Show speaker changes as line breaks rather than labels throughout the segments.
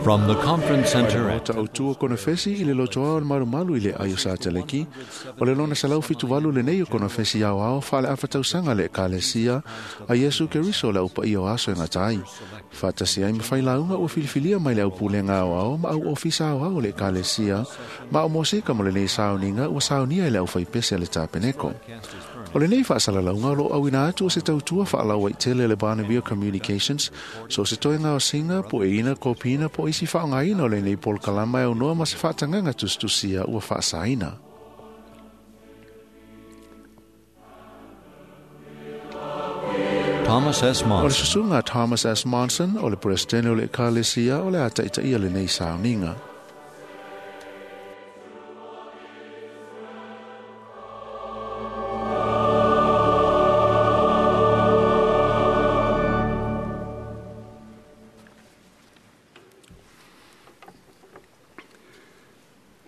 From the conference center at
Maota autua konefesi i le lotoa o le malumalu i le ai o Sateleki, o le lona 178 lenei o konefesi aoao faale-afatausaga le Ekalesia a Iesu Keriso le aupaia o aso e gata ai. Faatasi ai ma failauga ua filifilia mai le aupulega aoao ma au ofisa aoao o le Ekalesia, ma o mosika mo lenei sauniga ua saunia i le aufaipese a le tapeneko. O lenei faasalalauga o loo auina atu o se tautua faalauaitele le Barnabio Communications, so se toega o singa, pueina, kopina, po isi faaaogaina o lenei polokalama e aunoa ma se faatagaga tusitusia ua faasaina.
Thomas S.
O le
Monson.
susuga a Thomas S. Monson, o le Peresetene o le Ekalesia o le a taitaia lenei sauniga.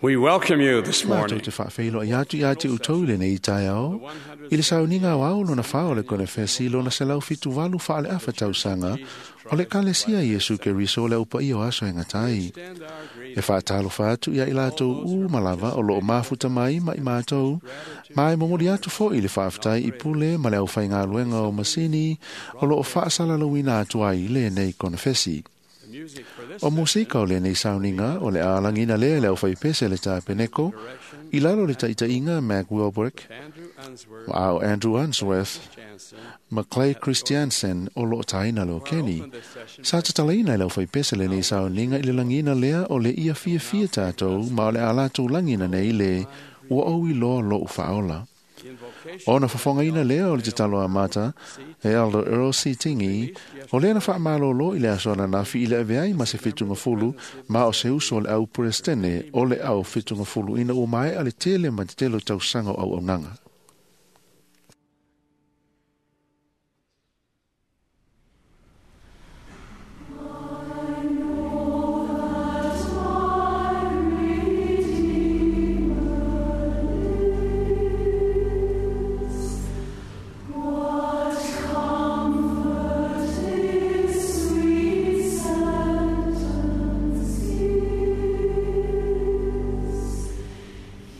We welcome you this
Matou
morning.
te faafeiloai atu ia te outou i lenei taeao i le sauniga aoao lona 4 o le konefesi lona 178 faale-afa tausaga o le Ekalesia Iesu Keriso o le aupaia o aso e gata ai. E faatalofa atu ia i latou uma lava o loo mafuta mai ma i matou, ma e momoli atu foi le faafetai i pule ma le aufaigaluega o masini o loo faasalalauina atu ai lenei konefesi. O musika o lenei sauniga o le alagina lea le aufaipese le tapeneko i lalo le taitaiga Mac Wilbrick, ma o Andrew Unsworth, ma Clay Christiansen o loo taina le okeni. Sa tatalaina i le aufaipese lenei sauniga i le lagina lea o le ia fiafia tatou ma o le a latou lagina nei le ua ou iloa lou faaola. Ona fofogaina lea o le tatalo amata e Elder Earl C. Tingi, o lea na faamalōlō i le aso ananafi i le avea ai ma se fitugafulu ma o se uso o le au Peresetene o le au fitugafulu ina ua maea le tele ma te tele o tausaga o auaunaga.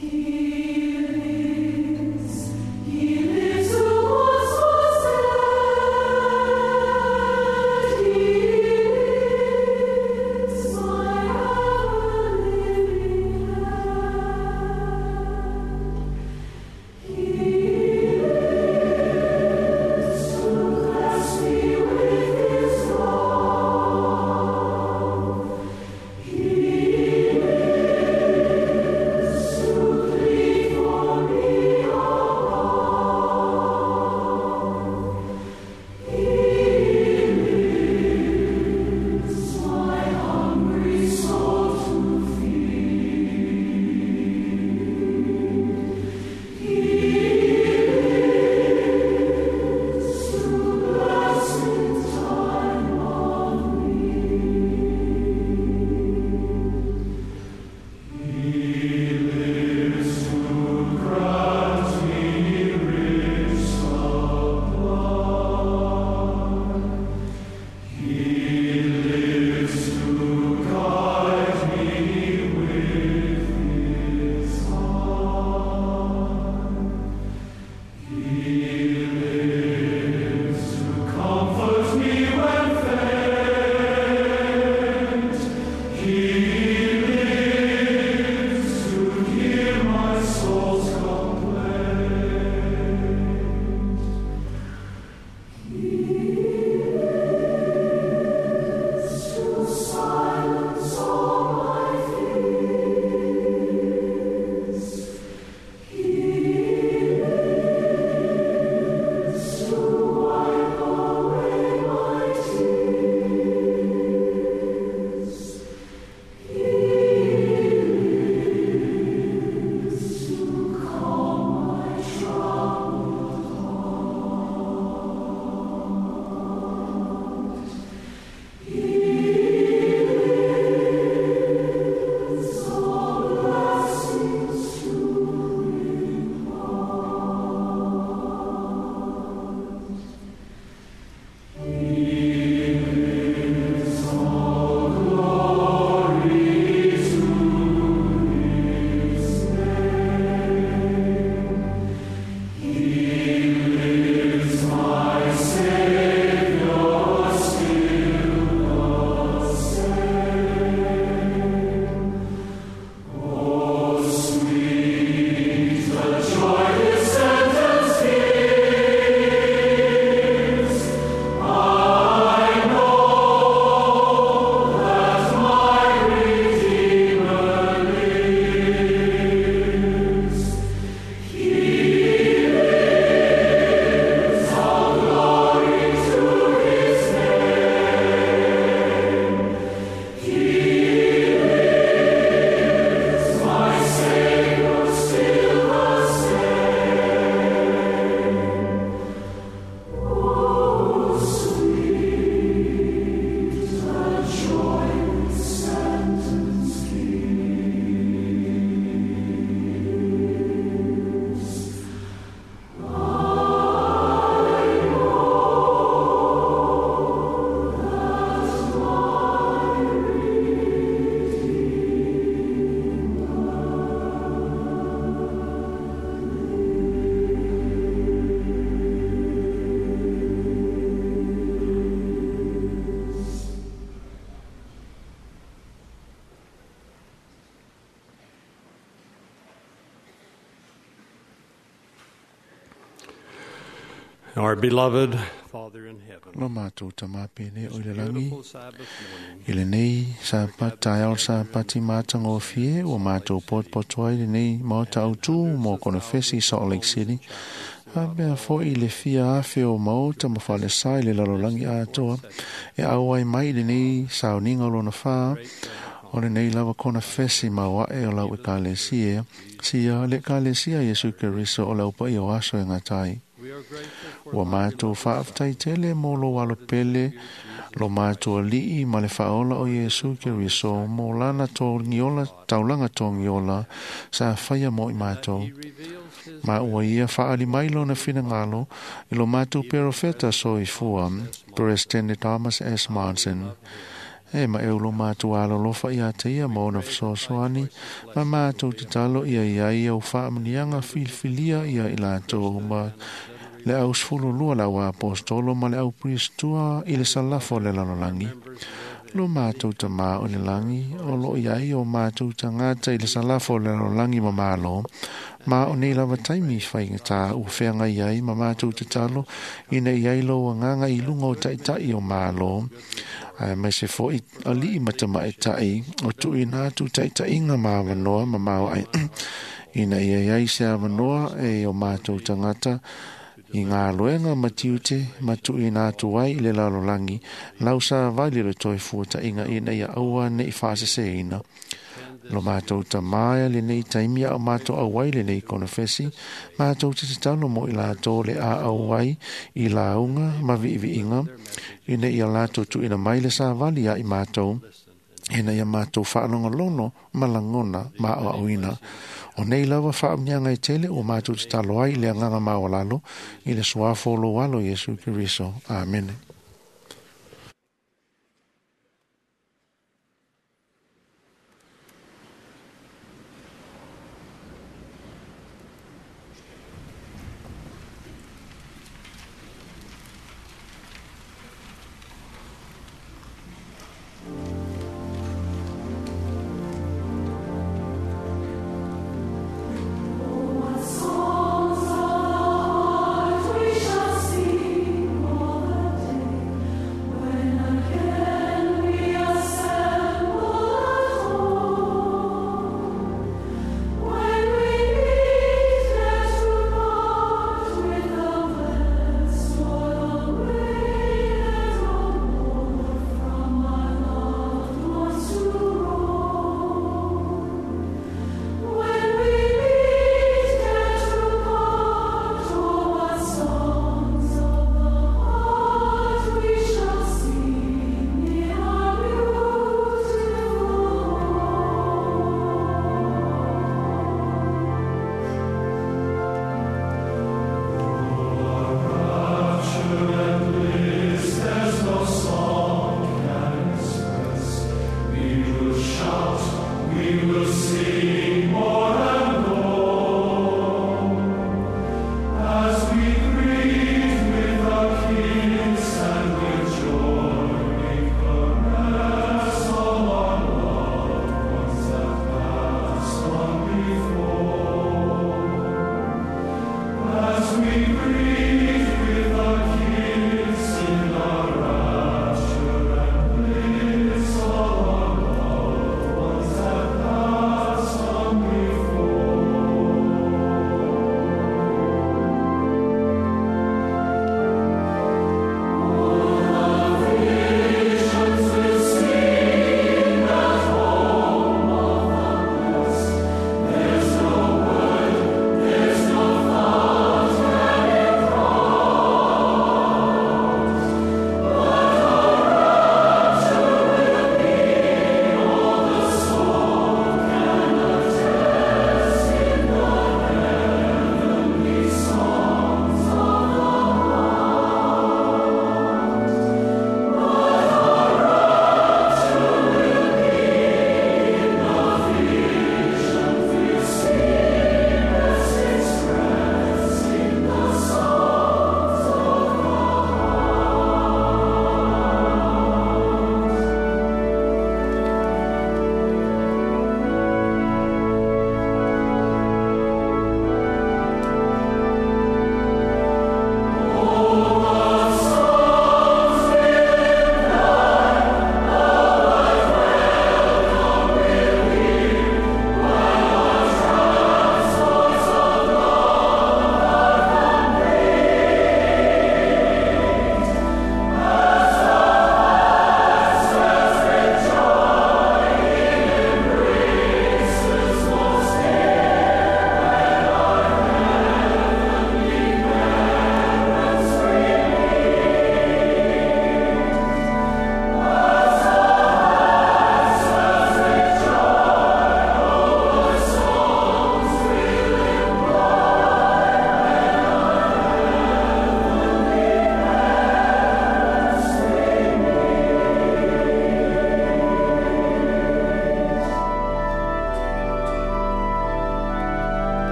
He lives.
Our beloved Father in heaven,
Lo mātou tamā pēne o i le langi,
beautiful Sabbath morning,
i lenei Sāpata taeao le Sāpati mātagofie ua matou potopoto ai lenei maota autū mo konefesi i Salt Lake City. Faapea foʻi le fia afe o maota ma falesa i le lalolagi atoa e auai mai i lenei sauniga o lona fā o lenei lava konefesi maoaʻe o lau ekalesia sia le ekalesia Iesu Keriso o le aupaia o aso e gata ai.
we are grateful for
Ua matou faafetai tele mo lou alopele lo matou aliʻi ma le faaola o Iesu Keriso mo lana togiola taulaga togiola sa faia mo i matou.
He reveals his
Ma ua ia faaali mai lona finagalo i lo matou perofeta soifua President Thomas S. Monson. E ma e ulo matou alolofa ia te ia ma ona fesoasoani ma matou tatalo ia ia ia o faamanuiaga filifilia ia i latou ma le au 12 le au apostolo ma le au pristua i le salafo o le lalolagi. Lo mātou tamā o le langi, o lo iai o mātou tagata i le salafo o le lalolagi ma malo, ma o nei lava taimi faigata ua feagai ai ma mātou tatalo ina ia i lou agaga i luga o taʻitaʻi o malo, aemaise foʻi aliʻi ma tamaʻitaʻi o tuuina atu taʻitaʻiga ma avanoa ma maoaʻe ina ia iai se avanoa e o mātou tagata i ngā loenga ma tiute ma tuuina atu ai i le lalolagi lau savali o le toe fuataʻiga ina ia aua neʻi faaseseina. Lo mātou tamā lenei taimi a o mātou auai lenei konefesi, mātou te tatalo mo i latou le a auai i lauga ma viiviiga, ina ia latou tuuina mai le savali a i mātou, ina ia mātou faalogologo ma lagona ma aoaoina. O nei lava faamanuiaga e tele ua mātou tatalo ai i le agaga maualalo i le suafo o lou alo Iesu Keriso. Amene.
Songs of the heart we shall sing all the day.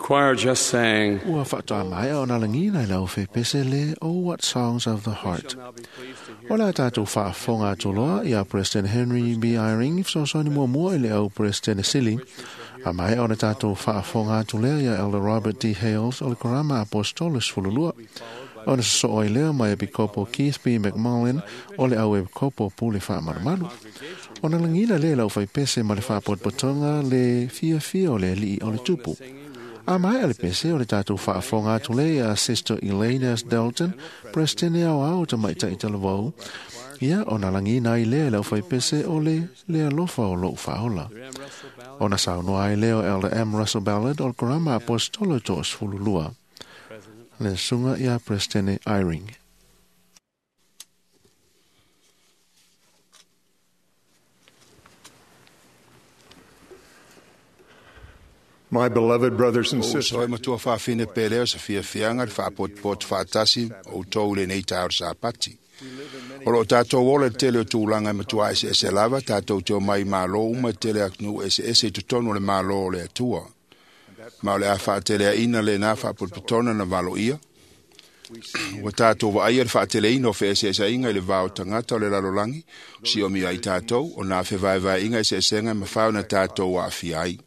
choir just sang.
Ua faatoa maea ona lagiina i le aufepese le Oh What Songs of the Heart. O le a tatou faafofoga atu loa ia President Henry B. Eyring fesoasoani muamua i le au President Sili. A maea ona tatou faafofoga atu lea ia Elder Robert D. Hales o le Korama Apostolo 12. Ona sosoo ai lea mai Epikopo Keith B. McMullen o le au Epikopo Pule Faamalumalu. Ona lagiina lea i le aufaipese ma le faapotopotoga le fiafia o le alii o le tupu. A maea le pese o le tatou faafofoga atu lea ia Sister Elaine S. Dalton, President aoao tamaitai talavou, ia ona lagiina ai lea i le aufaipese o le le alofa o lou faaola. Ona saunoa ai lea o Elder M. Russell Ballard o le Korama Apostolo 12. Le susuga ia President Eyring.
My beloved brothers and
O
sisters,
uso e matua whawhine pere o sa fiafianga le whaapotopoto whaatasi o tau le nei tau sapati. O lo tātou ola te tele o tūlanga e matua ese ese lava, tātou te o mai mālo uma tele aknu ese ese i totonu le mālo o le atua. Ma o le a whaatele a ina le nā whaapotopotona na valo ia. Ua tātou wa aia le whaatele ina o whe ese ese inga i le vao tangata o le lalolangi, si o mi ai tātou, o nā whe vae vae inga ese esenga e mawhao na tātou wa awhia ai.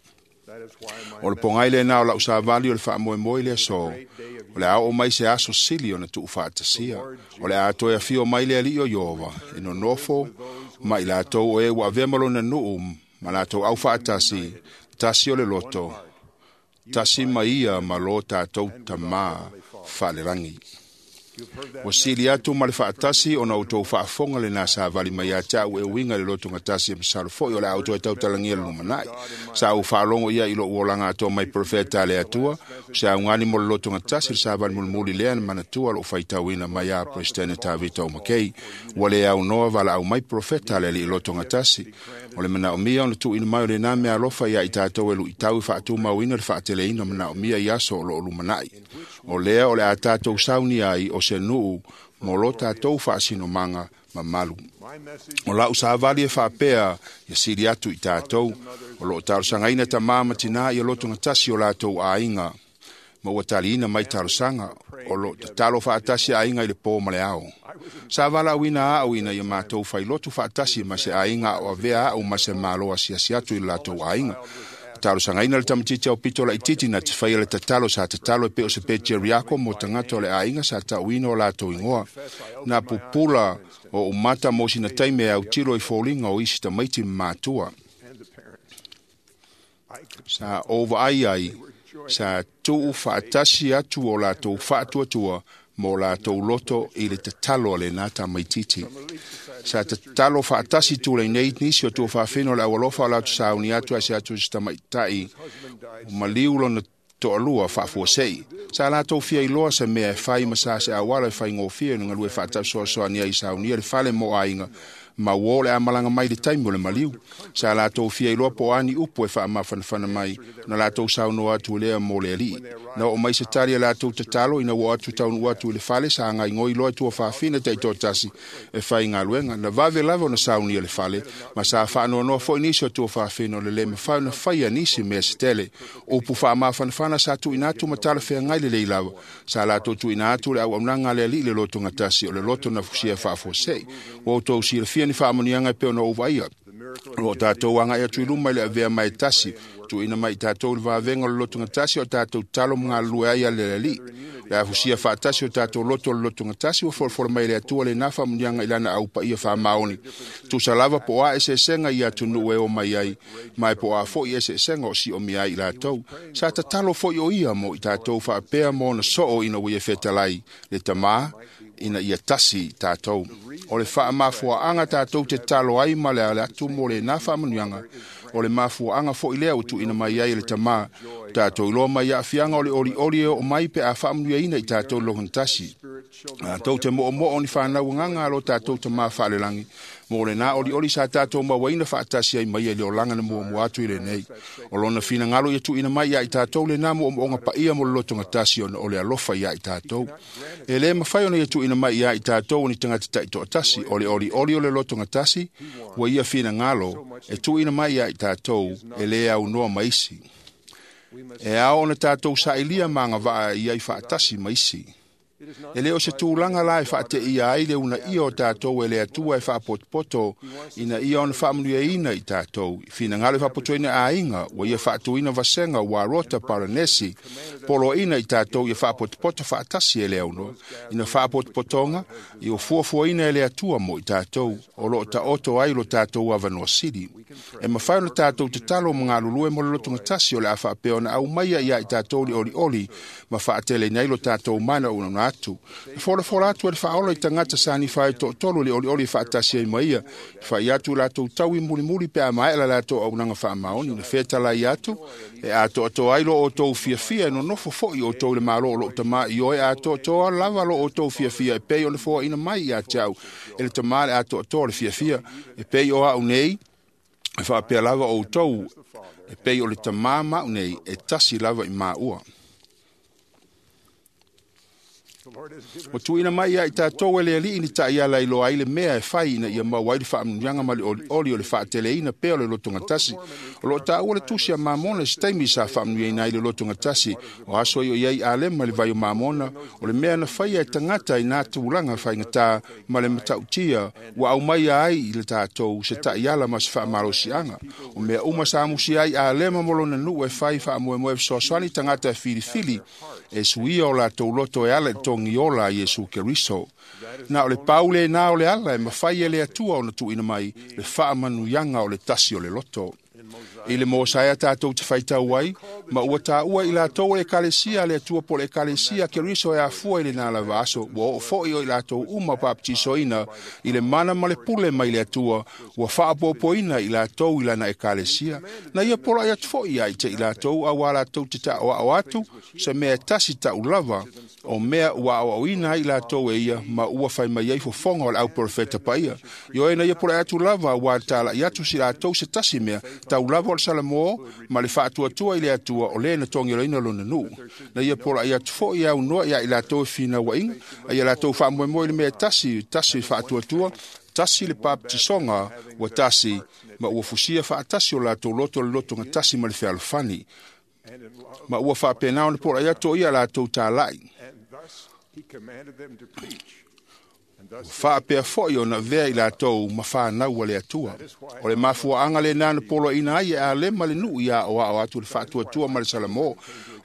O le pongai le nā o lau sāvali o le whaamoemoe le aso. O le ao o mai se aso sili o na tuu whaatasia. O le atoe awhio mai le ali o Iova. E no nofo, mai lātou o e ua avea malona nuu, ma lātou au whaatasi, tasi o le loto, tasi mai ia ma lo tātou tamā whaalerangi. Ua sili atu ma le faatasi ona o tou faafofoga lenā savali mai ia te au e uiga i le lotogatasi e masalo foʻi o le a outou e tautalagia le lumanai. Sa ou faalogo ia i loʻu olaga atoa mai profeta a le Atua, o se augani mo le lotogatasi le savali mulimuli lea na manatua loʻu faitauina mai a Peresetene Tavita o Makei. Ua lē aunoa valaau mai profeta a le alii lotogatasi. O le manaomia ona tuuina mai o lenā mea alofa iā i tatou e luʻitau e faatumauina le faateleina o manaomia i aso o loo lumanai. O lea o le a tatou saunia ai o se nuu mo lo tatou faasinomaga mamalu. O lau savali e faapea ia sili atu i tatou, o loo talosagaina tamā ma tinā ia lotogatasi o latou aiga, ma ua taliina mai talosaga, o loo tatalo faatasi aiga i le pō ma le ao. Sa valaauina aʻu ina ia matou failotu faatasi ma se aiga o avea aʻu ma se malo asiasi atu i le latou aiga. Talosagaina le tamatiti au pito laititi na te faia le tatalo sa tatalo e pe o se pe Jeriako mo tagata o le aiga sa tauina o latou igoa. Na pupula o umata mo sina taime au tilo i foliga o isi tamaiti ma matua. Sa ova ai ai, sa tuu faatasi atu o latou faatuatua mo latou loto i le tatalo a lenā tamaititi. Sa tatalo faatasi tulai nei nisi o tua faafino le aualofa o latou sauni atu ai se atu i se tamaitai o maliu lona toalua faafuasei. Sa latou fia iloa se mea e fai ma sa se auala e faigofie ona galue faatausoasoani ai saunia le fale mo aiga ma uō o le a malaga mai le taimi o le maliu. Sa latou fia iloa po o ani upu e faamafanafana mai na latou saunoa atu lea mo le alii. Na oo mai se tali a latou tatalo ina ua atu taunuu atu i le fale sa gaigoi loa e tuafafine taitoatasi e faigaluega. Na vave lava ona saunia le fale ma sa faanoanoa foʻi nisi o tuafafine o le lē mafai ona faia nisi mea se tele. Upu faamafanafana sa tuuina atu ma talafeagai lelei lava. Sa latou tuuina atu le auaunaga a le alii le lotogatasi o le loto na fusia faafuasei. Ua outou silafia ni faamanuiaga e pei ona ou vaaia. O loo tatou agai atu i luma i le avea mai tasi, tuuina mai i tatou le vavega o le lotogatasi o tatou tatalo ma galulue ai a le alii. Le afusia faatasi o tatou loto o le lotogatasi ua folafola mai le Atua lenā faamanuiaga i lana aupaia faamaoni. Tusa lava po o a eseesega i atunuu e o mai ai, ma e po o a foʻi eseesega o siomia ai i latou. Sa tatalo foʻi o ia mo i tatou faapea mo ona soo ina ua ia fetalai le tamā ina ia tasi tatou. O le faamafuaaga tatou te talo ai ma le ale atu mo lenā faamanuiaga, o le mafuaaga foʻi lea ua tuuina mai ai e le tamā. Tatou iloa mai aafiaga o le olioli e oo mai pe a faamanuiaina i tatou i le logatasi. Tatou te moomoo ni fanau agaga a lo tatou tamā faalelagi mo lenā olioli sa tatou mauaina faatasi ai mai ai le olaga na muamua atu i lenei. O lona finagalo ia tuuina mai ia i tatou lenā moomooga paia mo le lotogatasi ona o le alofa ia i tatou. E lē mafai ona ia tuuina mai ia i tatou o ni tagata taitoatasi, o le olioli o le lotogatasi ua ia finagalo e tuuina mai ia i tatou e lē aunoa ma isi. E ao ona tātou sailia ma agavaa i ai faatasi ma isi. E le o se tulaga la e faateia ai le uunaia o tatou e le Atua e faapotopoto ina ia ona faamanuiaina i tatou. I finagalo e faapotoina aiga, ua ia faatuina vasega ua rota Paranesi, poloaina i tatou ia faapotopoto faatasi e le aunoa. Ina faapotopotoga, ia fuafuaina e le Atua mo i tatou, o loo taoto ai lo tatou avanoa sili. E mafai ona tatou tatalo ma galulue mo le lotogatasi o le a faapea ona aumaia ia i tatou le olioli ma faateleina ai lo tatou mana unauna atu. E folafola atu e le faaola i tagata sa nifa ai toatolu le olioli faatasi ai ma ia, e fai atu latou taui mulimuli pe a maea la latou auaunaga faamaoni. Na fetalai atu, e atoatoa ai lo outou fiafia e nonofo foi outou i le malo o lou Tamā i oe, atoatoa lava lo outou fiafia e pei ona foaina mai ia te au e le Tamā le atoatoa o le fiafia, e pei o au nei, e faapea lava outou, e pei o le Tamā ma au nei, e tasi lava i maua. Ua tuuina mai ia i tatou e le Alii ni taiala i loa ai le mea e fai ina ia maua ai le faamanuiaga ma le olioli o le faateleina pea o le lotogatasi. O loo taua le tusi a Mamona i se taimi sa faamanuiaina ai le lotogatasi. O aso i o i ai Alema i le vai o Mamona, o le mea na faia e tagata i nā tulaga faigata ma le matautia ua aumaia ai i le tatou se taiala ma se faamalosiaga. O mea uma sa musia ai Alema mo lona nuu e fai faamoemoe fesoasoani tagata e filifili e suia o latou loto e ala i togi ola a Iesu Keriso. Na o le pau lena o le ala e mafai e le Atua ona tuuina mai le faamanuiaga o le tasi o le loto. I le Mosaea tatou te faitau ai, ma ua taua i latou o le ekalesia a le Atua po o le ekalesia Keriso e afua i lena lava aso, ua oo foi o i latou uma papatisoina i le mana ma le pule mai le Atua, ua faapopoina i latou i lana ekalesia. Na ia pola'i atu foi ia i te i latou auā latou te taʻoaʻo atu, se mea e tasi ta'u lava, o mea ua aoaoina ai i latou e ia, ma ua fai mai ai fofoga o le auprofeta paia. Ioe na ia pola'i atu lava auā tala'i atu si latou se tasi mea, tau lava o le Salamo ma le faatuatua i le Atua o lē na togiloina lona nuu. Na ia pola'i atu foi e aunoa ia i latou e finauaiga, a ia latou faamoemoe i le mea e tasi, tasi faatuatua, tasi le papatisoga ua tasi, ma ua fusia faatasi o latou loto le lotogatasi ma le fealofani. Ma ua faapena ona pola'i atu o ia latou tala'i. Ua faapea foi ona avea i latou ma fanau a le Atua. O le mafuaaga lena na poloaiina ai e Alema le nuu ia aoao atu le faatuatua ma le Salamo. O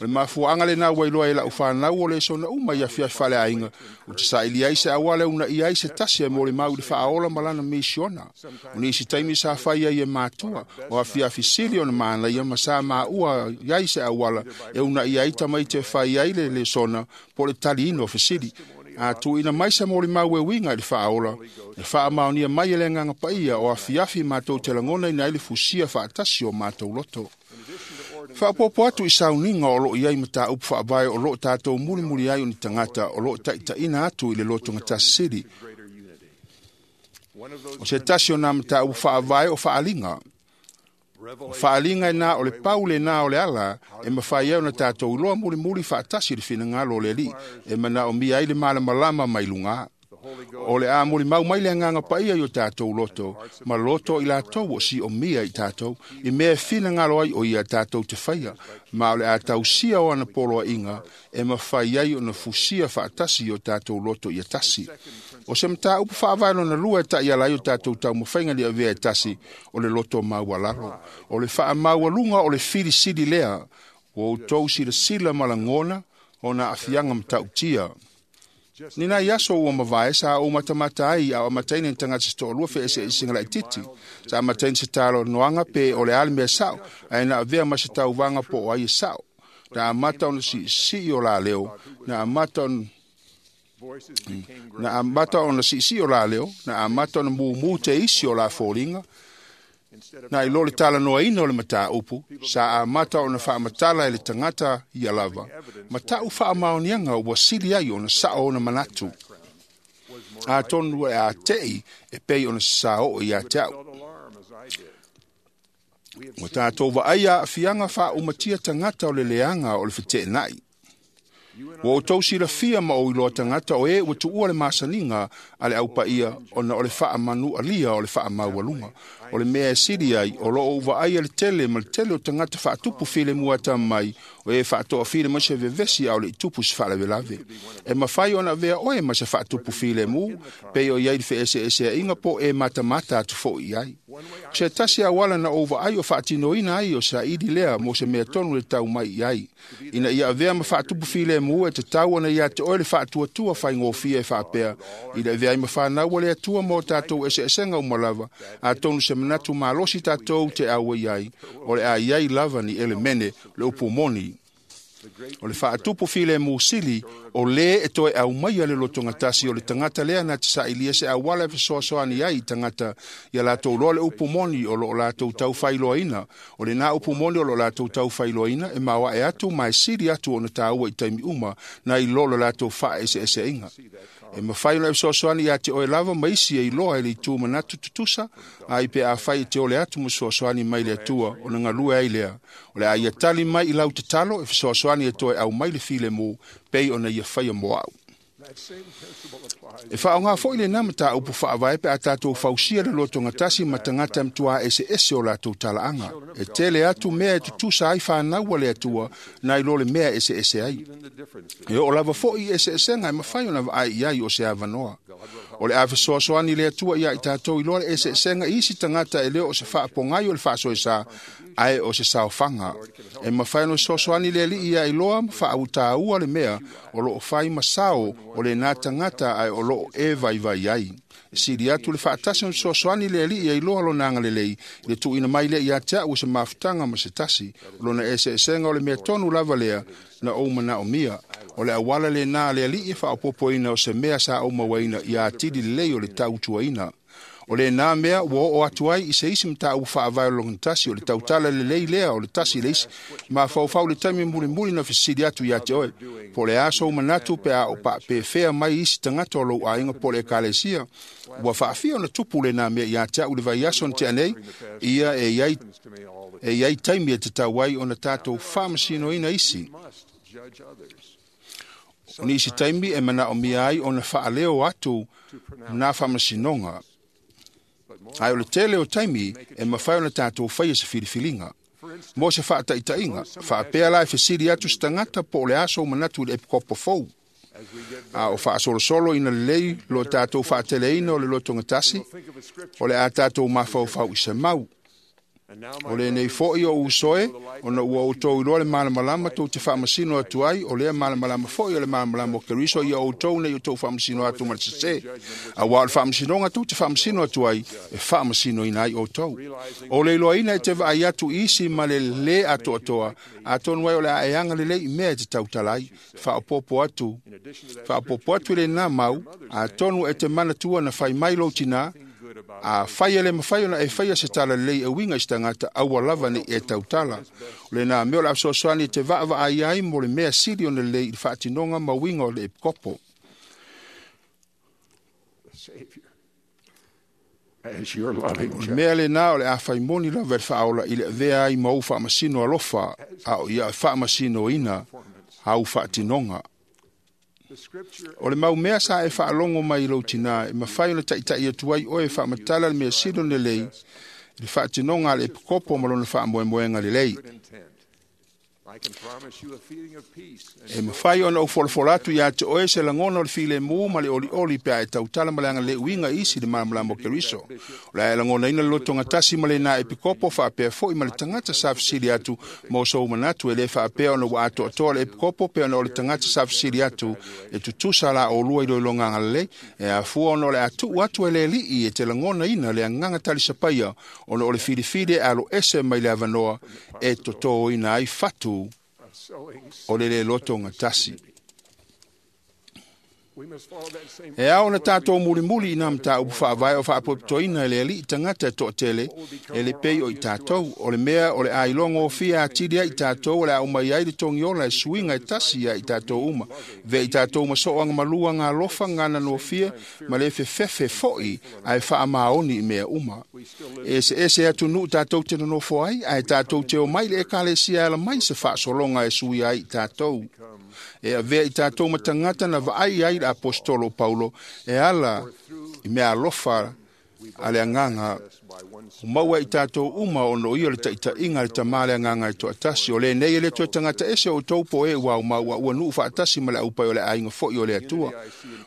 le mafuaaga lena ua iloa e lau fanau o le sona uma i afiafi faaleaiga, o te saili ai se auala e uunaia ai se tasi e molimau i le faaola ma lana misiona. O nisi taimi sa fai ai e matua, o afiafi sili ona manaia ma sa maua ai se auala e uunaia ai tamaiti e fai ai le lesona po o le taliina o fesili. A tuuina mai se molimau e uiga i le faaola, e faamaonia mai e le Agaga Paia o afiafi matou te lagonaina ai le fusia faatasi o matou loto. Faaopoopo atu i sauniga o loo i ai mataupu faavae o loo tatou mulimuli ai o ni tagata o loo taitaina atu i le lotogatasi sili. O se tasi o nā mataupu faavae o faaliga. O faaliga e na o le pau lena o le ala e mafai ai ona tatou iloa mulimuli faatasi le finagalo o le Alii e manaomia ai le malamalama mai luga. O le a molimau mai le Agaga Paia i o tatou loto, ma loto i latou o siomia i tatou, i mea e finagalo ai o ia tatou te faia, ma o le a tausia o ana poloaiga e mafai ai ona fusia faatasi i o tatou loto ia tasi. O se mataupu faavae lona lua e taiala ai o tatou taumafaiga ni avea e tasi o le loto maualalo. O le faamaualuga o le filisili lea, ua outou silasila ma lagona ona aafiaga matautia. Ni nai aso ua mavae sa ou matamata ai a o amataina ni tagata se toalua feeseesega laitiiti. Sa amataina se talanoaga pe o le a le mea sa'o, ae na avea ma se tauvaga po o ai e sa'o. Na amata ona siisii o la leo, na amata ona siisii o la leo, na amata ona mumu te isi o la foliga, na i lo le talanoaina o le mataupu, sa amata ona faamatala e le tagata ia lava, ma ta'u faamaoniaga ua sili ai ona sa'o ona manatu. Atonu e ate'i e pei ona saoo ia te au. Ua tatou vaaia aafiaga faaumatia tagata o le leaga o le feteenai. Ua outou silafia ma ou iloa tagata o e ua tuua le masaniga a le aupaia ona o le faamanualia o le faamaualuga. O le mea e sili ai, o loo ou vaaia le tele ma le tele o tagata faatupu filemu atamamai o e faatoafili mai se vevesi a o le i tupu se faalavelave. E mafai ona avea oe ma se faatupu filemu, pei o i ai le feeseeseaiga po o e matamata atu foi i ai. O se tasi auala na ou vaai o faatinoina ai o saili lea mo se mea tonu le tau mai i ai. Ina ia avea ma faatupu filemu e tatau ona ia te oe le faatuatua faigofie e faapea, i le avea ai ma fanau a le Atua mo tatou eseesega uma lava, atonu se manatu malosi tatou te auai ai, o le a i ai lava ni elemene le upu moni. O le faatupu filemu sili, o lē e toe aumaia le lotogatasi o le tagata lea na te sailia se auala e fesoasoani ai i tagata ia latou loa le upu moni o loo latou taufailoaina. O lenā upu moni o loo latou taufailoaina e maoae atu ma e sili atu ona taua i taimi uma nai lo le latou faaeseeseaiga. E mafai ona e fesoasoani ia te oe lava ma isi e iloa e le itu manatu tutusa, ai pe afai e te ole atu ma fesoasoani mai le Atua ona galue ai lea. O le a ia tali mai i lau tatalo e fesoasoani e toe aumai le filemu pei ona ia faia mo au. E faaaoga foi lenā mataupu faavae pe a tatou fausia le lotogatasi ma tagata e matuā eseese o latou talaaga. E tele atu mea e tutusa ai fanau a le Atua nai lo le mea e eseese ai. E oo lava foi i eseesega e mafai ona vaai i ai o se avanoa. O le a fesoasoani le Atua ia i tatou iloa le eseesega i isi tagata e le o se faapogai o le faasoesa, ae o se saofaga. E mafai ona fesoasoani le Alii ia iloa ma faautaua le mea o loo fai ma sao o lenā tagata ae o loo e vaivai ai. E sili atu le faatasi ona fesoasoani le Alii ia iloa lona agalelei i le tuuina mai lea ia te au o se mafutaga ma se tasi. O lona eseesega o le mea tonu lava lea na ou manaomia. O le auala lenā a le Alii e faaopoopoina o se mea sa ou mauaina ia atili lelei o le tautuaina. O lenā mea ua oo atu ai i se isi mataupu faavae o le logatasi o le tautala lelei lea o le tasi le isi. Mafaufau le taimi mulimuli na fesili atu ia te oe, po o le a sou manatu pe a o paapefea mai isi tagata o lou aiga po o le ekalesia. Ua faafia ona tupu lenā mea ia te au i le vaiaso na tea nei, ia e i ai taimi e tatau ai ona tatou faamasinoina isi. O nisi taimi e manaomia ai ona faaleo atu nā faamasinoga. Ae o le tele o taimi e mafai ona tatou faia se filifiliga. Mo se faataitaiga, faapea la e fesili atu se tagata po o le a sou manatu i le epikopo fou. A o faasolosolo ina lelei lo tatou faateleina o le lotogatasi, o le a tatou mafaufau i se mau. O lenei foi o usoe, ona ua outou iloa le malamalama tou te faamasino atu ai, o lea malamalama foi o le malamalama o Keriso ia outou nei outou faamasino atu ma le sesē. Auā o le faamasinoga tou te faamasino atu ai, e faamasinoina ai outou. O le iloaina e te vaai atu i isi ma le lē atoatoa, atonu ai o le a e agalelei i mea e te tautala ai. Faaopoopo atu, faaopoopo atu i lenā mau, atonu e te manatua na fai mai lou tinā, a fai e le mafai ona e faia se tala lelei e uiga i se tagata, aua lava nei e tautala. O lenā mea o le a fesoasoani e te vaavaai ai mo le mea sili ona lelei i le faatinoga ma uiga o le epikopo. O le mea lenā o le a fai moni lava e le faaola i le avea ai ma ou faamasino alofa, a o ia faamasinoina au faatinoga. O le mau mea sa e faalogo mai i lou tinā, e mafai ona taitai atu ai oe e faamatala le mea sili ona lelei i le faatinoga a le epikopo ma lona faamoemoega lelei. E mafai ona ou folafola atu ia te oe se lagona o le filemu ma le olioli pe a e tautala ma le agalelei uiga i isi i le malamalama o Keriso. O le a e lagonaina le lotogatasi ma lenā epikopo faapea foi ma le tagata sa fesili atu mo sou manatu e lē faapea ona ua atoatoa le epikopo pe ona o le tagata sa fesili atu e tutusa la olua i iloiloga agalelei e afua ona o le a tuu atu e le Alii e te lagonaina le agaga talisapaia ona o le filifili e aloese mai le avanoa e totōina ai fatu o le lē lotogatasi. E ao na tātou mulimuli i nā mataupu whaavae o whaapopotoina e le alii tagata e toatele e le pei o i tātou. O le mea o le ailoga o fia atili ai i tātou o le au mai ai le togiola e suiga e tasi ia i tātou uma. Vea i tātou maso'oaga malua galofa gana nofia ma le fefefe fo'i ae faamaoni i mea uma. E eseese atunuu tātou te nonofo ai ae tātou te o mai le ekalesia e ala mai se faasologa e suia ai i tātou. E avea i tātou ma tagata na vaai ai le apostolo Paulo e ala i mea alofa a le agaga o maua i tātou uma ona o ia le taitaiga a le tamā le agaga e toatasi. O lenei e le toe tagata ese o outou po e ua aumau ua nuu faatasi ma le aupai o le aiga fo'i o le Atua.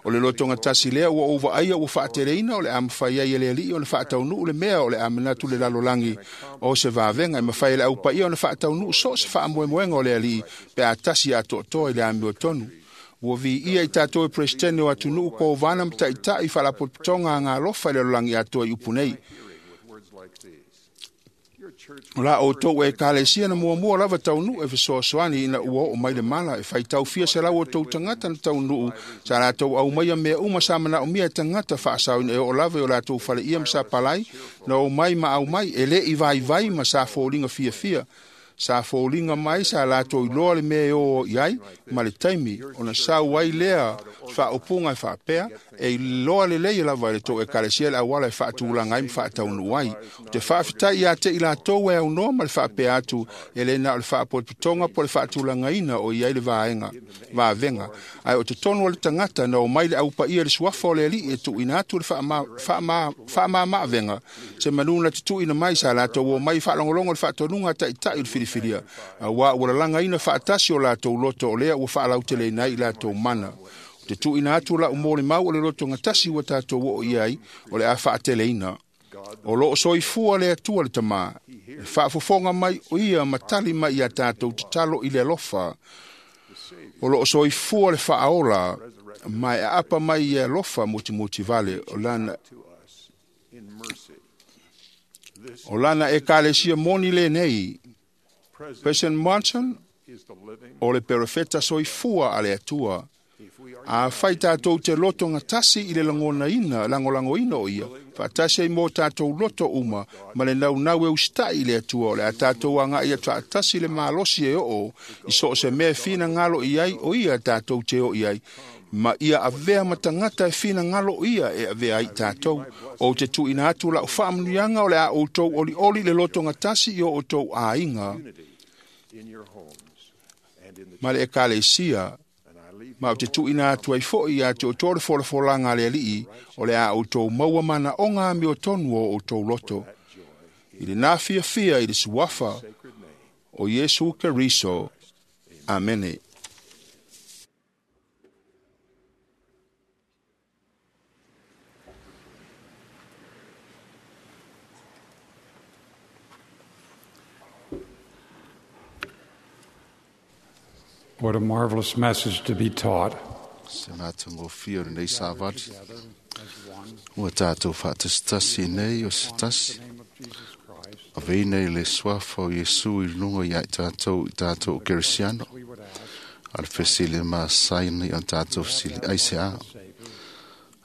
O le lotogatasi lea ua ou vaaia ua faateleina o le a mafai ai e le alii ona faataunuu le mea o le a manatu le lalolagi o se vavega e mafai e le aupaia ona faataunuu so o se faamoemoega o le alii pe a tasi atoatoa i le amiotonu. Ua viia i tātou e Peresetene o atunuu kovana ma taitai faalapotopotoga agalofa i le lalolagi atoa i upu nei. O la outou e ekalesia na muamua lava taunuu e fesoasoani ina ua oo mai le mala e faitau fia selau o tou tagata na taunuu sa latou aumaia mea uma sa manaomia e tagata faasaoina e oo lava i o latou faleia ma sa palai na omai ma aumai e lei vaivai ma sa foliga fiafia. Sa foliga mai sa latou iloa le mea e o i ai ma le taimi ona sau ai lea faaupuga e faapea e iloa lelei lava e le tou ekalesia le auala e faatulaga ai ma faataunuu ai. O te faafetai ia te i latou e aunoa ma le faapea atu e le na o le faapotopotoga po o le faatulagaina o i ai le vaega vavega. Ae o totonu o le tagata na omai le aupaia i le suafa o le alii e tuuina atu le faamamaavega se manu na tutuuina mai sa latou omai faalogologo i le faatonuga a taitai o le filifilia auā ua lalagaina faatasi o latou loto o lea ua faalauteleina ai i latou mana. O te tuuina atu lau molimau o le lotogatasi ua tatou oo i ai o le a faateleina. O loo soifua le Atua le Tamā, e faafofoga mai o ia ma tali mai ia tātou tatalo i le alofa. O loo soifua le faaola ma e aapa mai ia alofa mutimoti vale o lana ekalesia moni lenei. President Monson o le perofeta soifua a le Atua. A fai tātou te lotogatasi i le lagonaina, lagolagoina o ia, faatasi ai mo tātou loto uma ma le naunau e usitai i le Atua o le a tātou agai atu faatasi le malosi e oo i so o se mea e finagalo i ai o ia tātou te oo i ai. Ma ia avea ma tagata e finagalo o ia e avea ai i tātou. O te tuuina atu lau faamanuiaga o le a outou olioli le lotogatasi i o outou aiga ma le ekalesia. Ma o te tuuina atu ai fo'i ia te outou le folafolaga a le alii o le a outou maua manaoga amiotonu o outou loto. I lenā fiafia i le suafa o Iesu Keriso. Amene.
What a marvelous message to be taught.
Se matagofie o lenei savali. Ua tātou faatasitasi nei o se tasi. Aveina i le suafa o Iesu i luga ia i tātou i tātou Kerisiano. A le fesili masaini o tātou fesili ai se a.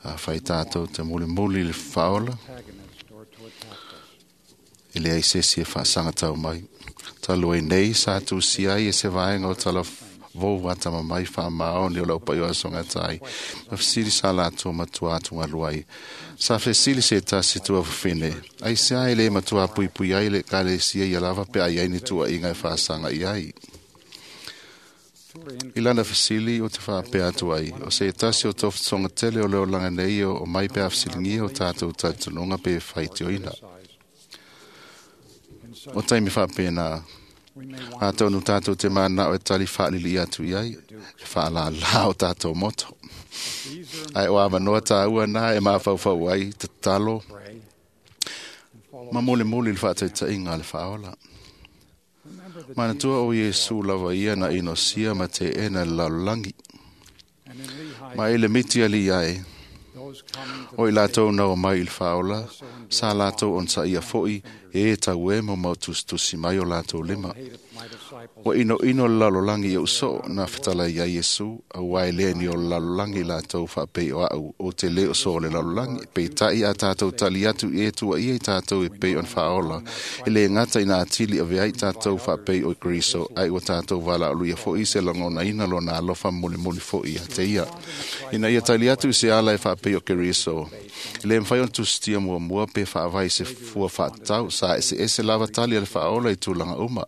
A fai tātou te mulimuli i le faaola. E leai se isi e faasagatau mai. Talu ai nei sa tusia ai e se vaega o tala vou atama mai faamaoni o lau paio asogatai. Na fesili sa latou matua atugalu ai. Sa fesili se tasi tua fafine. Ai se ai le matua puipui ai le ekalesia ia lava pe ai ai ni tuuaiga e faasaga i ai. I lana fesili o te faapea atu ai, o se tasi o tofutoga tele o le olaga nei o mai pe a fesiligia o tātou talitonuga pe faitioina. O taimi faapena, atonu tātou te manao e tali faalili atu i ai, e faalalā o tātou moto. Ae o avanoa tāua nā e mafaufau ai tatalo ma molemole le faataitaiga a le faaola. Manatua o Iesu lava ia na inosia ma teena le lalolagi. Ma e le miti alii ae, O i latou na o mai i le faaola, sa latou onosaia fo'i e tau e mo mau tusitusi mai o latou lima. Ua inoino le lalolagi i ou soo na fetalai ai Iesu, auā e le ni o le lalolagi latou faapei o a'u ou te lē o so o le lalolagi. Peitai a tatou tali atu i e tuuaia i tatou e pei ona faaola, e lē gata ina atili avea ai tatou faapei o Keriso, ae ua tatou valaaulia fo'i se lagonaina lona alofa mulimuli fo'i ia te ia. Ina ia tali atu i se ala e faapei o Keriso, e lē mafai ona tusitia muamua pe faavae i se fua faatatau, sa eseese lava tali a le faaola i tulaga uma.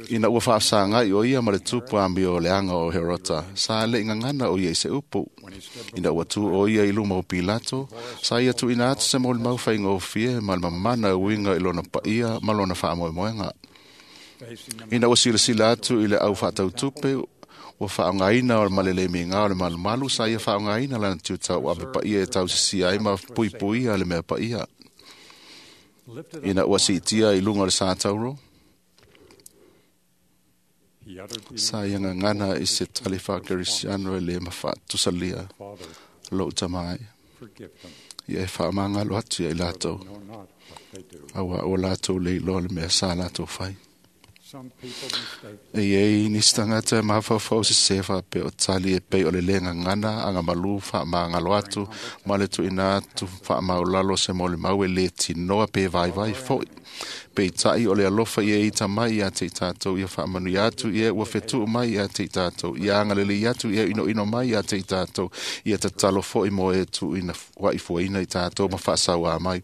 Ina ua faasagai o ia ma le tupu amio o le aga o Herota, sa le'i gagana o ia i se upu. Ina ua tu o ia i luma o Pilato, sa ia tuuina atu se molimau faigofie ma le mamana e uiga i lona paia ma lona faamoemoega. Ina ua silasila atu i le au faatautupe, ua faaaogaina ma le le migao o le malumalu, sa ia faaaogaina lana tiutau ave paia e tausisia ai ma puipuia le mea paia. Ina ua siitia i luga o le sa tauro, sa ia gagana i se tali faakerisiano e lē mafatusalia, lou tama ai, ia e faamagalo atu ia i latou, auā ua latou le iloa le mea sa latou fai. E iai nisi tagata e mafaufau sesē faapea o tali e pei o le lē gagana agamalū faamagalo atu ma le tuuina atu faamaulalo se molimau e lē tinoa pe vaivai fo'i. Peitai o le alofa ia ita mai ia te i tatou, ia faamanuia atu ia ua fetuu mai ia te i tatou, ia agalelei atu ia inoino mai ia te i tatou, ia tatalo fo'i mo e tuuina ua'ifuaina i tatou ma faasauā mai.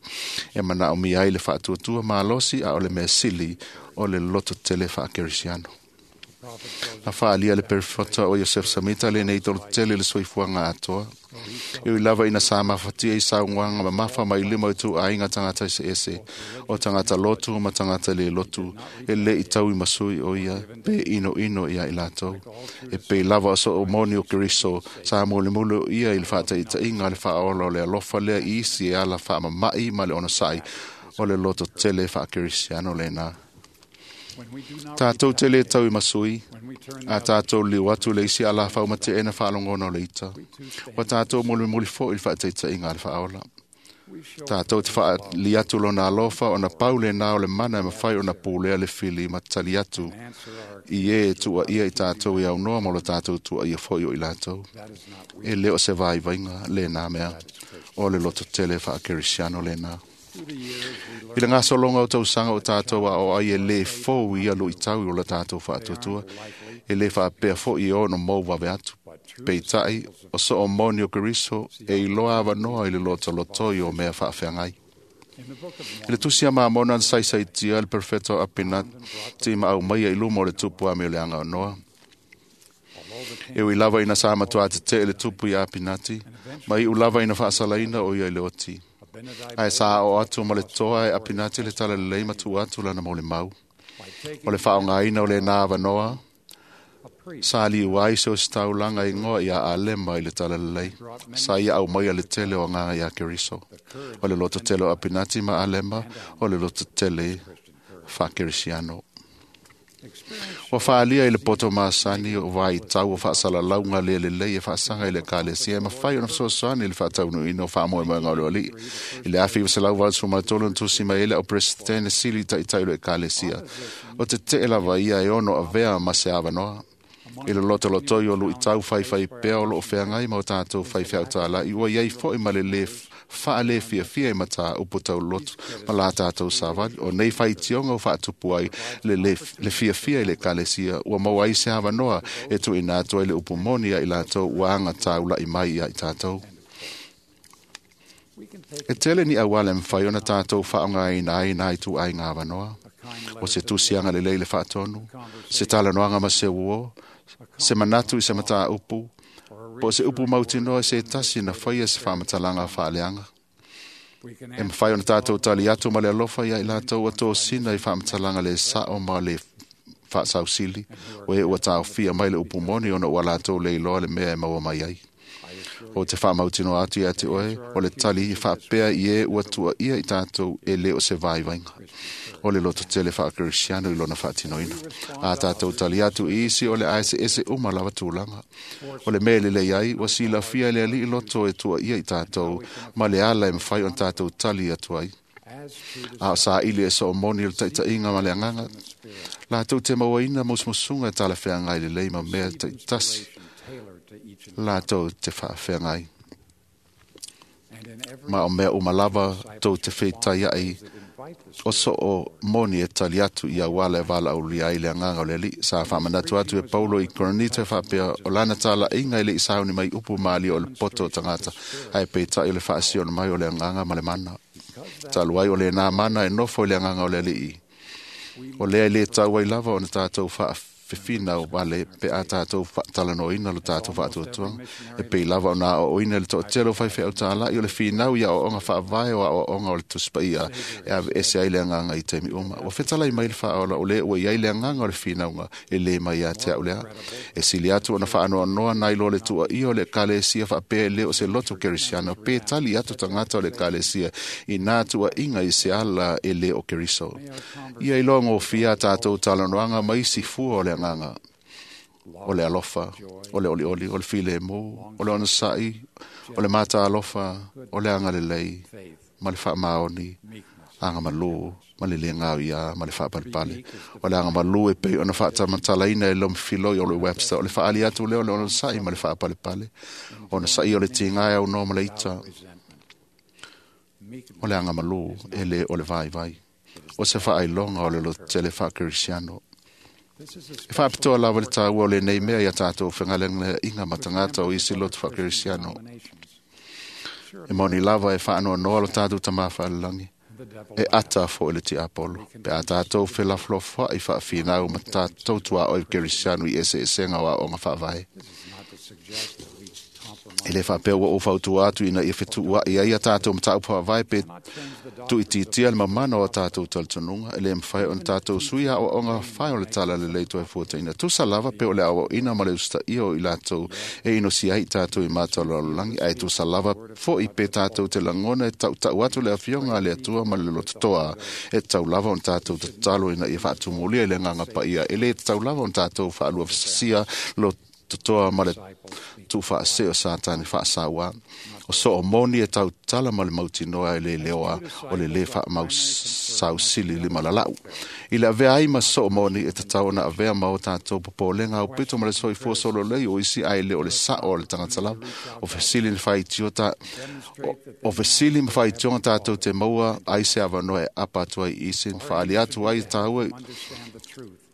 E manaomia ai le faatuatua malosi, a o le mea sili o le loto tele faakerisiano. Na faaalia le perofeta o Iosefa Samita lenei tolotele le soifuaga atoa. E ui lava ina sa mafatia i saunoaga mamafa mai lima o ituaiga tagata eseese, o tagata lotu ma tagata lē lotu, e lē i tauimasui o ia pe inoino iā i latou. E pei lava o soo moni o Keriso, sa mulimuli o ia i le faataitaiga le faaola o le alofa lea i isi e ala faamama'i ma le onosa'i o le loto tele faakerisiano lena. Tatou te lē tauimasui, a tatou liu atu le isi alafau mate'e faalogona o le ita. Ua tatou mulimuli fo'i le faataitaiga a le faaola. Tatou te faali atu lona alofa ona pau lenā o le mana e mafai ona pulea le fili ma tali atu i e tuuaia i tatou e aunoa ma lo tatou tuuaia fo'i o i latou. E lē o se vaivaiga lenā mea, o le loto tele faakerisiano lenā. I le gasologa o tausaga o tatou aoao ai e lē fou ia luitau o la tatou faatuatua, e lē faapea fo'i e ono mou vave atu. Peitai, o soo moni o Keriso e iloa avanoa i le lotolotoi o mea faafeagai. I le tusi a Mamona na saisaitia le perfeto Apinati ma aumaia i luma o le tupu amio le agaonoa. E ui lava ina sa matuā tete'e le tupu ia Apinati, ma iʻu lava ina faasalaina o ia i le oti. Ae sa aʻo atu ma le toa e Apinati le talalelei ma tuu atu lana molimau. O le faaaogaina o lenā avanoa, sa liu ai se ositaulaga igoa ia Alema i le talalelei. Sa ia aumaia le tele o agaga iā Keriso. O le loto tele o Apinati ma Alema, o le loto tele faakerisiano. Ua faaalia i le poto masani o vaitau o faasalalauga le lelei e faasaga i le ekalesia e mafai ona fesoasoani i le faataunuuina o faamoemoega o le Alii. I le 1983 na tusi mai ai le au Peresetene sili taʻitaʻi o le ekalesia. O teteʻe lava ia e ono avea ma se avanoa. I le lotolotoi o luʻitau faifai pea o loo feagai ma o tatou faifeau ua iai fo'i ma le lē faalefiafia i matāupu tauloto ma la tatou savali. O nei faitioga ua faatupu ai le fiafia i le ekalesia, ua maua ai se avanoa e tuuina atu ai le upu moni ia i latou ua agataula'i mai ia i tatou. E tele ni auala e mafai ona tatou faaaogaina ai nā ituaiga avanoa. O se tusiaga lelei le faatonu, se talanoaga ma se uō, se manatu i se matāupu, po o se upu mautinoa i se tasi na faia se faamatalaga faaleaga. E mafai ona tatou tali atu ma le alofa ia i latou ua tosina i faamatalaga lē saʻo ma le faasausili, o e ua taofia mai le upu moni ona ua latou le iloa le mea e maua mai ai. O te whaamautino atu ia te oe, o le tali i whaapea i e ua tua ia i tātou e le o se vaivainga. O le loto tele whaakeristiano i lona whaatinoina. A tātou tali atu i isi o le aese ese uma lava tūlanga. O le mea lelei ai, ua silafia e le alii loto e tua ia i tātou, ma le ala e mawhai o tātou tali atu ai. A o sa ili e so moni o le taitaiga ma le agaga, latou te mauaina musumusuga e talafeagai lelei ma mea taitasi latou te faafeagai. Ma o mea uma lava tou te feitaiai o soo moni e tali atu i auala e valaaulia ai le agaga o le Alii. Sa faamanatu atu e Paulo i Korinito e faapea o lana talaiga e le i sauni mai upu malie o le poto o tagata, ae peitai o le faasiona mai o le agaga ma le mana. Talu ai o lena mana e nofo i le agaga o le Alii. O lea e le tau ai lava ona tātou faafefina o wale pe a tātou talanoina lo tātou faatuatuanga. E pei lava ona o oina le toatele o whaiwhea o tālai o le whinau ia o onga whaavae o a o onga o le tuspaia e ave ese ai le anganga i teimi uma. Ua fetalai mai le whaola o le ua iai le anganga o le whinaunga e le mai a te au lea. E sili atu ona whaanoanoa nai lo le tua ia o le kalesia whaapea e le o se loto kerisiano pe tali atu tangata o le kalesia i nā tua inga i se ala e le o keriso. Ia i loa ngōfia tātou talanoanga mai isi fua o le anganga, o le alofa, o le olioli, o le filemu, o le onosai, o le mata alofa, o le agalelei, ma le faamaoni, aga malu, ma le le ngau ia, ma le faapalepale. O le aga malu e pei ona faatamatalaina e lom filoi o le Webster, o le faali atu lea o le onosai ma le faapalepale. Onosai o le tiga e au noa ma le ita. O le aga malu e le o le vaivai. O se whaailoga o le loto tele whaakeristiano. E whaapitoa lava le tāua o le nei mea ia tātou whangalenga inga matangata o isi loto whaakeristiano. E moni lava e whaanoa lo tātou tamā whaalalangi. E ata fo i le ti Apollo. Pe a tātou whelaflofua i whaawhinau ma tātou tua o i Kerisiano i ese esenga o a onga whaavae. E le whaapea ua o whautua atu ina ia whetua i ai a tātou mataupu whaavae pe tuititia le mamana o tātou talitonunga e le mwhai o tātou sui a o onga whai o le tala le leito e fuata ina. Tusa lava pe o le awa ina ma le usta ia o i lātou e ino si ai tātou i mātou lalolangi ai tusa lava fo i pe tātou te langona e tau tau atu le awhionga le atua ma le lototoa e tau lava o tātou tatalo ina ia whaatumulia i le nganga pa ia e le tau lava o tātou whaalua whasasia lo totoa ma le tuufaasē o Satane faasaua. O so o moni e tautala ma le mautinoa e le leoa o le lē faamausausili limalalau. I le avea ai ma so o moni e tatau ona avea ma o tātou popolega au pito ma le soifua sololei o isi ae le o le sao o le tagata lava. O fesili na faitio o fesili ma faitioga tātou te maua ai se avanoa e apa atu ai i isi ma faali atu ai tāua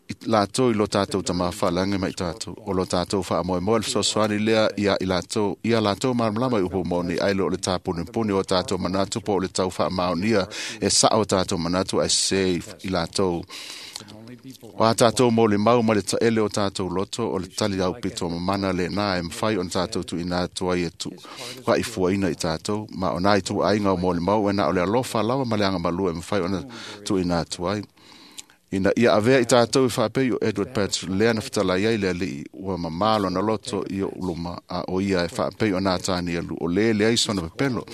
i lātou i lo tātou tamā whaalangi mai tātou. O lo tātou whaamoemoe le fesoasoani lea ia i lātou, ia lātou malamalama i upu moni ai lo o le tāpunipuni o tātou manatu po o le tau whaamaonia e sao tātou manatu ai se i lātou. O a tātou mō le mau ma le taele o tātou loto o le tali au pito mamana le nā e mwhai o tātou tu ina atu ai e tu wha i fuaina i tātou. Ma o nā i tu ainga o mō le mau e nā o le alofa lawa ma le anga malua e mwhai o na tu ina atu ai. Ina ia avea i tātou i whaapei o Edward Patch lea na whatalai ai le alii ua mamalo na loto i o uluma a o ia e whaapei o nā tāni alu o le le ai sona pepelo.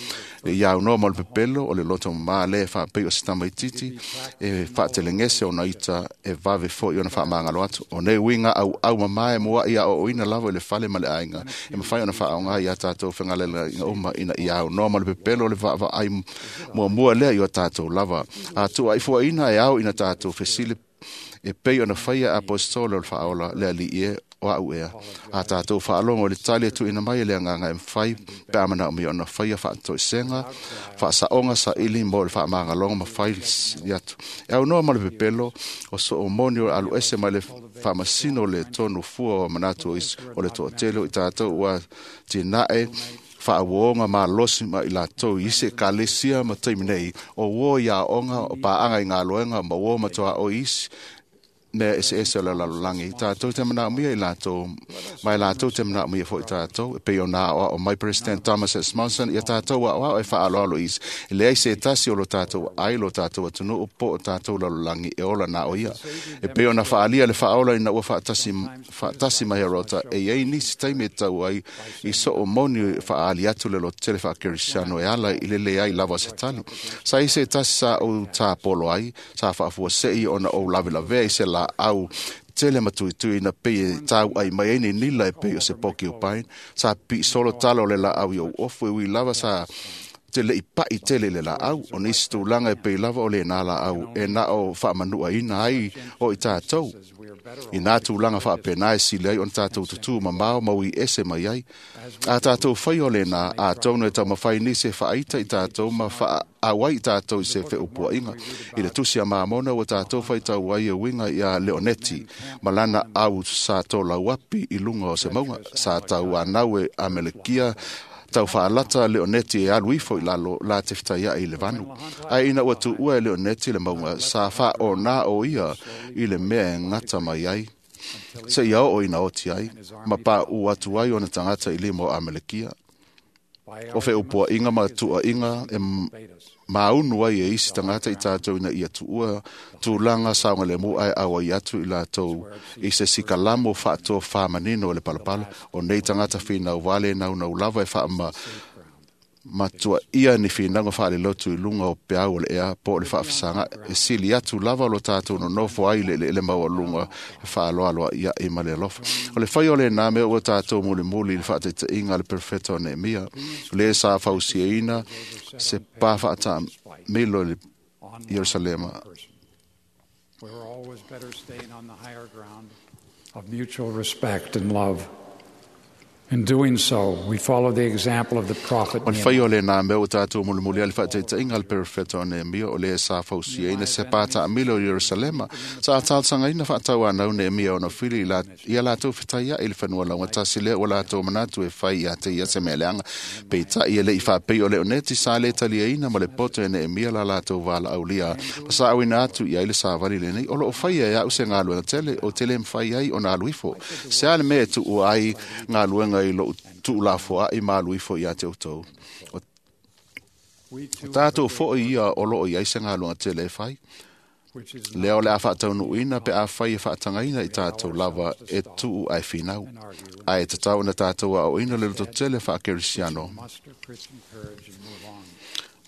Le ia unoa mo le pepelo o le loto mamā le e whaapei o sitama i titi e whaatelengese o na ita e vave fo i ona whaamangalo atu. O nei winga au au mamā e mua ia o oina lava i le fale ma le ainga e mawhai ona whaonga i a tātou whangalela inga uma ina ia unoa mo le pepelo le vaa ai mua mua lea i o tātou lava. A tua i fuaina e au ina tātou fesili e pei ona whaia apostolo o le whaola le ali e o au ea. A tātou whaalongo le tali atu ina mai le anganga e mwhai pe amana o mi ona whaia whaatoisenga, whaasaonga sa ili mo le whaamanga ma whai atu. E au noa ma le pepelo o so o moni o alu ese ma le whaamasino le tonu fua o manatu o isu o le toatele o i tātou ua tinae whaawonga ma losi ma i lātou i isi e kalesia ma taimi nei o uo ia onga o paanga i ngā loenga ma uo matoa o isi mea eseese o le lalolagi. Tātou te manaomia i latou, ma e latou te manaomia foi tātou. E pei o nā o mai President Thomas S. Monson, ia tātou a'oa'o e fa'aaloalo isi. E leai se tasi o lo tātou ai lo tātou atunu'u po o tātou lalolagi e ola na o ia. E pei ona fa'alia le fa'aola ina ua fa'atasi mai Herota, e iai nisi taimi e tau ai i so'o moni fa'aali atu le lototele fa'akerisiano e ala i le leai lava o se tali. Sa i se tasi sa ou tāpolo ai, sa fa'afuase'i ona ou lavelavea i se la'au tele matuitui na pei e tau ai mai ai ni nila e pei o se porcupine. Sa pi'isolo tala o le la'au i ou ofu e ui lava sa te le'i pa'i tele i le la'au. O nisi tulaga e pei lava o lenā la'au e na o fa'amanu'aina ai o i tātou. I nā tulaga fa'apena e sili ai ona tātou tutū mamao ma ui ese mai ai. A tātou fai o lenā, atonu e taumafai nisi e fa'aita i tātou ma fa'aauai i tātou i se fe'upua'iga. I le tusi a Mamona ua tātou faitau ai e uiga iā Leoneti, ma lana au sa tolauapi i luga o se mauga, sa tauanau e Amelekia tau fa'alata Leoneti e alu ifo i lalo la te fetaia'i i le vanu. Ae ina ua tu'ua e Leoneti le mauga, sa fa'aonā o ia i le mea e gata mai ai, seia o'o ina oti ai, ma pa'u atu ai ona tagata i lima o Amelekia. O fe'upua'iga ma tu'a'iga e maunu ai e isi tagata i tātou ina ia tu'ua tulaga saogalemu ae auai atu i latou i se sikalamo fa'atofāmanino o le palapala. O nei tagata finau vale naunau lava e fa'ama matua'ia ni finauga fa'alelotu i luga o peau o le ea po o le fa'afesaga'i. E sili atu lava lo tātou nonofo ai le ele'ele maualuga e fa'aloaloa'ia'i ma le alofa. O le fai o lenā mea ua tātou mulimuli i le fa'ataita'iga a le perofeta o Neemia, le sa fausiaina se pā fa'atāmilo i le Ierusalema.
We were always better staying on the higher ground of mutual respect and love. In doing so, we follow the example of the prophet
O le fai o lenā mea ua tātou mulimuli a le fa'ataita'iga a le perofeta o Neemia, o le sa fausiaina se pā ta'amilo i Ierusalema. Sa talosagaina fa'atauanau Neemia ona fili ia latou fetaia'i i le fanua laugatasi lea ua latou manatu e fai iā te ia se mea leaga. Peita'i e le'i fa'apei o Leoneti sa lē taliaina ma le poto e Neemia la latou vala'aulia ma sa'auina atu i ai le savali lenei. O lo'o faia e a'u se galuega tele o te lē mafai ai ona alu ifo. Se a le mea e tu'ua ai galuega i lo'u tu'ulafoa'i ma alu ifo iā te outou. O tātou fo'i ia o lo'o i ai se galuega tele e fai. Lea o le a fa'ataunu'uina pe a fai e fa'atagaina i tātou lava e tu'u ae finau. Ae tatau ona tātou a'o'oina le lototele fa'akerisiano.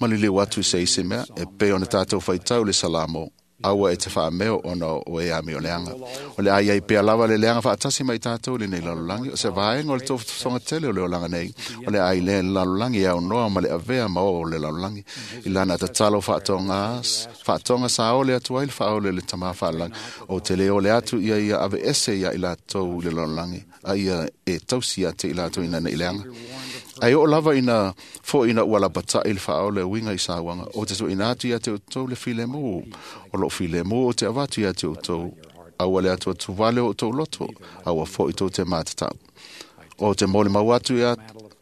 Ma liliu atu i se isi mea, e pei ona tātou faitau le Salamo, aua e te fa'ameo ona o e ami o leaga. O le ai ai pea lava le leaga fa'atasi mai tātou lenei lalolagi, o se vaega o le tofotofoga tele o le olaga nei, o le ai le lalolagi e aunoa ma le avea ma o le lalolagi. I lana tatalo fa'atoga sa ole atu ai le fa'aole le tamā fa'alagi, o te lē ole atu ia ia ave ese ia i latou i le lalolagi, a ia e tausi ia te i latou ina ne'i leaga. Ae oo lava ina fo'i ina ua lapata'i le fa'aole uiga i sauaga, o te tu'uina atu ia te outou le filemu, o lo'o filemu o te avatu ia te outou, aua le atuatu vale o outou loto, aua fo'i tou te matata'u. O te molimau atu ia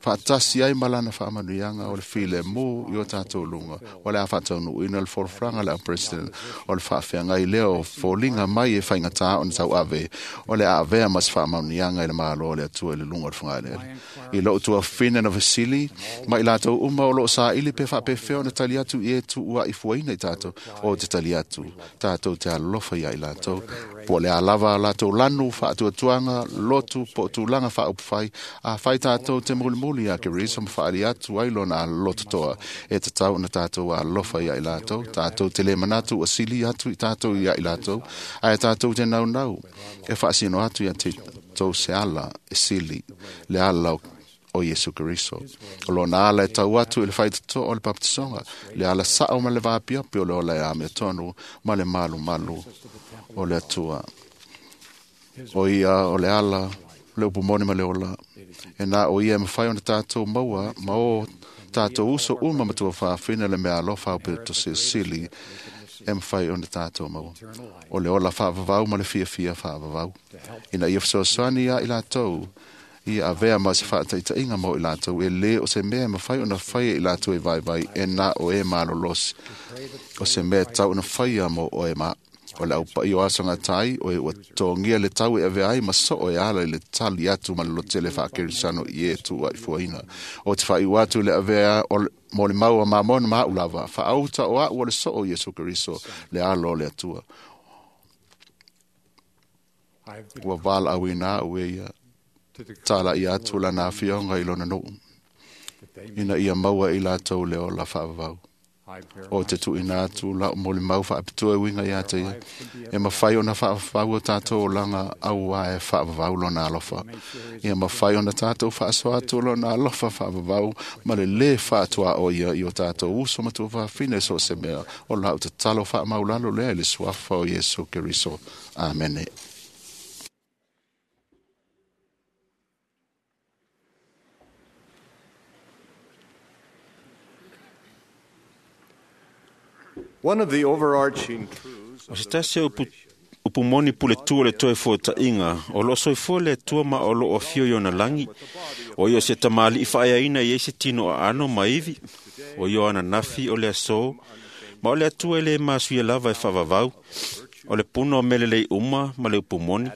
fa'atasi ai ma lana fa'amanuiaga o le filemu i o tātou luga, o le a fa'ataunu'uina le folafolaga a le au president, o le fa'afeagai lea o foliga mai e faigatā ona tau'ave, o le a avea ma se fa'amanuiaga i le Malo o le Atua i le luga o le fugaeleele. I lo'u tuafine na fesili ma i latou uma o lo'o sā'ili pe fa'apefea ona tali atu i e tu'ua'i fuaina i tātou, o te tali atu tātou te alolofa ia i latou, po o le a lava latou lanu fa'atuatuaga lotu po o tulaga fa'aupufai, a fai tātou te mulimuli ia Keriso ma fa'ali atu ai lona alototoa e tatau ona tātou alofa ia i latou, tātou te lē manatu ua sili atu i tātou ia i latou, ae tātou te naunau e fa'asino atu ia te tou se ala e sili le ala o Iesu Keriso. O lona ala e tau atu i le faitotoa o le papatisoga, le ala sa'o ma le vapiapi o le ola e amia tonu ma le malumalu o le Atua. O ia o le ala, le upu moni ma le ola. E na o ia e mafai ona tātou maua ma o tātou uso uma ma tuafafine le mea alofa au pe to silisili e mafai ona tātou maua. O le ola fa'avavau ma le fiafia fa'avavau. Ina ia fesoasoani ia i latou, ia avea ma se fa'ataita'iga mo i latou, e lē o se mea e mafai ona faia i latou e vaivai e na o e malolosi. O se mea tau ona faia mo oe ma. O le aupaia o aso gatai o e ua totogia le tau e avea ai ma soo e ala i le tali atu ma le lototele faakerisano i e tuuaifuaina. O te faaiu atu i le avea o le molimau a Mamona ma a'u lava, faaauta o a'u o le soo o Iesu Keriso, le alo o le Atua. Ua valaauina a'u e ia tala'i atu lana afioga i lona nuu, ina ia maua i latou le ola faavavau. O te tuuina atu la'u molimau faapitoa e uiga ia te ia, e mafai ona faavavau o tatou olaga auā e faavavau lona alofa. Ia mafai ona tatou faasoa atu lona alofa faavavau ma le lē faatuaoia i o tatou uso ma tuafafine so o se mea. O la'u tatalo faamaulalo lea i le suafa o Iesu Keriso. Amene.
One of the overarching truths
O se tasi o upu moni puletu o le toe fuataʻiga o loo soifua le Atua ma o loo afio i ona lagi, o ia o se tamalii faaeaina i ai se tino aano ma ivi, o ia o ananafi o le asō, ma o le Atua e lē masuia lava e faavavau, o le puna o mea lelei uma ma le upu moni.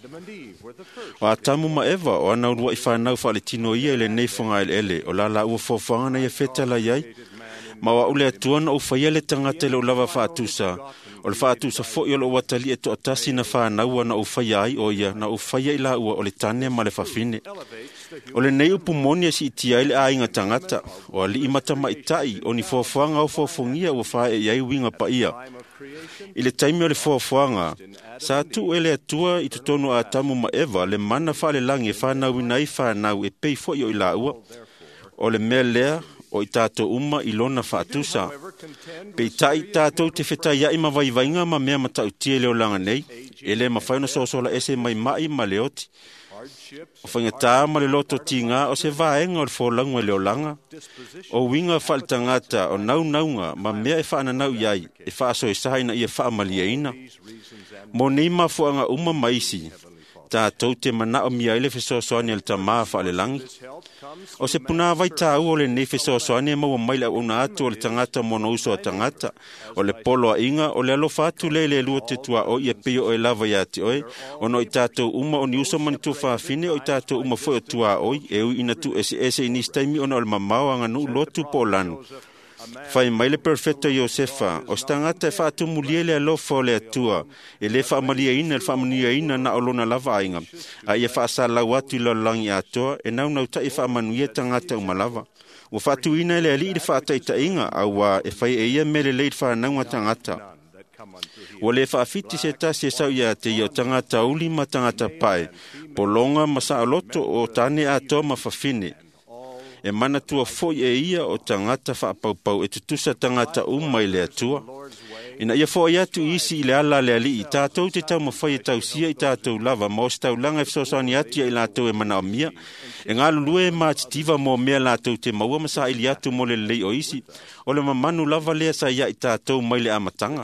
O Atamu ma Eva o ana uluaʻi fanau faaletino ia i lenei fogaeleele o la laua foafoaga na ia fetalai ai, ma o a'u le Atua na ou faia le tagata i lou lava faatusa, o le faatusa foʻi o lou atalii e toatasi na fanaua na ou faia ai o ia na ou faia i laua o le tane ma le fafine. O lenei upu moni e siitia ai le aiga tagata, o alii ma tamaʻitaʻi o ni foafoaga ofoafogia ua faaee ai uiga paia. I le taimi o le foafoaga, sa tuu e le Atua i totonu o Atamu ma Eva le mana faalelagi e fanauina ai fanau e pei foʻi o i laua. O le mea lea o i tatou uma i lona faatusa. Peitai tatou te fetaiaʻi ma vaivaiga ma mea matautia i le olaga nei, e lē mafai ona soasola ese mai maʻi ma le oti. O faigatā ma le loto tigā o se vaega o le folauga i le olaga, o uiga faaletagata o naunauga ma mea e faananau i ai e faasoesa ina ia faamalieina. Mo nei mafuaaga uma ma isi, tatou te manaomia ai le fesoasoani a le Tamā faalelagi. O se punāvai tāua o lenei fesoasoani e maua mai le auauna atu o le tagata ma ona uso a tagata, o le poloaʻiga o le alofa atu lea i le lua te tuaʻoi e pei o oe lava iā te oe, ona o i tatou uma o ni uso ma ni tuafafine o i tatou uma foi o tuaʻoi, e ui ina tuueseese i nisi taimi ona o le mamao aganuu lotu po o lanu. Fai mai le perfeto Iosefa, o se tagata e faatumulia le alofa o le Atua, e lē faamalieina le faamanuiaina na o lona lava aiga, a ia faasalau atu i lalolagi atoa, e naunautaʻi e faamanuia tagata uma lava. Ua faatuina e le Alii le faataitaʻiga, auā e fai e ia mea lelei i le fanauga tagata. Ua lē faafiti se tasi e sau iā te ia o tagata uli ma tagata pae, pologa ma saoloto o tane atoa ma fafine. E manatua foʻi e ia o tagata faapaupau e tutusa tagata uma i le Atua. Ina ia foʻi atu i isi i le ala a le Alii, tatou te taumafai e tausia i tatou lava ma o se taulaga e fesoasoani atu ia i latou e manaomia, e galulue ma atitiva mo mea latou te maua ma saili atu mo le lelei o isi, o le mamanu lava lea sa ia i tatou mai le amataga.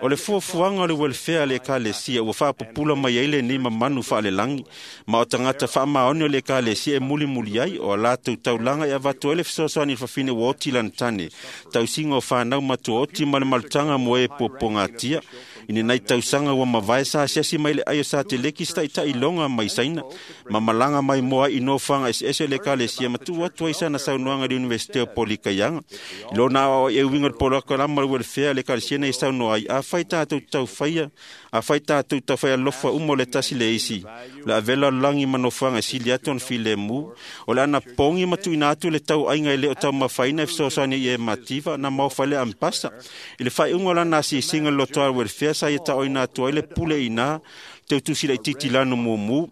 O le fuafuaga o le welfare a le Ekalesia ua faapupula mai ai lenei mamanu faalelagi, ma o tagata faamaoni o le Ekalesia e mulimuli ai o a latou taulaga e avatu ai le fesoasoani i le fafine ua oti lana tane, tausiga o fanau matuaoti ma le malutaga mo e puapuagatia. I lenei tausaga ua mavae sa asiasi mai le ai o Sateleki se taitaʻiloga mai Saina, ma malaga mai moa ai i nofoaga eseese o le Ekalesia ma tuu atu ai sana saunoaga i le Iunivesite o Polikaiaga. I lona aoaoʻi e uiga o le polokalama o le welfare a le Ekalesia nei saunoa ai, afai tatou taufaia, afai tatou taufai alofa uma o le tasi le isi, o le avela o le lagi ma nofoaga e sili atu ona filemu, o le anapogi ma tuuina atu le tauaiga e lē o taumafaina e fesoasoani i e mativa na maofa ai le ampasa. I le faaiuga o lana asiasiga i le lotoa o le welfare sa ia taoina atu ai le pule iinā teutusi laitiiti lanu mumu,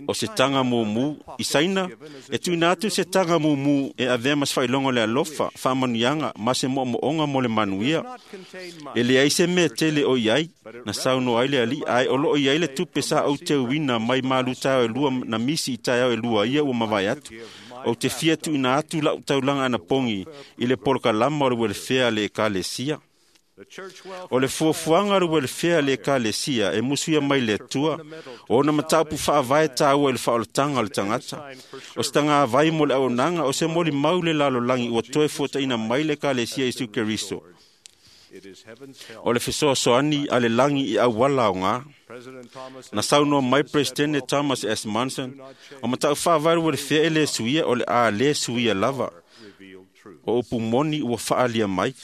o se taga mumu i Saina, e tuuina atu se taga mumu e avea ma se faailoga o le alofa, faamanuiaga ma se moomooga mo le manuia. E leai se mea tele o i ai, na saunoa ai le Alii, ae o loo i ai le tupe sa ou teuina mai malu taeao e lua na misi i taeao e lua ia ua mavae atu. Ou te fia tuuina atu lau taulaga anapogi i le polokalama o le welfare a le Ekalesia. O le fuafuaga o le welfare a le Ekalesia e musuia mai le Atua, o ona mataupu faavae tāua i le faaolataga o le tagata. O se tagavai mo le auaunaga o se molimau le lalolagi ua toe fuataʻina mai le Ekalesia Iesu Keriso. O le fesoasoani a le lagi i auala aogā. Na saunoa mai Peresetene Thomas S. Monson, o matau faavae ua le fea e lē suia o le a lē suia lava. O upu moni ua faaalia mai.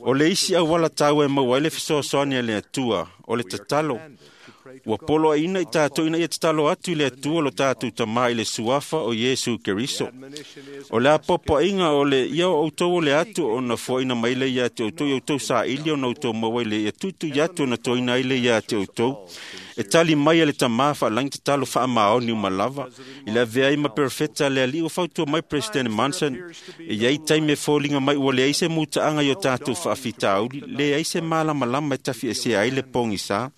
O le isi auala taua e maua ai le fesoasoani a le Atua, o le tatalo. Ua poloaiina i tatou ina ia tatalo atu i le Atua lo tatou Tamā i le suafa o Iesu Keriso. O le apoapoaiga o le ia o outou o le atu ona foaina mai le ia te outou i outou saili ona outou maua i le ia tuitui atu ona toina ai le ia te outou. E tali mai e le Tamā faalagi tatalo faamaoni uma lava. I le avea ai ma perofeta le alii ua fautua mai President Monson, e iai taimi e foliga mai ua leai se mutaaga i o tatou faafitauli, leai se malamalama e tafiesea ai le pogisā.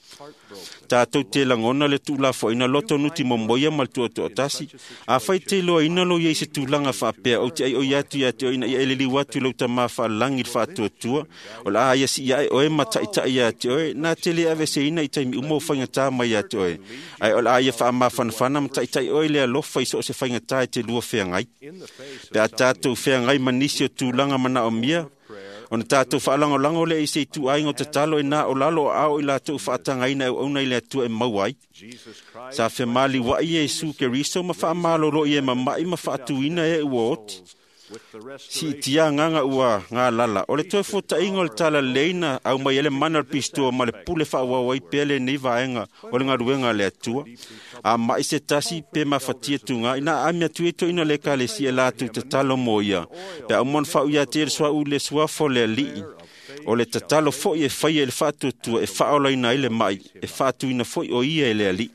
Tatou te lagona le tuulafoaina loto nuti momoia ma le tuatoatasi. Afai te iloaina lo iai se tulaga faapea, ou te aioi atu ia te oe ina ia e liliu atu i lau Tamā faalagi i le faatuatua, o le a ia siia ae oe ma taitai ia te oe, na te le aveseina i taimi uma o faigata mai ia te oe. Ae o le a ia faamafanafana ma taitai oe le alofa i so o se faigata e te lua feagai. Pe a tatou feagai ma nisi o tulaga manaomia, ona tatou faalagolago lea i se ituaiga o tatalo e na o lalo o ao i latou faatagaina e auauna i le Atua e maua ai. Sa femaliuai Iesu Keriso ma faamalolo i e mama'i ma faatuina e ua oti. Siitia agaga ua galala. O le toe fuataiga o le talalelei na aumai ai le mana o le pistua ma le pule faaauau ai pea lenei vaega o le galuega a le Atua. A mai se tasi pe mafatia tugā, ina aami atu ai toeaina o le ekalesia e latou tatalo mo ia. Pe a uma ona faauia atu ai le suauu i le suafa o le alii. O le tatalo foi e faia i le faatuatua e faaolaina ai le mai, e faatuina foi o ia e le alii.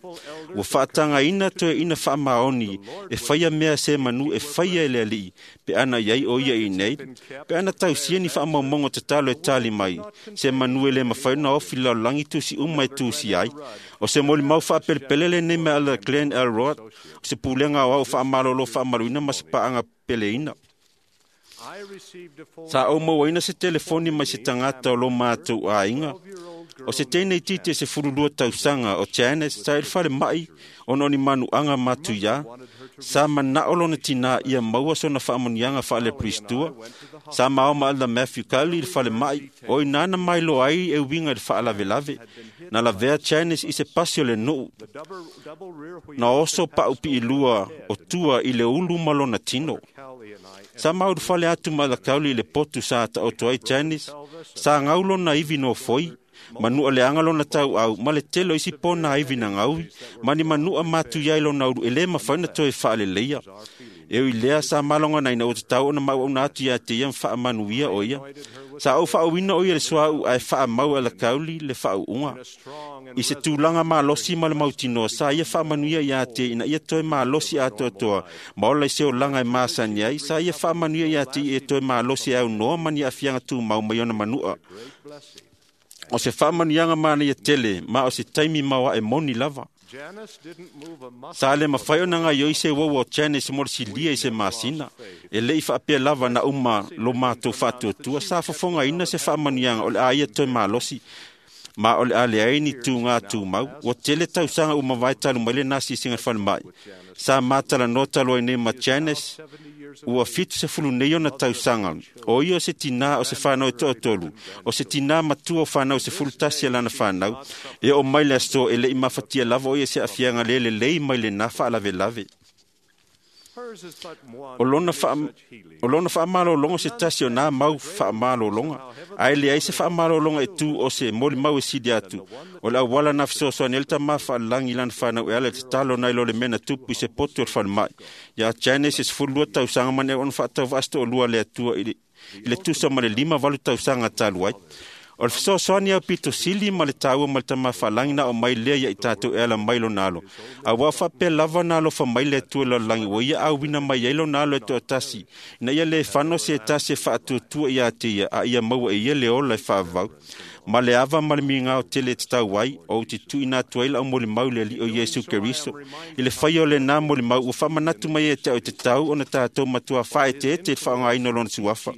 Ua faatagaina toeaina faamaoni e faia mea se manu e faia e le alii, pe ana iai o ia i nei, pe ana tausia ni faamaumauga tatalo e tali mai, se manu e le mafai ona ofi lalolagi tusi uma e tusi ai. O se molimau faapelepele lenei mai ala Glenn L. Rod, o se pulega aoao faamalolo faamaluina ma se paaga peleina. Sa ou mauaina se telefoni mai se tagata o lo matou aiga. O se teine itiiti e 12 tausaga o Janice sa i le falemai ona o ni manuaga matuiā. Sa manao lona tinā ia maua sona faamanuiaga faaleperistua. Sa mao ma Elder Matthew Cowley i le falemai, o i nana mailoa ai e uiga i le faalavelave. Na lavea Janice i se pasi o le nuu. Na oso paupiilua o tua i le ulu ma lona tino. Sa maulufale atu ma Elder Cowley i le potu sa taoto ai Janice. Sa gau lona ivi nofoi, manua leaga lona tauau ma le tele o isi pona ivi na gaui, ma ni manua matuia i lona ulu e lē mafai ona toe faaleleia. E ui lea sa maloganaina ua tatau ona mauauna atu ia te ia ma faamanuia o ia. Sa ou faauina o ia le suauu ae faamau e Elder Cowley le faauuga. I se tulaga malosi ma le mautinoa, sa ia faamanuia ia te ina ia toe malosi atoatoa ma ola i se olaga e masani ai, sa ia faamanuia ia te ia toe malosi e aunoa ma ni aafiaga tumau mai ona manua. O se faamanuiaga manaia tele, ma o se taimi maoae moni lava. Sa le mafai ona gaioi se uaua o Janice mo le silia i se masina. E lei faapea lava na uma lo matou faatuatua, sa fofogaina se faamanuiaga o le a ia toe malosi, ma o le a leai ni tugā tumau. Ua tele tausaga ua mavae talu mai lena asiasiga i le falemai. Sa matalanoa talu ai nei ma Janice, ua 70 nei ona tausaga. O ia o se tinā o se whanau e toatolu, o se tinā matua o whanau 11 a lana whanau, e o mai le aso e lei mafatia lava o ia se afiaga le lelei mai le nā faalavelave. O lona faamalologa se tasi o nā mau faamalologa, ae leai se faamalologa e tū o se molimau e sili atu. O le auala na fesoasoani ai le Tamā faalagi i lana whanau e ala i le tatalo nai lo le mea na tupu i se poto o le falemai. Ia Janice e 12 tausaga ma ne ona faatauvaasitoalua le Atua i le tusa ma le 58 tausaga talu ai. O le fesoasoani au pito sili ma le taua ma le Tamā faalagi na o mai lea ia i tatou e ala mai lona alo. Auā faapea lava na alofa mai le Atua i lalolagi ua ia auina mai ai lona alo e toatasi, ina ia lē fano se tasi e faatuatua ia te ia, a ia maua e ia le ola e faavavau. Ma le ava ma le migao tele e tatau ai, o ou te tuuina atu ai lau molimau i le Alii o Iesu Keriso. I le faia o lenā molimau, ua faamanatu mai e te au e tatau ona tatou matua faaeteete i le faaaogaina o lona suafa.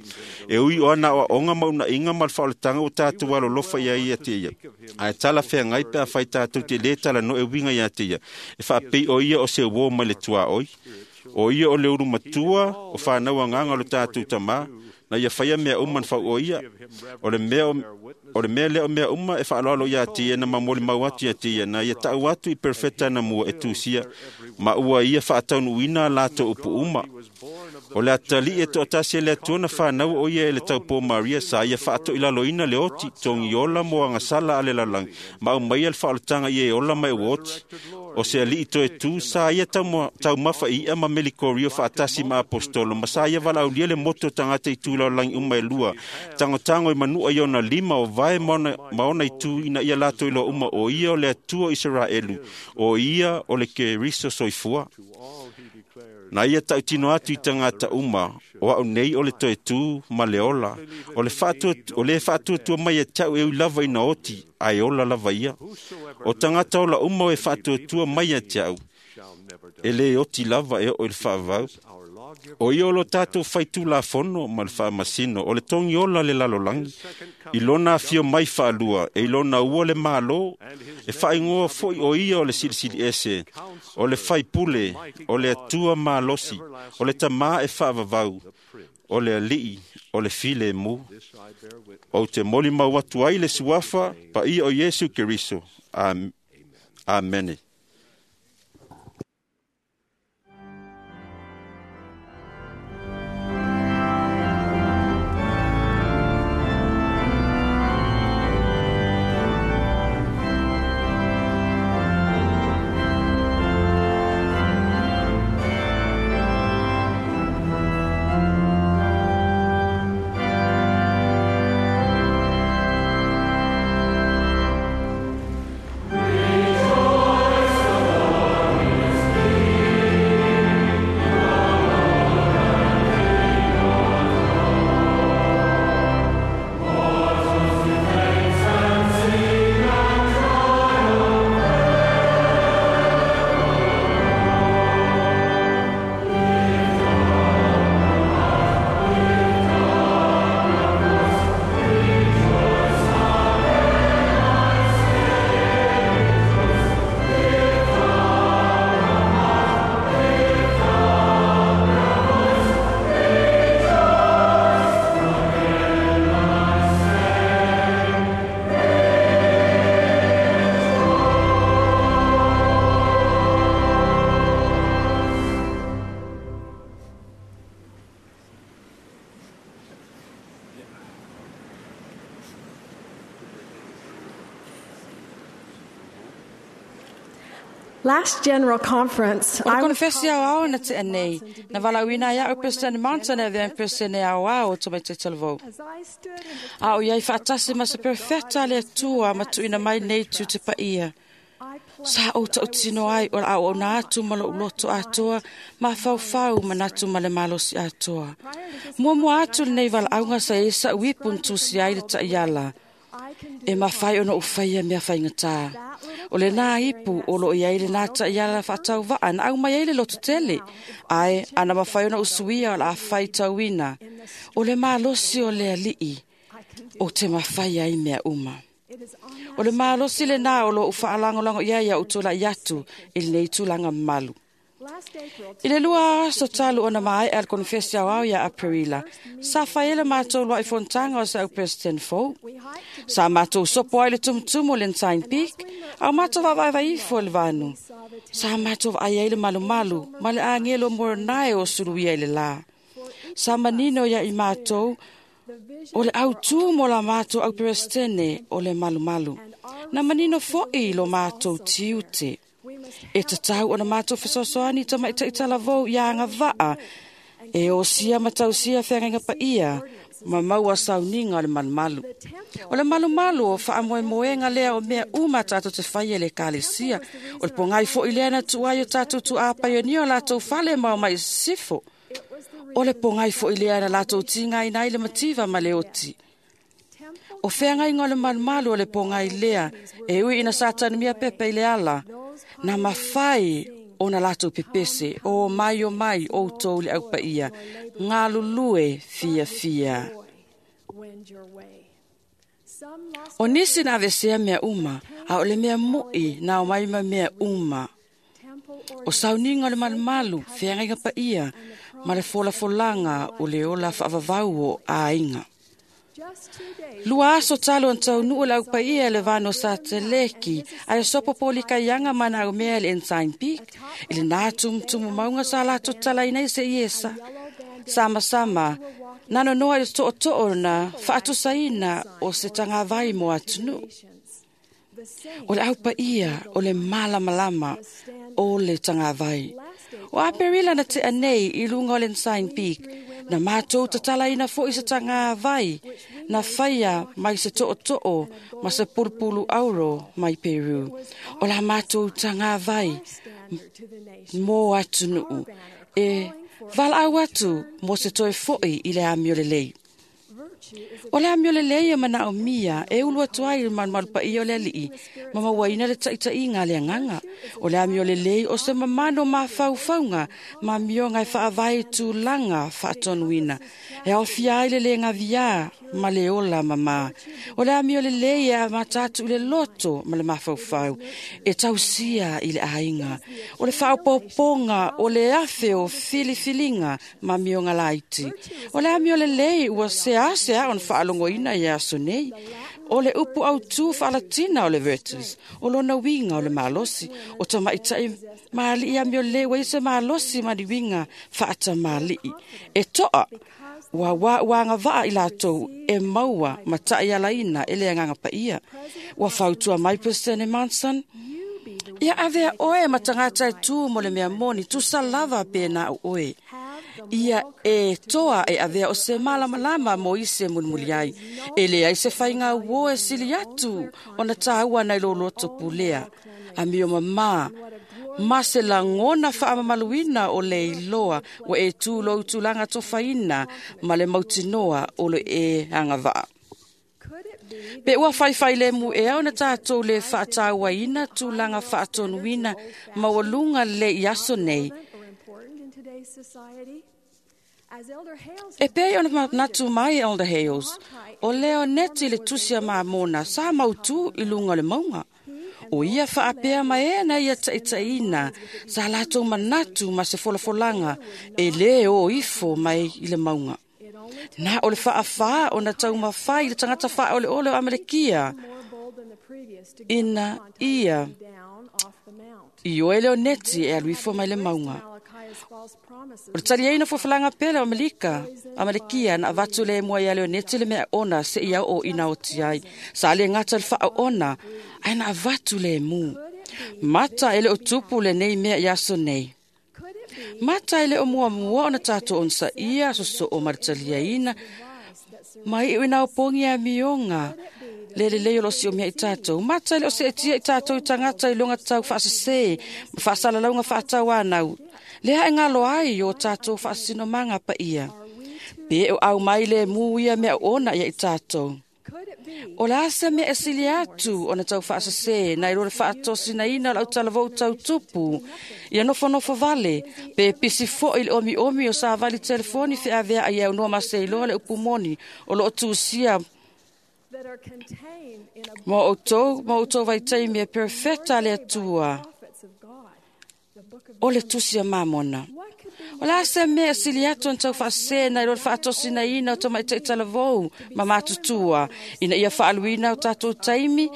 E ui o ana aoaoga ma unaiga ma le faaolataga ua tatou alolofa ia ia te ia. Ae talafeagai pe afai tatou te lē talanoa e uiga ia te ia, e faapei o ia o se uō mai le tuaoi. O ia o le ulu matua o whanau agaga o le tatou Tamā, Na ia whaia mea uma na whau o ia. O le mea lea o mea uma e whaaloalo ia te ia na mamoli mau atu ia te ia. Na ia tau atu i perfeta na mua e tūsia. Ma ua ia whaataunuina lātou upu uma. O le atali e toatasi e le atua na whanau o ia e le taupō Maria sa ia whaato i lalo ina le oti tongi ola mo angasala ale lalangi. Ma au mai al whaolatanga ia e ola mai o oti. O se ali i toe tū sa ia taumafa i ia ma melikorio whaatasi ma apostolo. Ma sa ia walaulia le moto tangata i tū lalangi uma e lua. Tango tango i manua i ona lima o vae maona i tū ina ia lato ilo uma o ia o le atua Israelu. O ia o le Keriso soifua. Na ia tautino atu i tangata uma, o au nei o le toe tū ma le ola. O le whaatuatua mai e tau e lava ina oti, ai ola lava ia. O tangata ola uma o e whaatuatua mai e tau, e le oti lava e o le whaavau. O ia o lo tātou whaitu la fono ma le whaamasino, o le tongi ola le lalolangi. I lona awhio mai whaalua, e i lona ua le malo, e whaingoa foi o ia o le silisili ese, o le whaipule, o le atua malosi, o le tamā e whaavavau, o le alii, o le file mu. O te moli mau atu ai le suafa, pa ia o Yesu Keriso. Amene.
Last General Conference,
O le konfesi au ao na te anei, na walauina ia au President Mountain e vea President au ao o mai te talavou. A o iai whaatasi ma se perfecta le atua ma tuina mai nei tu te paia. Sa o tau tino ai o au o nā atu ma lo uloto atoa, ma whauwhau ma natu ma le malosi atoa. Mua mua atu le nei walaunga sa e sa uipun tūsi ai le taiala. E mawhai ona uwhaia mea whaingata. O le nā ipu o lo iai le nā taiala whaatau waa na au mai ai le loto tele. Ai, ana mawhai ona usuia o la awhai tauina. O le malosi o le alii o te mawhai ai mea uma. O le malosi le nā o lo uwhaalangolango ia ia utola i atu i le nei tūlanga malu. I le lua aso talu ona mai al konfesi au au ia Aprila. Sa whaele mātou lua i fontanga o sa au President Fou. Sa mātou sopo ai le tumutumu le Ntain Peak, au mātou wawaiwa ifo le vanu. Sa mātou ai ai le malumalu, ma le angelo moronai o suruia i le la. Sa manino ia i mātou, o le au tū mo la mātou au Presidente o le malumalu. Na manino foi lo mātou tiute. E te tau ona mātou whasosoani ta mai taitalavou ia anga waa. E o sia matau sia whengainga pa ia, ma maua sauninga o le malumalu. O le malumalu o whaamoemoenga lea o mea uma tātou te whaia le kalesia. O le pongai fo i lea na tuai o tātou tu āpaionia o lātou whale mau mai sifo. O le pongai fo i lea na lātou tinga ina i le mativa ma le oti. O whengainga o le malumalu o le pongai lea, e ui ina satani mia pepe i le ala. Na mawhai o na lātou pepese, o mai o mai o tō le aupa ia, ngā lulue fia fia. O nisi na avesea mea uma, a o le mea moi na o mai ma mea uma. O sauninga o le malumalu, whiangaiga pa ia, ma le folafolaga o le ola faavavau o aiga. Lua aso talo na taunuu le aupaia le vano sa teleki ae sopo polikaiaga ma naumea le Ensign Peak i lena tumutumu mauga sa latou tatalaina ai se iesa. Samasama nanonoa i le tootoo na faatusaina o se tagavai mo atunuu. O le aupaia o le malamalama o le tagavai. O Aperila na tea nei i luga o le Ensign Peak, na matou tatalaina foi se tagavai na faia mai se tootoo ma se pulupulu auro mai Peru. O la matou tagavai mo atunuu e valaau atu mo se toe foi i le amio lelei. O le amio lelei e manaomia e ulu atu ai le malumalu paia o le alii ma mauaina le taitaiga a le agaga. O le amio lelei o se mamano mafaufauga ma amioga e faavae i tulaga faatonuina. E aofia ai le le gaviā ma le ola mamā. O le amio lelei e amata atu i le loto ma le mafaufau e tausia i le aiga. O le faaopoopoga o le afe o filifiliga ma amioga laiti. O le amio lelei ua seasea ona faalogoina i aso nei. O le upu autū faalatina o le virtus, o lona uiga o le malosi, o tamaitai maali'i amio lelei ua i se malosi ma ni uiga faatamali'i. E toa, ua uaugavaa i latou e maua ma ta'ialaina e le agaga paia. Ua fautua mai Peresitene Monson, ia avea oe ma tagata e tū mo le mea moni, tusa lava pe na o oe. Ia e toa e avea o se malamalama mo isi e mulimuli ai. E leai se faiga uo e sili atu ona tāua nai lo loto pulea. Amio mamā, ma se lagona faamamaluina o le iloa ua e tū lou tulaga tofaina ma le mautinoa o le e agavaa. Pe ua faifai le mu ea ona tatou le faatauaina tulaga faatonuina maualuga le i aso nei. E pei ona manatu mai Elder Hales, o Leoneti le tusi a Mamona sa mautū i luga o le mauga. O ia faapea ma e na ia taitaiina sa latou manatu ma se folafolaga e lē o ifo mai i le mauga. Na o le faafā ona taumafai i le tagata faaoleole o Amalekia ina ia i oe Leoneti e alu ifo mai le mauga. O le taliaina folafolaga pele o Amelika, Amalekia na avatu le mua ia Leoneti le mea ona se ia o ina oti ai. Sa le gata le faaona, ae na avatu le mu. Mata e le o tupu lenei mea i aso nei. Mata e le o muamua ona tatou onosaia sosoo ma le taliaina ma iu ina opogi amioga le lelei o lo siomia i tatou. Mata e le o seetia i tatou i tagata i loga tau faasese ma faasalalauga faatauanau. Lea e galo ai o tatou faasinomaga paia. Pe o au mai le mu ia mea ona ia i tatou. O le asa mea e sili atu ona tau faasese nai lo le faatosinaina o le autalavou tau tupu ia nofonofo vale pe pisi foi le omiomi o savali telefoni feavea ai aunoa ma seiloa le upu moni o loo tusia mo outou vaitaimi e perfeta le Atua o le tusi a Mamona. O le asa mea e sili atu ona tau faasese nai lo le faatosinaina o tamaitai talavou ma matutua ina ia faaluina o tatou taimi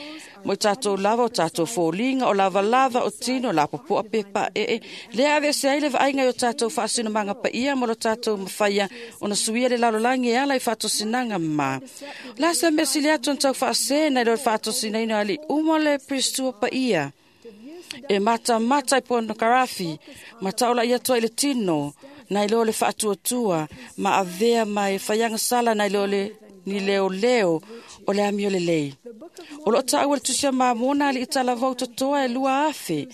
mo i tatou lava o tatou foliga o lavalava o tino o lapopoa pe paee. Lea aveese ai le vaaiga i o tatou faasinomaga paia ma lo tatou mafaia ona suia le lalolagi e ala i faatosinaga ma. O le asa mea e sili atu ona tau faasese nai lo le faatosinaina o alii uma o le Pristua paia. E matamata i pornography, ma taola ia atu ai le tino, nai lo le faatuatua, ma avea mai faiaga sala nai lo le ni leoleo o le amio lelei. O loo taua le tusi a Mamona alii talavou totoa e 2,000.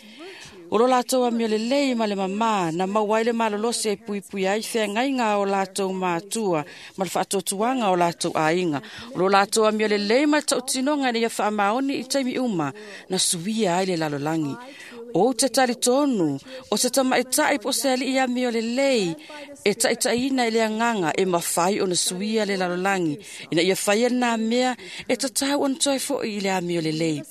O lo latou amio lelei ma le mamā na maua ai le malolosi e puipui ai feagaiga o latou matua ma le faatuatuaga o latou aiga. O lo latou amio lelei ma le tautinoga ina ia faamaoni i taimi uma na suia ai le lalolagi. Ou te talitonu o se tamaitai po o se alii amio lelei e taitaiina i le agaga e mafai ona suia le lalolagi ina ia faia lena mea e tatau ona toe foi i le amio lelei.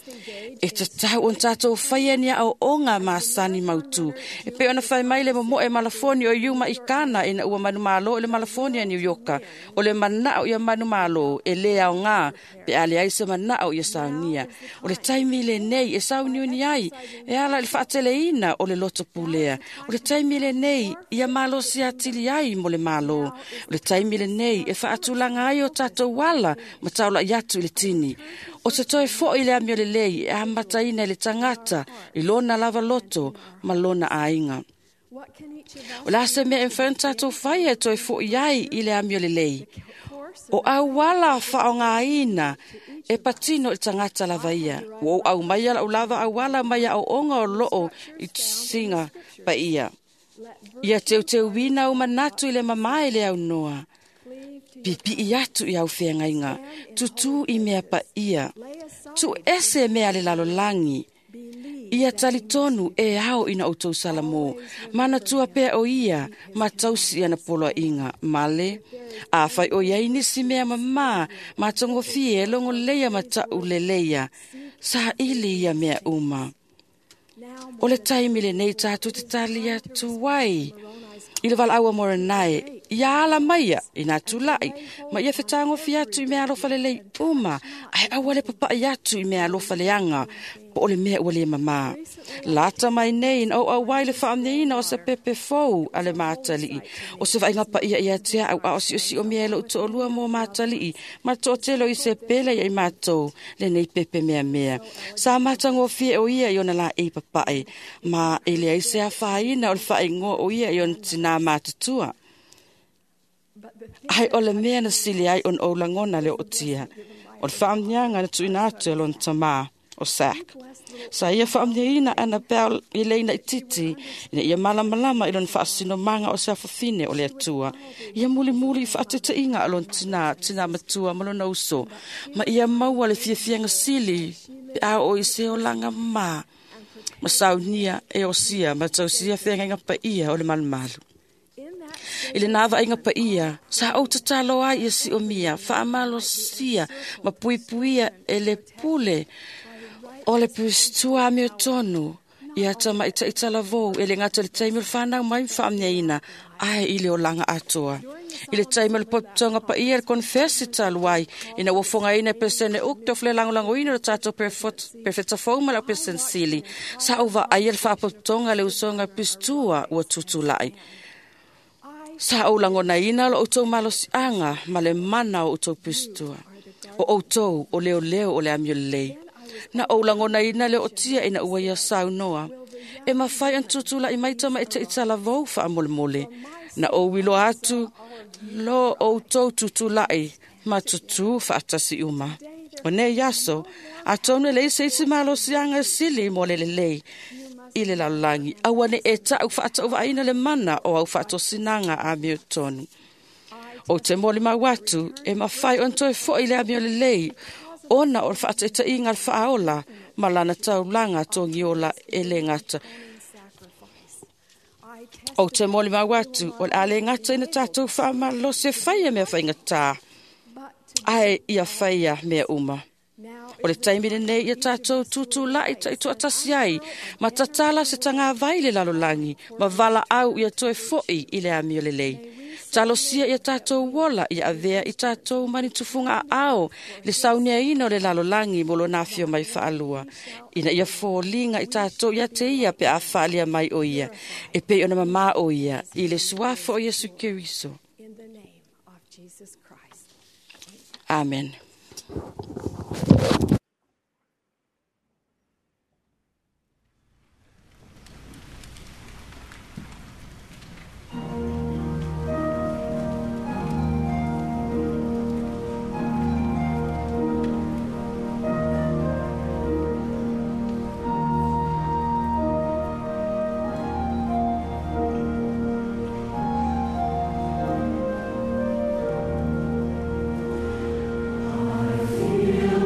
E tatau ona tatou faia ni aoaoga masani mautu. E pei ona fai mai le momoe malafoni o Yuma i Kana ina ua manumalo i le malafoni a New Yorka. O le manao ia manumalo e le aoga pe a leai se manao ia saunia. O le taimi lenei e sauniuni ai e ala i le faateleina o le loto pulea. O le taimi lenei ia malosi atili ai mo le malo. O le taimi lenei e faatulaga ai o tatou ala ma taulai atu i le tini. O te toe foi le amio lelei e amataina i le tagata i lona lava loto ma lona aiga. O le a se mea e mafai ona tatou faia e toe foi ai i le amio lelei. O auala faaaogaina e patino i le tagata lava ia. Ua ou aumaia lau lava auala mai aoaoga o loo i tusiga paia. Ia teuteuina au manatu i le mamae le aunoa. Pipii atu i au feagaiga, tutū i mea paia, tuu ese mea le lalolagi. Ia talitonu e ao ina outou Salamo, manatua pea o ia ma tausi ana poloaiga, male. A fai o iai nisi mea mamā, matagofie e logolelei ma tauleleia, saili ia mea uma. O le taimi lenei tatou te tali atu ai i le valaau a Moronai, ia ala maia ina tulai, ma ia fetagofi atu i mea alofa lelei uma, ae aua le papai atu i mea alofa leaga, po o le mea ua le mamā. Lata mai nei na ou auai le faamneina o se pepe fou a le Matalii. O se vaaiga paia ia te au a o siosio mea e lou toalua mo Matalii, ma toatele o Isepele ia i matou lenei pepe meamea. Sa matagofie o ia i ona laei papae, ma e leai se afaina o le faaigoa o ia i ona tinā matutua. Ai o le mea na sili ai ona ou lagona le ootia. O le faamniaga na tuuina atu e lona tamā o Sac. Sa ia faamniaina ana pea i leina i titi, ina ia malamalama i lona faasinomaga o se afafine o le Atua. Ia mulimuli i faateteiga a lona tinā, tinā matua ma lona uso. Ma ia maua le fiafiaga sili pe a oo i se olaga mamā. Ma saunia e osia ma tausia feagaiga paia o le malumalu. I le nā vaaiga paia, sa ou tatalo ai ia siomia, faamalosia ma puipuia e le pule o le pusitua amiotonu ia tamaita'i talavou e le gata i le taimi o le fanau mai ma faamniaina ae i le olaga atoa. I le taimi o le pototoga paia le konfesi talu ai, ina ua fogaina e Peresene Uchtdorf le lagolagoina o le tatou perfeta fou ma lau Peresene Sili, sa ou vaaia le faapotopotoga le usoga pusitua ua tutulai. Sa ou lagonaina lo outou malosiaga ma le mana o outou pusitua. O outou o leoleo o le amio lelei. Na ou lagonaina le ootia ina ua ia saunoa. E mafai ona tutulai mai tamaita'i talavou faamolemole. Na ou iloa atu lo outou tutulai ma tutū faatasi uma. O nei aso, atonu e leai se isi malosiaga e sili mo le lelei i le lalolagi. Aua ne e taʻu faatauvaaina le mana o au faatosinaga amiotonu. Ou te molimau atu e mafai ona toe foi le amio lelei ona o le faataitaiga le faaola ma lana taulaga togiola e le gata. Ou te molimau atu o le a le gata ina tatou faamalosi e faia mea faigatā, ae ia faia mea uma. O le taimi lenei ia tatou tutulai taitoatasi ai, ma tatala se tagavai le lalolagi, ma valaau ia toe foi i le amio lelei. Talosia ia tatou ola ia avea i tatou manitufuga aao le sauniaina o le lalolagi mo lona afio mai faalua. Ina ia foliga i tatou ia te ia pe a faalia mai o ia, e pei ona mamā o ia i le suafa o Iesu Keriso. Amen.
I feel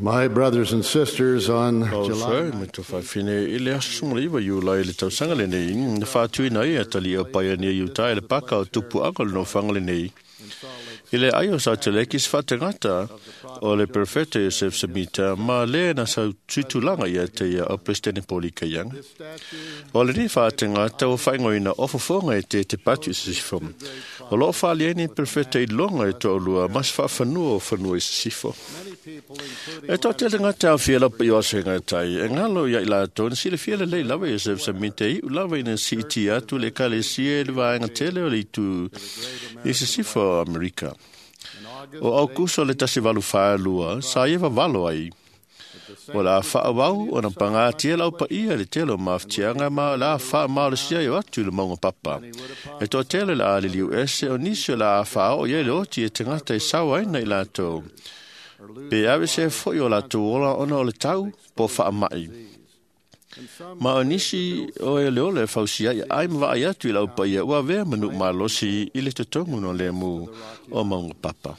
My brothers and sisters, on July
July me fine i le aso sumaliva Iulai i le tausaga lenei na faatuina ai atalia o Pioneer Utah i le paka o tupuaga o le nofoaga lenei. I le ai o Sateleki se faatagata o le Perfeta Joseph Smith ma le na sau tuitulaga ia te ia o Presidente Paul Kayanga. O lenei faatagata ua faaigoaina o fofoga e te te patu i sisifo. O loo faaalia ai nei Perfeta i loga e toalua ma se faafanua o fanua i sisifo. E toatele tagata aofia lau paia o aso e gatai, e galo ia i latou na silafia lelei lava Joseph Smith e iu lava ina siiti atu le ekalesia i le vaega tele o le itu i sisifo o Amerika. O Aukuso le 1842, sa ia vavalo ai. O le a faauau ona pagatia lau paia i le tele o mafatiaga ma o le a faamalosia ai o atu i le mauga papa. E toatele le a liliu ese o nisi o le a faaoo i ai le oti e tagata e sao ai na i latou. Pe ave se foi o latou ola ona o le tau po faamai. Ma o nisi o e le ola e fausia ai ai ma vaai atu i lau paia ua avea ma nuu malosi i le totogu no le mu o mauga papa.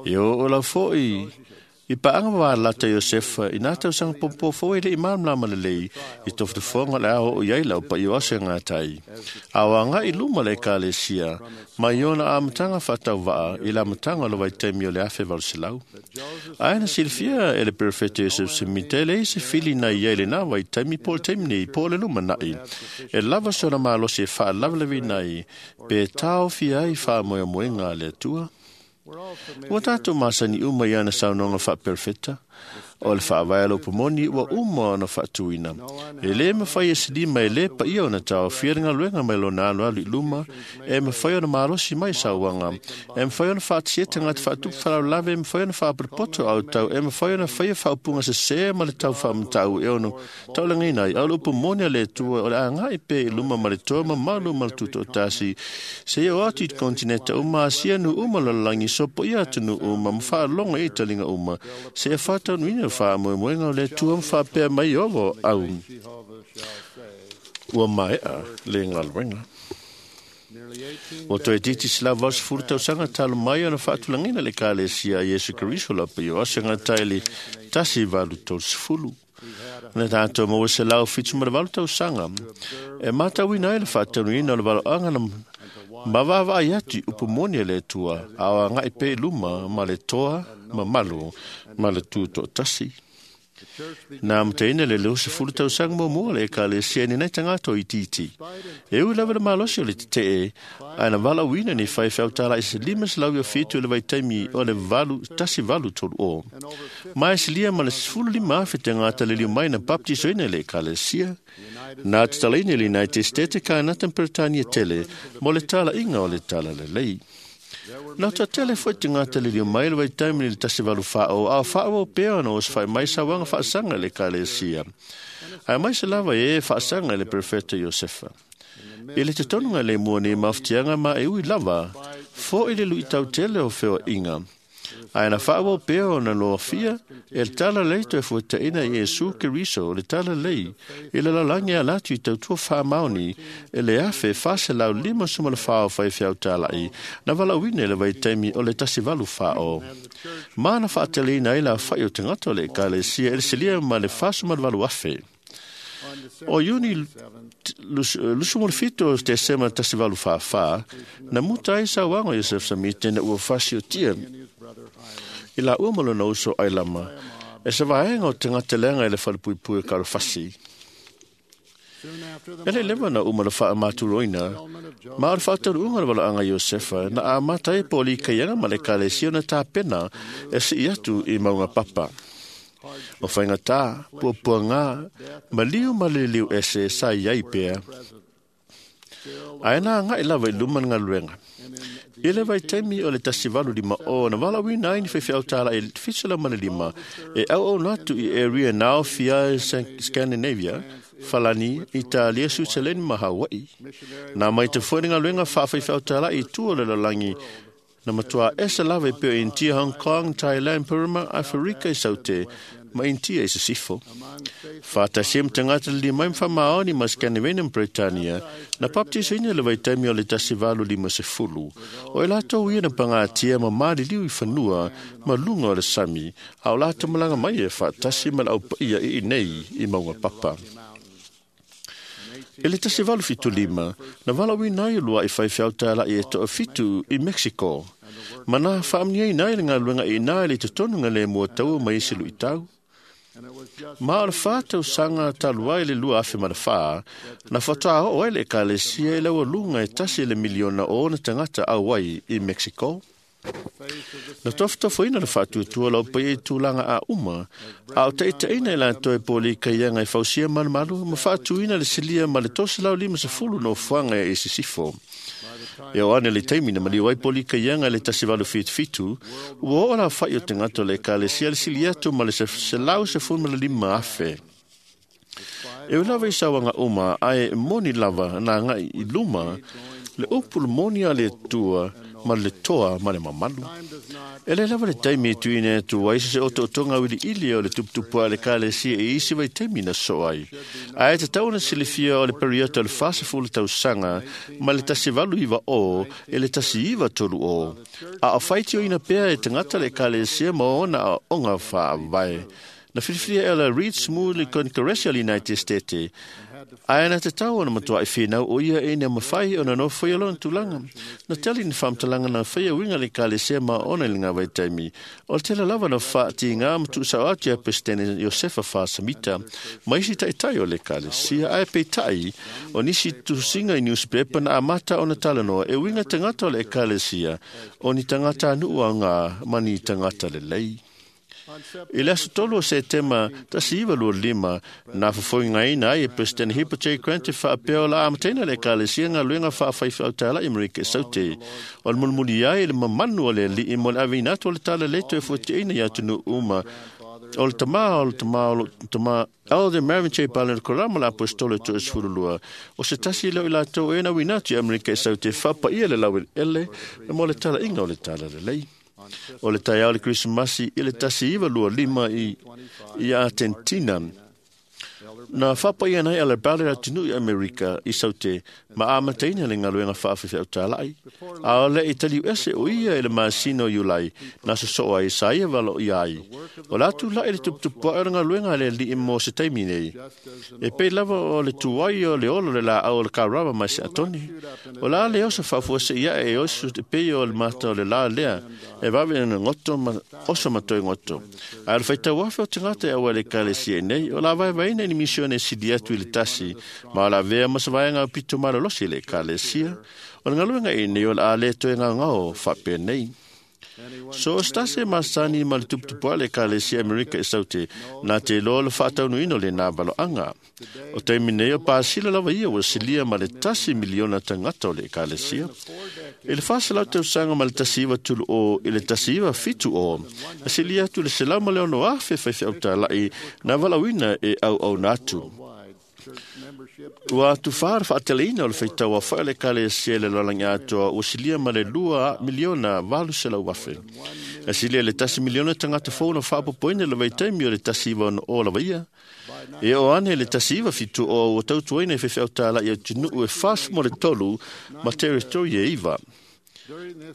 E o lau foi i paaga valata Iosefa i nā tausaga popo foi le i malamalama lelei i tofotofoga le ao o i ai lau paia o aso e gatai. A o agai i luma le ekalesia mai ona amataga faatauvaa i le amataga o le vaitaimi o le 1800. Ae na silafia e le Perefeta Joseph Smith e leai se fili na i ai i lenā vaitaimi po o le taimi nei po o le lumanai. E lava sona malosi e faalavelaveina ai pe taofia ai faamoemoega a le Atua. Ua tatou masani uma i ana saunoaga faaperefeta o le faavae a le upumoni ua uma ona faatuina. E lē mafai e silima e lē paia ona taofia le galuega mai lona aloalo i luma, e mafai ona malosi mai sauaga, e mafai ona faatasia tagata faatupu faalavelave, e mafai ona faapotopoto autau, e mafai ona faia faaupuga sesē ma le tau faamatau e ono taulagaina ai. A o le upumoni a le Atua o le agai pea i luma ma le toa mamalu ma le tutoatasi, seia oo atu i kontineta uma, Asia nuu uma lalolagi, sopoia atunuu uma ma faalogo i taliga uma, seia faataunuuina le faamoemoega o le Atua ma faapea mai ovo au ua maea le galuega. Ua toe titi se lava o 10 tausaga talu mai ona faatulagaina le ekalesia a Iesu Keriso lau paia o aso e gatai i le 1830. Na tatou maua 178 tausaga e matauina ai le faataunuuina o le valoaga na ma vaavaai atu i upu moni a le Atua, a o agai pea i luma ma le toa mamalu ma le tutoatasi. Na amataina le 20 tausaga muamua o le ekalesia i lenei tagata o itiiti. E ui lava le malosi o le tetee, ae na valaauina ni faifeau talai se 507 i le vaitaimi o le 1830. Ma e silia ma le 15,000 tagata liliu mai na baptisoina i le ekalesia. Na tatalaina i le United States Kanata ma Peretania tele mo le talaiga o le talalelei. Na toatele foi tagata liliu mai le vaitaimi i le 1840, a o faaauau pea ona osofai mai sauaga faasaga i le ekalesia. Ae mai se lava e faasaga i le Perefeta Iosefa. I le totonuga le mua nei mafatiaga ma e ui lava, foi le luitau tele o feoaiga. Ae na faaauau pea ona loafia e le talalelei toe fuataina i Iesu Keriso le talalelei i le lalolagi ala atu i tautua faamaoni e le 1454 o faifeau talai na valaauina i le vaitaimi o le 1840. Ma na faateleina ai le aofai o tagata o le ekalesia e le silia ma le 48,000. O Iuni 27 o Tesema 1844, na muta ai sauaga o Joseph Smith ina ua fasiotia i la ua ma lona uso Ailama e se vaega o tagata leaga i le falepuipui o Kalofasi. E le leva na uma le faamatuloina, ma o le faataunuuga o le valaauga a Iosefa na amata ai po o likaiaga ma le ekalesia ona tapena e sii atu i mauga papa. O faigata, puapuaga, maliu ma le liliu ese sa i ai pea. Ae na agai lava i luma le galuega. I le vaitaimi o le 1850 na valaauina ai ni faifeau talai 75 e auauna atu i area na aofia ai Scandinavia, Falani, Italia, Switzerland ma Hawaii. Na maita foi le galuega faafaifeau talai i tua o le lalolagi na matua ese lava e pea o India, Hong Kong, Thailand, Burma, Aferika i Saute, ma Initia i sisifo. Whātasi ma tangata li mai mwhamaoni ma Scandinavia ma Britania, na baptisaina le vaitaimi o le 1850. O e latou ia na pangatia ma maliliu i fanua ma lunga o le sami, a o latou malanga mai e whaatasi ma lau paia i nei i maunga papa. E le 1875, na walawina ai lua i whaiwhiau tāla i e toa fitu i Mexico. Mana whaamnia i nai le ngā luenga i nai le totonu ngā le mua taua mai isi lui tau. Ma o le whātau sanga taluai le 2004 ma le whā, na whatoa o ai le ekalesia i laua lunga e 1 le miliona o ona tangata au ai i Mexico. Na tofutofuina le whaatuatua lau pai e tūlanga a uma, a o taitaina i lātou e pōli kaianga e fausia malumalu, ma whaatuina le silia ma le 350 no fuanga e sisifo. E o ane le taimi na maliu ai pōli kaianga le 1877, ua o la whai o te ngato le ekalesia le silia atu ma le 115 afe. E o lava i sawanga uma, ae moni lava nā ngai i luma, le upulu moni a le tua ma le toa ma le mamalu. E le lava le taimi e tuine atu ai se o tonga wili ili o le tuputupu a le kalesia e isi vai taimi na so ai. A e te tauna silifia o le periota o le whasafulu tausanga ma le 1890 o e le 1930 o. A o whaitio ina pea e tangata le kalesia ma ona a onga whaavae. Na whiriwhiria e la Reed Smooth le Congressional United States. Ae na te tau ona matua i whenau o ia e ina mawhai ona no whai alona tūlanga. Na tali ni whamtalanga na whai winga le kalesia ma ona le ngā waitaimi. O te tele lava na whaati ngā matu sao atu ia Presidente Josefa Whasamita. Ma isi taitai o le kalesia ae peitai o nisi tusinga i newspaper na amata ona talanoa e winga tangata o le kalesia o ni tangata nua ngā mani tangata le lei. I le aso 3 o Setema 1925, na fofoinga ina ai e President Heber J. Grant e whaapea o la amataina le ekalesia ngā luenga whaawhaiwhau tāla i Amerika e Saute. O le mulumuli ai le mamanu o le alii mo le awina atu o le tala leto e fuatiaina i atunu uma. O le tama, o le tama, o le tama, Elder Marion J. Ballard Korama la apostolo e toa sefululua. O se tasi leo i latou e na wina atu i Amerika e Saute whapaia le lawe ele mo le tala inga o le tala lelei. O le taiao le Krismasi i le 1925 i Argentina. Na whapaia nei ala Ballard atunu i Amerika i Saute ma amataina le ngaluenga whaawhiwhi au tālai. A o le itali ese o ia i le masino Iulai na sosoa i saia valo i ai. O la tu lai le tuputupua o le ngaluenga le li mo se taimi nei. E pei lava o le tuai o le olo le la au o le karava mai se atoni. O la le osa whaafua se ia e osu te pei o le mata o le la lea. E wawe na ngoto ma oso matoi ngoto. A le whaitau afe o te ngata e awa le kalesia nei. O la vai vaina ni misione sili atu i le tasi. Ma o la vea masawaenga o pito malolosi le kalesia. O le ngaluenga i nei o le a le toe ngā ngao whape nei. So stase masani ma le tuputupua le kalesia Amerika e Saute nā te loa le whaataunuino le nā valoanga. O taimi nei o pāsila lava ia ua silia ma le 1 miliona tangata o le kalesia. I le 400 tausaga ma le 1930 o i le 1970, na silia atu le 106,000 faifeau tālai nā valauina e auauna atu. Ua atu whaara whaateleina o le whaitaua whae le kalesia le lolangi atoa ua silia ma le 2,800,000. Na silia le 1 miliona tangata fou na whaapopoina le vaitaimi o le 19 o lava ia. E o ane le 1970 o ua tautuaina e whewheau tāla i atunuu e 43 ma territori e iwa.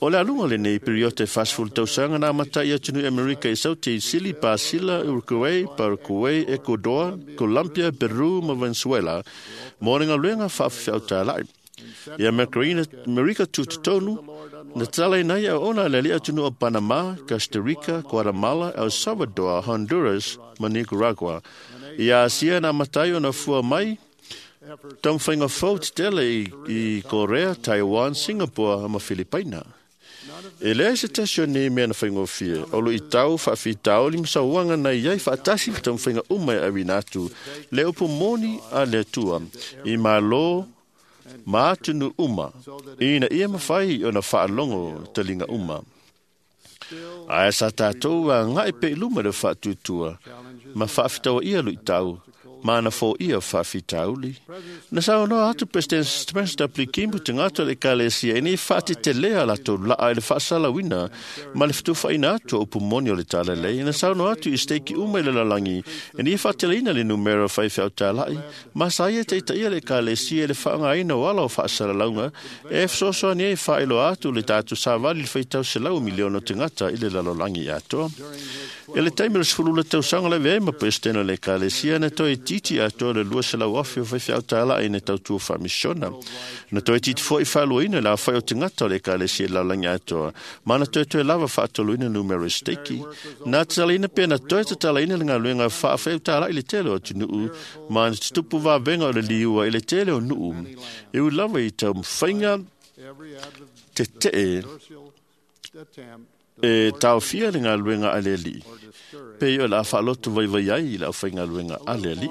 O le alunga le nei periote 40 tausaga na amata i atunuu Amerika i Saute i Sili, Pasila, Uruguay, Paraguay, Ecuador, Colombia, Peru ma Venezuela mo le galuega faafefeau tāla'i. I Amerika tutotonu, na tala nei a ona le alii atunuu o Panama, Costa Rica, Guatemala, El Salvador, Honduras ma Nicaragua. I Asia na amata ai ona fua mai taumafaiga fou tetele i Korea, Taiwan, Singapore ma Filipaina. E leai se tasi o nei mea na faigofie, o lo i tau faafitauli ma sauaga na iai faatasi ma taumafaiga uma e auina atu, le upu moni a le Atua, i Malo ma atunu uma, ina ia mafai ona faalogo taliga uma. Ae sa tātou agai pe i luma le faatuatua, ma faafitaua ia luitau, Ma na foia faafitauli. Na saunoa atu President Spencer W. Kimball tagata o le Ekalesia ina ia faatetelea latou laa i le faasalauina ma le fetufaina atu o upu moni o le talalelei. Na saunoa atu i steiki uma i le lalolagi ina ia faateleina le numera o faifeau talai ma sa ia taitaia le Ekalesia i le faaaogaina o ala o faasalalauga e fesoasoani ai e faailoa atu le tatou savali i le faitau 100 miliona o tagata i le lalolagi atoa. I le taimi o le 12 tausaga le avea ai ma Peresetene o le Ekalesia, na toe itiiti atoa le 200,000 o faifeau talai na tautua faamisiona. Na toe itiiti foi faaluaina le aofai o tagata o le Ekalesia i le lalolagi atoa, ma na toetoe lava faatoluina numera o steiki. Na tatalaina pe na toe tatalaina le galuega faafeau talai i le tele o atunuu, ma na tutupu vavega o le liua i le tele o nuu. E ui lava i taumafaiga tetee e taofia le galuega a le Alii, pei o le a faaloto vaivai ai i le aufaigaluega a le Alii.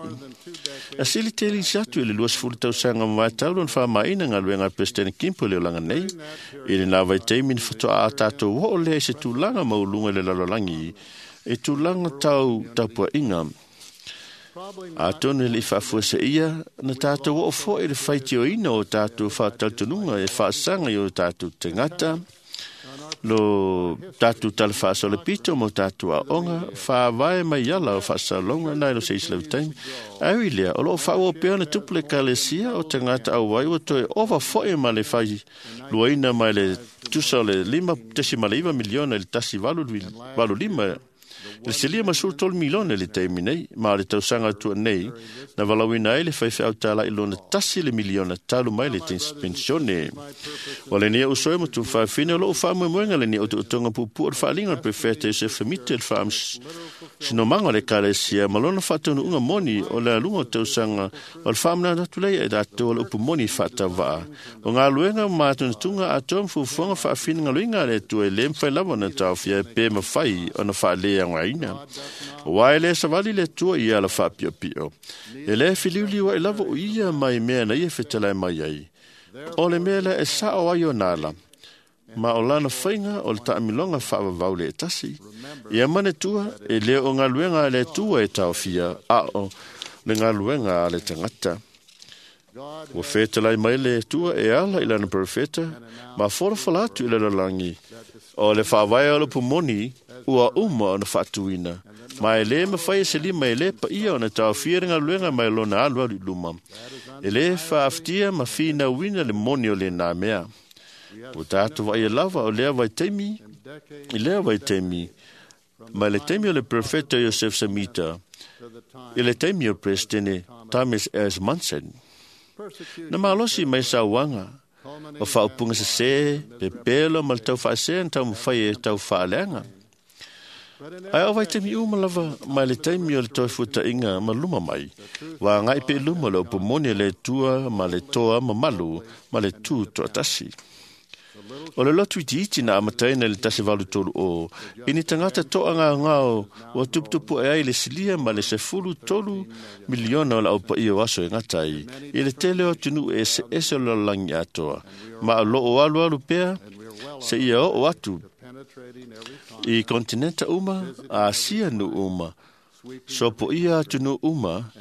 E sili tele isi atu i le 20 tausaga ma vaetau lona faamaina galuega a Peresetene Kimball i le olaga nei. I lena vaitaimi na faatoa a tatou oo lea i se tulaga maualuga i le lalolagi, e tulaga tau tapuaiga. Atonu e le i faafuaseia, na tatou oo foi i le faitioina o tatou faatalitonuga e faasaga i o tatou tagata, lo tatou tala faasolopito ma o tatou aoga, faavae mai ala o faasalalauga nai lo se isi lava taimi. Ae ui lea, o loo faaauau pea ona tupu le Ekalesia o tagata auai ua toe ova foi ma le failuaina mai le tusa o le 5.9 miliona i le 1.85 i le silia ma 13 miliona i le taimi nei, ma o le tausaga atua nei, na valauina ai le faifeau talai lona 1 le miliona talu mai le pensione. O lenei au soe ma tuafafine o loo faamoemoega lenei otootoga puupuu o le faaaliga o le Perofeta Iosefa Mita i le faamasinomaga o le Ekalesia ma lona faataunuuga moni o le aluga o tausaga o le faamanatu atu lea ia i latou o le upu moni faatauvaa. O galuega ma matunatuga atoa ma fuafuaga faafinagaloina a le Atua e le mafai lava ona taofia pe mafai ona faaleaogaina. Aua e le savali le Atua i ala faapiopio. E le filiuliu ai lava o ia mai mea na ia fetalai mai ai. O le mea lea e sao ai ona ala, ma o lana faiga o le taamiloga faavavau le tasi. Ia manatua, e le o galuega a le Atua e taofia, a o le galuega a le tagata. Ua fetalai mai le Atua e ala i lana perofeta, ma folafola atu i le lalolagi. O le faavae o le upu moni ua uma ona faatuina, ma e le mafai e se lima e le paia ona taofia le galuega mai lona alualu i luma. E le faafatia ma finauina le moni o lena mea. Ua tatou vaaia lava o lea vaitaimi, i lea vaitaimi, mai le taimi o le perofeta Iosef Semita, i le taimi o le Peresetene Thomas S. Monson. Na malosi mai sauaga o faaupuga sesē, pepelo ma le taufaasea na taumafai e taufaaleaga. Ae o vaitaimi uma lava mai le taimi o le toe fuataʻiga ma luma mai, ua agai pea i luma le upu moni a le Atua ma le toa mamalu ma le tu toatasi. O le lotu itiiti na amataina i le 1830, i ni tagata toagaogao ua tuputupu ae ai le silia ma le 13 miliona o le aupaia o aso e gata ai, i le tele o atunuu eseese o le lalolagi atoa, ma o loo alualu pea seia oo atu i kontinenta uma, Asia nuu uma, sopoia atunuu uma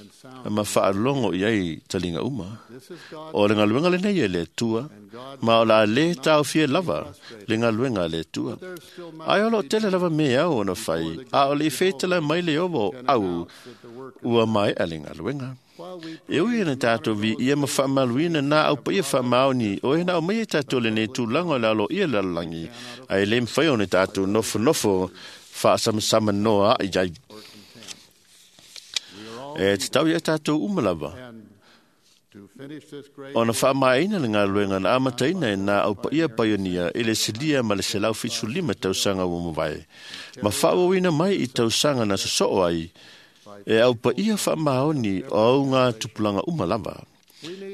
ma faalogo i ai taliga uma. O le galuega lenei e le Atua, ma o le a lē taofia lava le galuega a le Atua. Ae o loo tele lava mea ao ona fai, a o le i fetalai mai le Ieova o au ua maea le galuega. E ui ina tatou viia ma faamaluina nā au paia faamaoni o e na aumaia tatou lenei tulaga o le aloaia i le lalolagi, ae le mafai ona tatou nofonofo faasamasama noa ai ai. E tatau ia tatou uma lava ona faamaeaina le galuega na amataina e nā au paia paionia i le silia ma le 175 tausaga ua mavae, ma faaauauina mai i tausaga na sosoo ai e au paia faamaoni o auga tupulaga uma lava.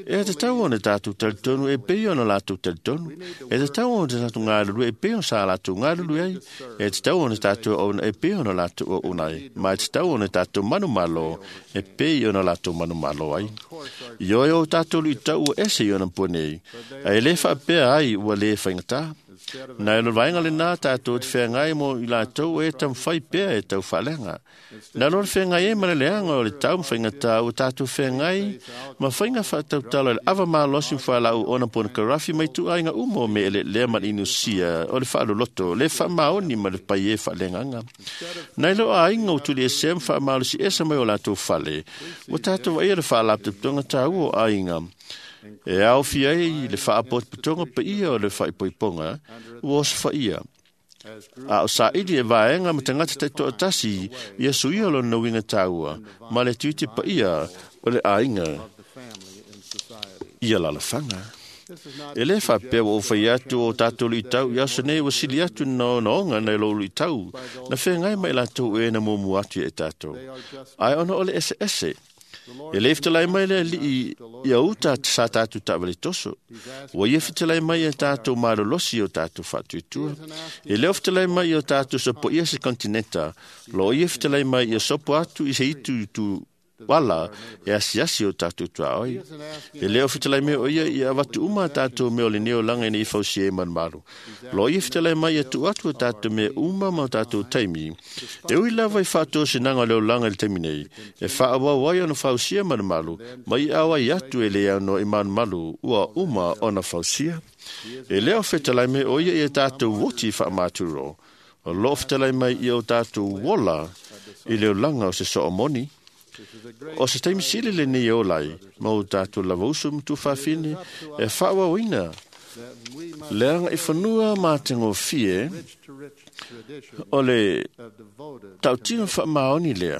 E tatau ona tatou talitonu e pei ona latou talitonu. E tatau ona tatou galulue e pei ona sa latou galulue ai. E tatau ona tatou auauna e pei ona latou auauna ai. Ma e tatau ona tatou manumalo e pei ona latou manumalo ai. Ioe o tatou luitau ua ese i ona pua nei, ae le faapea ai ua le faigata. Nai lo vaenga le nā tātou te whengai mo i lātou e tamwhai pea e tau whalenga. Nā lo le whengai e mana leanga o le tau mwhainga tā o tātou whengai ma whainga whaatautala le awa mālosi mwhalau ona pona karafi mai tu ainga umo me ele lea man inusia o le whaaloloto le whaamaoni ma le pai e whalenganga. Nai lo ainga o tuli e se mwhaamalosi esa mai o lātou whale. O tātou waia le whaalapte tonga tāu o ainga. E au fia ai le whaapotpotonga pa ia o le whaipoiponga, ua osa whaia. A o sa ili e vaenga ma tangata te toa tasi, ia suia lo na winga tāua, ma le tuite pa ia o le ainga ia lalawhanga. E le whapea o whai atu o tātou lui tau, ia sa nei wasili atu na ona onga nei lo lui tau, na whengai mai lātou e na mumu atu e tātou. Ai ona o le ese ese. E le fitelai mai le li ia uta sa tātou tāwale toso. Ua ia fitelai mai e tātou marolosi o tātou whatuitua. E leo fitelai mai o tātou sopo ia se kontinenta. Lo ia fitelai mai ia sopo atu i se itu tu wala e asiasi o tātou tuaoi. E leo fitelai mai o ia ia watu uma tātou me o le neo langa i fausi e manmaru. Lo ia fitelai mai ia tu atu o tātou me uma ma o tātou taimi. E ui lava i whātou se nanga leo langa i le taimi nei. E whaawau ai ona fausia manmaru, mai awa i atu e le ano i manmaru ua uma ona fausia. E leo fitelai mai o ia ia tātou woti whaamāturo. O lo fitelai mai ia o tātou wola i leo langa o se soomoni. O se taimi sili le nei o lai, ma o tātou lava usu mtu whawhine, e whaawawina. Leanga i whanua mā te ngōwhie, o le tautino whaamaoni lea,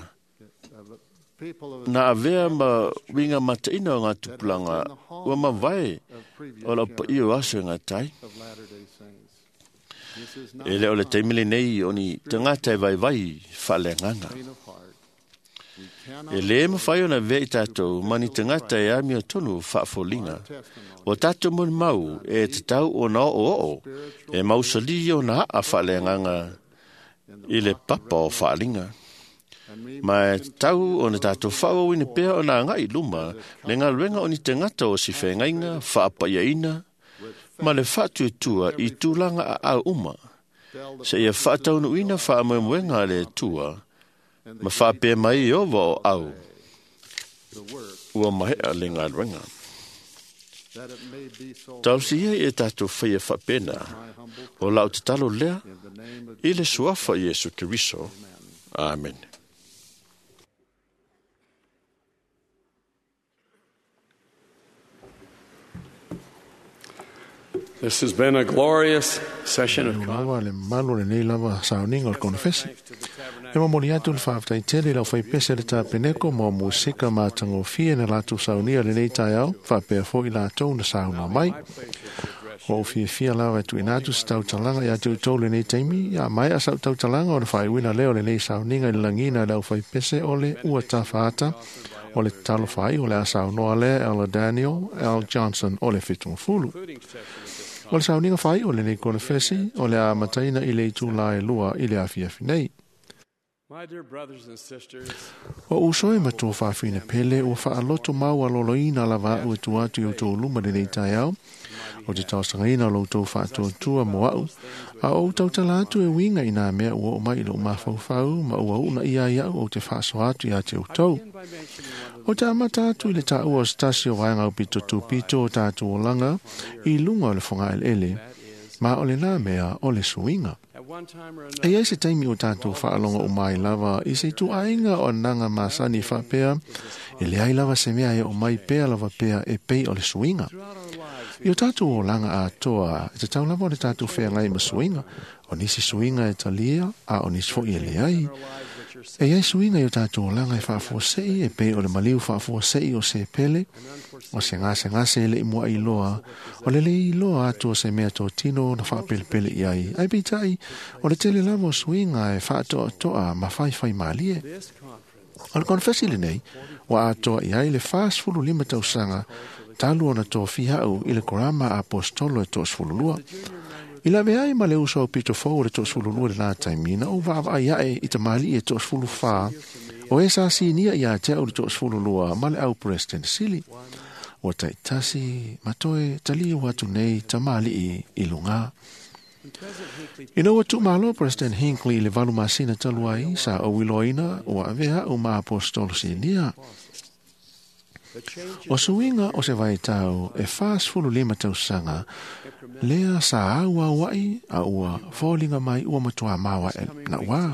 nā avea ma winga mataina o ngā tupulanga, ua mawai o lau pa iyo aso e ngā tai. E leo le taimi le nei o ni tangata e vai vai whaleanganga. E le mawhai ona vea i tātou, mani tangata e amia tonu whaafolinga. O tātou mun mau e te tau o na o o, e mausali o na a whaleanganga i le papa o whaalinga. Ma e tau o na tātou whaawawine pea o nā ngai luma, le ngā luenga o ni tangata o si whengainga, whaapaiaina, ma le whaatuetua i tūlanga a au uma. Se ia whaataunuina whaamoemoenga le tua, ma whaapea mai i ova o au, ua mahea le ngā luenga. Tausi ia e tātou whaia whapena, o lau te talo lea, i le suafa Iesu Keriso. Amen.
This has been a glorious session of
Lava le malu le nei lava sauninga o le konefesi. E momoli atu le whaaftai tele lau whaipese le tāpeneko mo musika mātangofie na lātou saunia le nei taeao, whaapea fo i lātou na sauna mai. O fia fia lava tu ina atu se tautalanga ia te utou le nei taimi, ia mai a sau tautalanga o le whaiwina leo le nei sauninga i le langina lau whaipese o le ua tawhaata, o le talo whai o le asau noa le Ella Daniel L. Johnson o le Fitungafulu. O le sauninga whai o le nei konefesi o le a mataina i le itu la e lua i le afiafi nei.
My dear brothers and sisters,
O uso e matua whawhine pele ua whaaloto mau a loloina lava au e tu atu i o tō luma le nei taeao. O te tausangaina o lo tō whaatuatua mo au. A o tautala atu e winga i nā mea ua o mai i lo mawhauwhau ma ua una ia i au o te whaaso atu i a te utau. O te amata atu i le tāua o stasi o waenga o pito tūpito o tātou o langa i lunga o le whanga ele. Ma o le nā mea o le suinga. E ai se taimi o tātou whaalonga o mai lava i se tu ainga o nanga masani whapea e le ai lava se mea e o mai pea lava pea e pei o le suinga. I o tātou o langa atoa, e te tau lava o le tātou whea ma suinga, o nisi suinga e talia, a o nisi fo i e le ai. E ai suinga i o tātou o langa e whaafuasei, e pei o le maliu whaafuasei o se pele, o se ngase ngase e le imua i loa, o le le i loa atu o se mea tō tino na whaapelepele i ai. Ai peitai, o le tele lava o suinga e whaatoa toa ma whai whai malie. O le konfesi le nei, wa atoa i ai le 45 tausanga, talu ona tō fihau i le korama apostolo e tō sfululua. I la veai ma le uso o pito fou le tō sfululua le nā taimina, o vaava ai ae i te mali e tō sfuluwhā, o e sa sinia i a te au le tō sfululua ma le au President Sili. O taitasi matoe tali o atu nei ta mali i lunga. Ina ua tuumalo President Hinckley i le 8 masina talu ai, sa ou iloaina ua avea au ma apostolo sinia. O suiga o se vaitau e 45 tausaga, lea sa au auai a ua foliga mai ua matua maoa e nauā.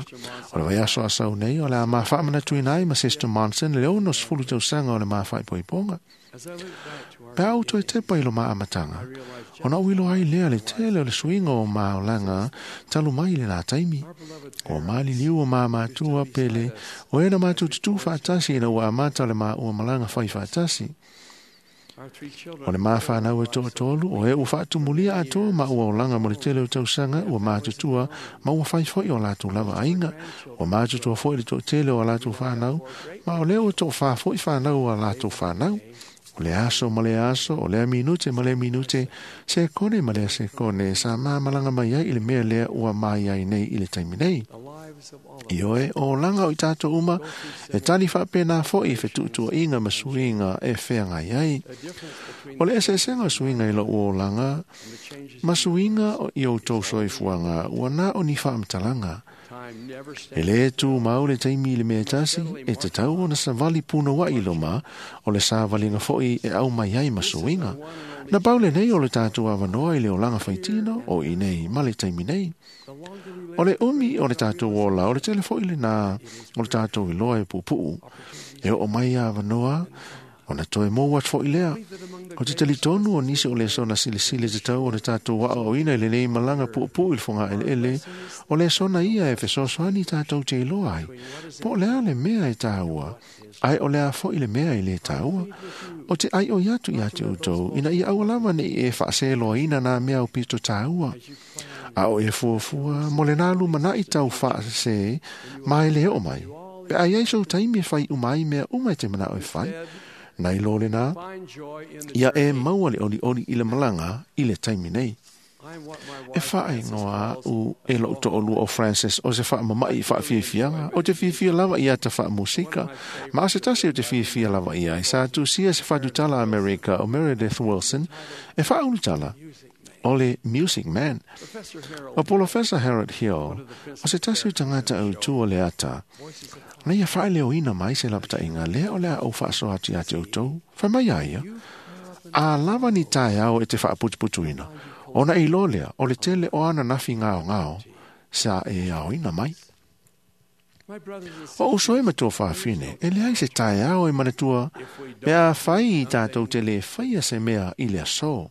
O le vaiaso a sau nei o le a mafaamanatuina ai ma Sister Monson le 60 tausaga o le mafaipoipoga. Pe au toe tepa i lo maamataga, ona ou iloa ai lea le tele o le suiga o maolaga talu mai le la taimi. O maliliu o mamatua pele, o e na matou tutū faatasi ina ua amata o le maua malaga fai faatasi. O le mawhanau e toatolu, o e ua faatumulia atoa ma ua olaga mo le tele o tausaga, ua matutua ma ua fai foi o latou lava aiga. Ua matutua foi le toatele o a latou whanau, ma o lea ua toafā foi whanau o a latou whanau. O le aso ma le aso, o lea minute ma lea minute, se kone ma lea se kone, sa māmalanga mai ai i le mea lea ua mai ai nei i le taimi nei. I oe, o langa o i tātou uma, e tali whaapena foi i whetuutua inga ma suinga e wheangai ai. O le eseesenga o suinga i lo o langa, ma suinga o i o tau soifuanga, ua nā o ni whaamatalanga. E le tū mau le taimi i le mea tasi, e te tau ona savali puna wa i loma, o le savalinga foi e au mai ai ma suinga. Na pau le nei o le tātou awanoa i le olanga whaitino, o i nei ma le taimi nei. O le umi o le tātou ola, o le tele foi le nā, o le tātou iloa e pupuu. E o mai awanoa, o na toe mō atu foi lea. O te talitonu o nisi o le sona silisili te tau o le tātou waa o ina i le nei malanga puupuu i le fonga ele ele, o le sona ia e fesoasoani tātou te iloa ai. Po o lea le mea e tāua, ai o lea foi le mea i le tāua. O te ai o iatu ia te utou, ina ia aua lava nei e whaaseloa ina nā mea o pito tāua. A o e fuafua, mo le nā luma i tau whaase, mai le o mai. Pe ai ai sou taimi e whai umai mea uma e te mana o e whai. Nei lo le nā, ia e maua le oli oli i le malanga i le taimi nei. E whae ngoa u e lo to'olua o Francis o se wha mamai wha fiafianga, o te fiafia lava ia ta wha musika, ma o se tasi o te fiafia lava ia, i sa tusia se whatutala Amerika o Meredith Wilson, e wha ulutala, o le Music Man. O Professor Harold Hill, o se tasi o tangata au tua le ata, na ia whae leo ina mai se lapta inga lea o lea au whaaso ati ati o tau, whai mai aia, a lava ni tae au e te whaaputuputuina, ona i lolea, o le tele o ana nafi ngao ngao, sa e ao ina mai. O uso e matua whaafine, e lea i se tae ao e manatua, mea whai i tātou te le whaia se mea i lea so.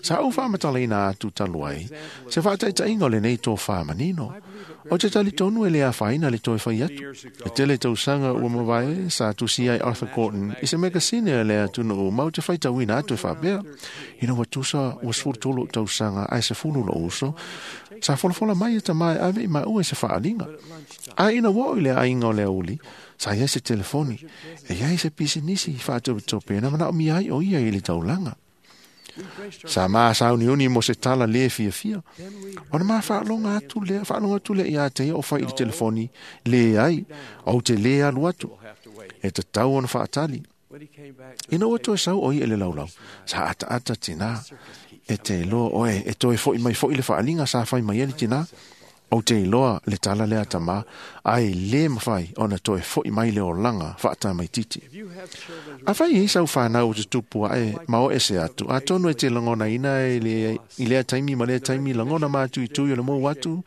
Sa au whaamatala ina atu taluai, se whaataita inga o le nei tō whaamanino. O te tali tonu e lea whaina le toi whai atu. E tele tausaga ua mawae sa tusi ai Arthur Gordon i se megasine a lea tunu o mau te whaitauina atu e whaapea. Ina ua tusa ua 13 tausaga ai se fulu lo uso, sa folafola mai e tamae ave i maua e se whaalinga. A ina ua o i le ainga o lea uli, sa iai se telefoni, e iai se pisinisi i whaatopetope na mana o mi ai o ia i le taulanga. Sa maa sauniuni mo se tala le fia fia. O na maa whaalonga atu lea, whaalonga atu lea i a te o whai i le telefoni, le ai, au te le alu atu. E te tau ona whaatali. Ina ua toe sau o i ele laulau, sa ata ata tina, e te iloa oe, e toe foi mai foi le whaalinga sa whai mai ele tina, o te iloa le tala lea tama, ai le mawhai ona toe foi mai le olanga whaata mai titi. A whai e sau whanau o te tupua e mao ese atu, a tonu e te langona ina e le, i lea taimi ma lea taimi langona mātu i tui o le mou atu,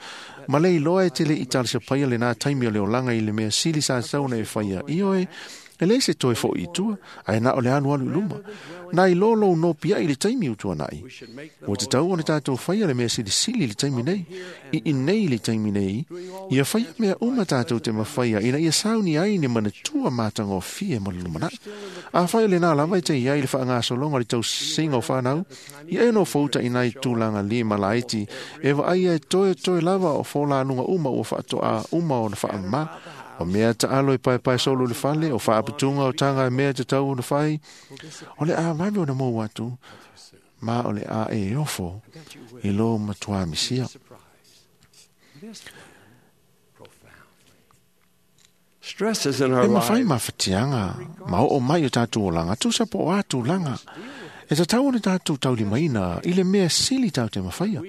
ma le iloa e te le i tala se paia le nā taimi o le olanga i le mea sili sa sauna e whaia i oe, e le se toe foi i tua, ai nā o le anu alu luma. Nā i lolo no pia i le taimi utua nai. O te tau o le tātou whaia le mea silisili le taimi nei, i inei le taimi nei, ia whaia mea uma tātou te mawhaia, ina ia sauni ai ni manatua mātanga o fie mo le lumanai. A whaia le nā lava i te iai le whaangasolonga le tau singa o whanau, ia e no fouta inai tūlanga li malaiti, e wa ai e toe toe lava o fōlānunga uma o whaatoa uma o na whaama, o mea ta alo i pai pai solo le fale, o whaaputunga o tanga e mea te tau o na whai, o le a vave o na mou atu, ma o le a e ofo, i lo matua misia. E mawhai mawhatianga, ma o mai o tātou o langa, tūsa po o atu langa, E tatau ona tatou taulimaina i le mea sili tatou te mafaia.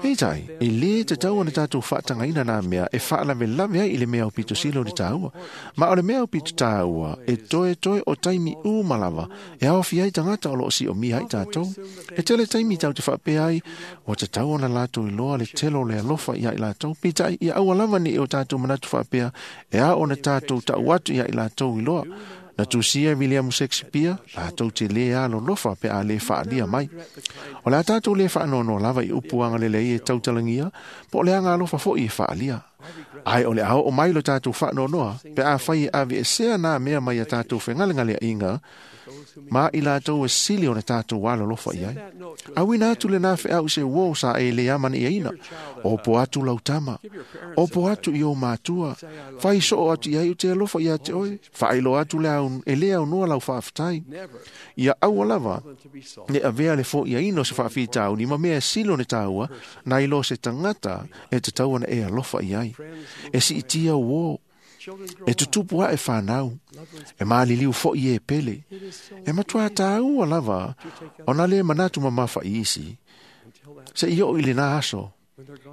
Peitai, e lē tatau ona tatou faatagaina nā mea e faalavelave ai i le mea aupito sili o le tāua. Ma o le mea aupito tāua e toetoe o taimi uma lava e aofia ai tagata o loo siomia ai tatou. E tele taimi tatou te faapea ai ua tatau ona latou iloa le tele o le alofa ia i latou. Peitai, ia aua lava ne i o tatou manatu faapea e ao ona tatou tau atu ia i latou iloa. Na tusia William Shakespeare, latou te lē alolofa pe a lē faalia mai. O le a tatou lē faanoanoa lava i upu agalelei e tautalagia, po o le agalofa foi e faalia. Ae o le a oo mai lo tatou faanoanoa pe a fai e aveesea nā mea mai a tatou fegalegaleaiga ma i latou e sili ona tatou alolofa i ai. Auina atu lenā feau i se uō sa e lē amana'iaina. Opo atu lau tama. Opo atu i ou matua. Fai soo atu i ai o te alofa ia te oe. Faailoa atu le au, e lē aunoa lau faafetai. Ia aua lava ne avea le fo'iaina o se faafitauli ma mea e sili ona tāua nai lo se tagata e tatau ona e alofa i ai. E siitia uō. E tutupu ae whanau, e maliliu fo'i e pele. E matua tāua lava, ona le manatu mamafa i isi. Se i o i le nā aso,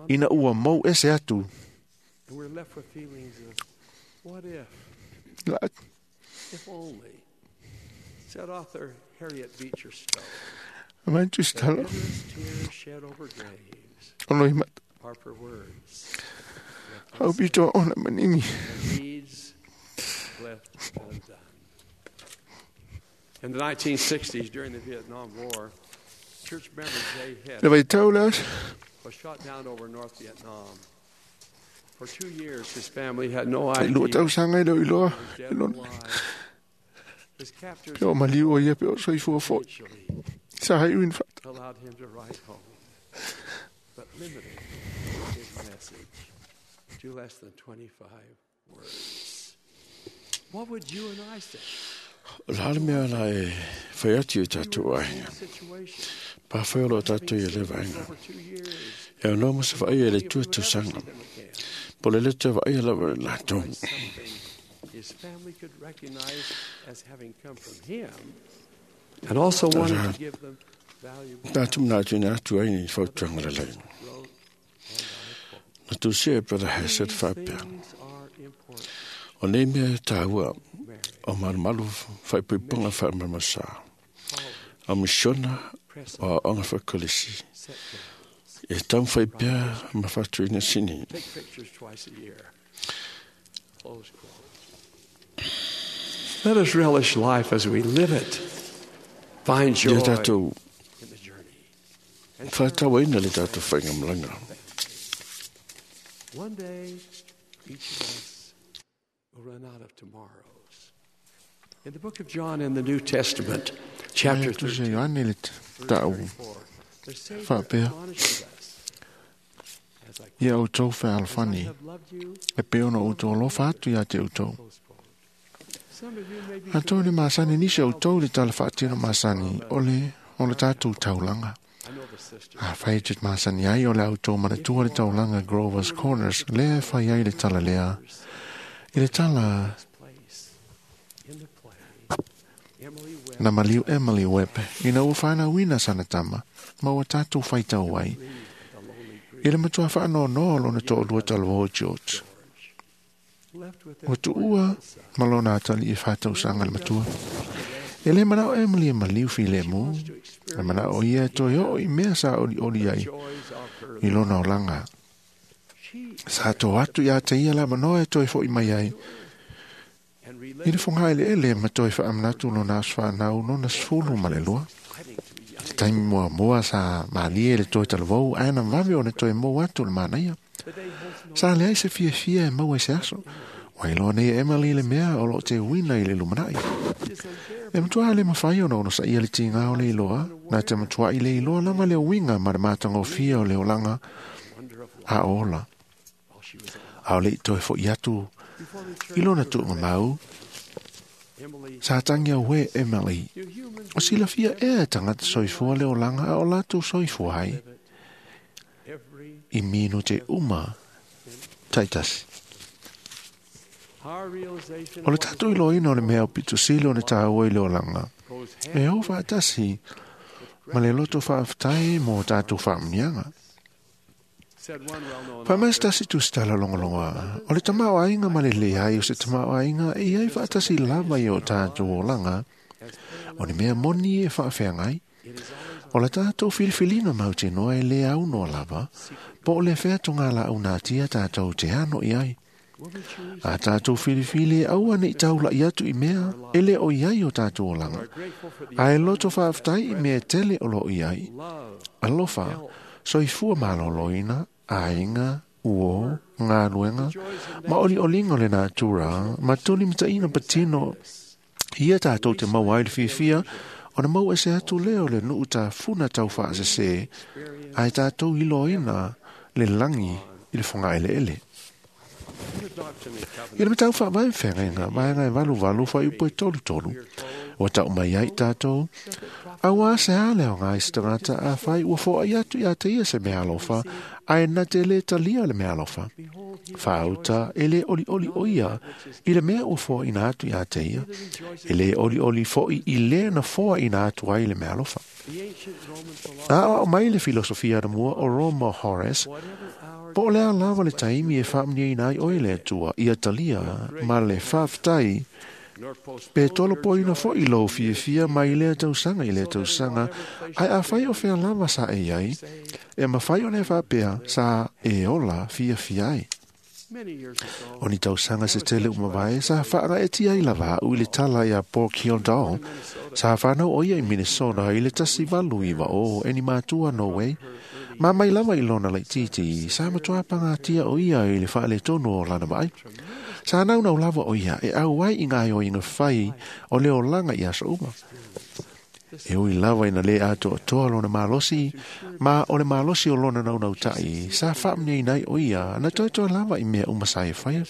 ina ua mou ese atu.
And we're left with feelings of, what if,
La,
if only, said author Harriet Beecher Stowe,
mantu
that
stalo,
endless tears shed over graves
ono i mata,
are for words left
au pito ona manini.
and deeds left undone. In the 1960s, during the Vietnam War, church member Jay
Le
Hess
vai tau le aso,
was shot down over North Vietnam. For 2 years, his family had no
ai
idea
lua tausaga e leo iloa,
he was
e
dead or
lona,
alive. His captors
pe o maliu o ia pe o soifua fo'i.
eventually
Sa hai uin whata.
allowed him to write home, but limited his message to less than 25 words. What would you and I say
O le hale mea la e whai atu i tātou
in
aiga.
this situation?
Pā whai o lo tātou i le vaenga.
Over 2 years,
E o noa masa whaai e le
if
tua
we would ever see
tausaga.
them again,
Po le le te whaai lava le lātou.
write something his family could recognize as having come from him, and also wanted to give them valuable
Tātou mna atu ina atu ai ni whautuanga le lai.
wrote, and I quote,
Na tūsia e Brother Hesed
"These
whāpea.
things are important.
O nei mea tāua
Marriage,
o marumaru whaipuipunga whaamaramasa. O misiona
press
o aonga whakalisi.
set goals,
E tau whaipea ma whatuina sini.
take pictures twice a year." Close quote. Let us relish life as we live it. Find joy
Ia tātou
in the journey. And
whātawaina le tātou whainga malanga.
One day, each of us will run out of tomorrows. In the book of John in the New Testament, chapter
Ai, tusia
13,
Ioane le
verse
tau
34, the Savior
Whapea.
admonishes us, as I
ia outou
as I
fealofani,
have loved you,
e pe ona outou alofa atu ia te outou.
close quote. Some of you may be
Atō le masani nisi outou le tala whaatino masani o le o le tātou taulanga.
I know the sister.
A whai te masani ai o le autou manatua le taulanga Grover's Corners, lea e whai ai le tala lea. I le tala
Place in the play, Emily Webb
na maliu Emily Webb, ina ua whanauina sana tama, ma ua tātou whaitau ai.
the lonely grief
I le matua whaanonoa lona to'olua talavō George.
left with their
Ua tuua ma lona atali i whātausanga le matua. E le manao Emily e maliu fi le mu, e manao ia e toe o i mea sa oli oli ai
joys of her
i lona olanga.
She
Sa tō atu ia te ia la manoa e toe fo i mai ai.
and
I le
related
whonga ele ele ma toe whaamanatu lona aswhanau lona sfulu ma le lua.
fighting to be young.
Te taimi mua mua sa malie le toe talavou, ae na vave o na toe mou atu le manaia.
The day holds no
Sa leai se fia fia e maua i se aso. Wailoa nei Emily le mea o lo te wina i le lumanai.
is unbearable.
E matua le mawhai ona ono sa ia le tinga o le iloa, nā te matua i le iloa lava le winga ma le mātangofia o le olanga
Wonder of life
a ola.
while she was alive.
A o le i toe fo i atu
Before returning
i lona
to her
tuunga mau,
Emily,
sa tangia we Emily.
do humans
O silafia ea tangata soifua le olanga a o lātou soifua ai.
live it every
I mino te uma, taitasi.
our realization
O le
of what
tātou iloina o le mea o pito sili o le tāua i le olanga.
goes
E
hand
o whaatasi ma le loto faafetai mo tatou faamuniaga. Faamaisitasi tusitala logologoa, o le tamaoaiga ma le leai o se tamaoaiga e iai faatasi lava i o tatou olaga, o le mea moni e faafeagai. O la tatou filifiliga mautinoa e lē aunoa lava, po o le featogalaaunatia tatou te ano i ai. A tatou filifili e aua neʻi taulaʻi atu i mea e lē o i ai o tatou olaga, ae loto faafetai i mea e tele o loo i ai. Alofa, soifua malōlōina, aiga, uō, galuega, ma olioliga o le natura, ma tulimataʻiga patino ia tatou te maua ai le fiafia, ona mau ese atu lea o le nuu tafuna taufaasesē, ae tatou iloaina le lagi i le fogaeleele. I le matau faavae feagaiga vaega e 88 fuaiupu e 33, ua tau mai ai tatou, auā se a le aoga i se tagata afai ua foai atu iā te ia se meaalofa, ae na te lē talia le meaalofa. Faauta e lē olioli o ia i le mea ua foaina atu iā te ia, e lē olioli foʻi i lē na foaina atu ai le meaalofa. Aʻoaʻo mai le filosofia anamua o Roma Horace, po o le a lava le taimi e faamuniaina ai oe le Atua ia talia ma le faafetai, pe tolopoina foʻi lou fiafia mai lea tausaga i lea tausaga, ae afai o fea lava sa e iai, e mafai ona e faapea sa e ola fiafia ai. O ni tausaga se tele umavae sa faagaetia ai lava a'u i le tala iā Pork Hildal, sa fanau o ia i Minnesota i le 1890 e ni matua Norway, ma mai lava i lona laititi, sa matuā pagatia o ia i le faaletonu o lana vaai. Sa naunau lava o ia e auai i gaoioiga fai o le olaga i aso uma. E ui lava ina lē atoatoa lona malosi, ma o le malosi o lona naunautaʻi, sa faamuniaina ai o ia na toetoe lava i mea uma sa e faia.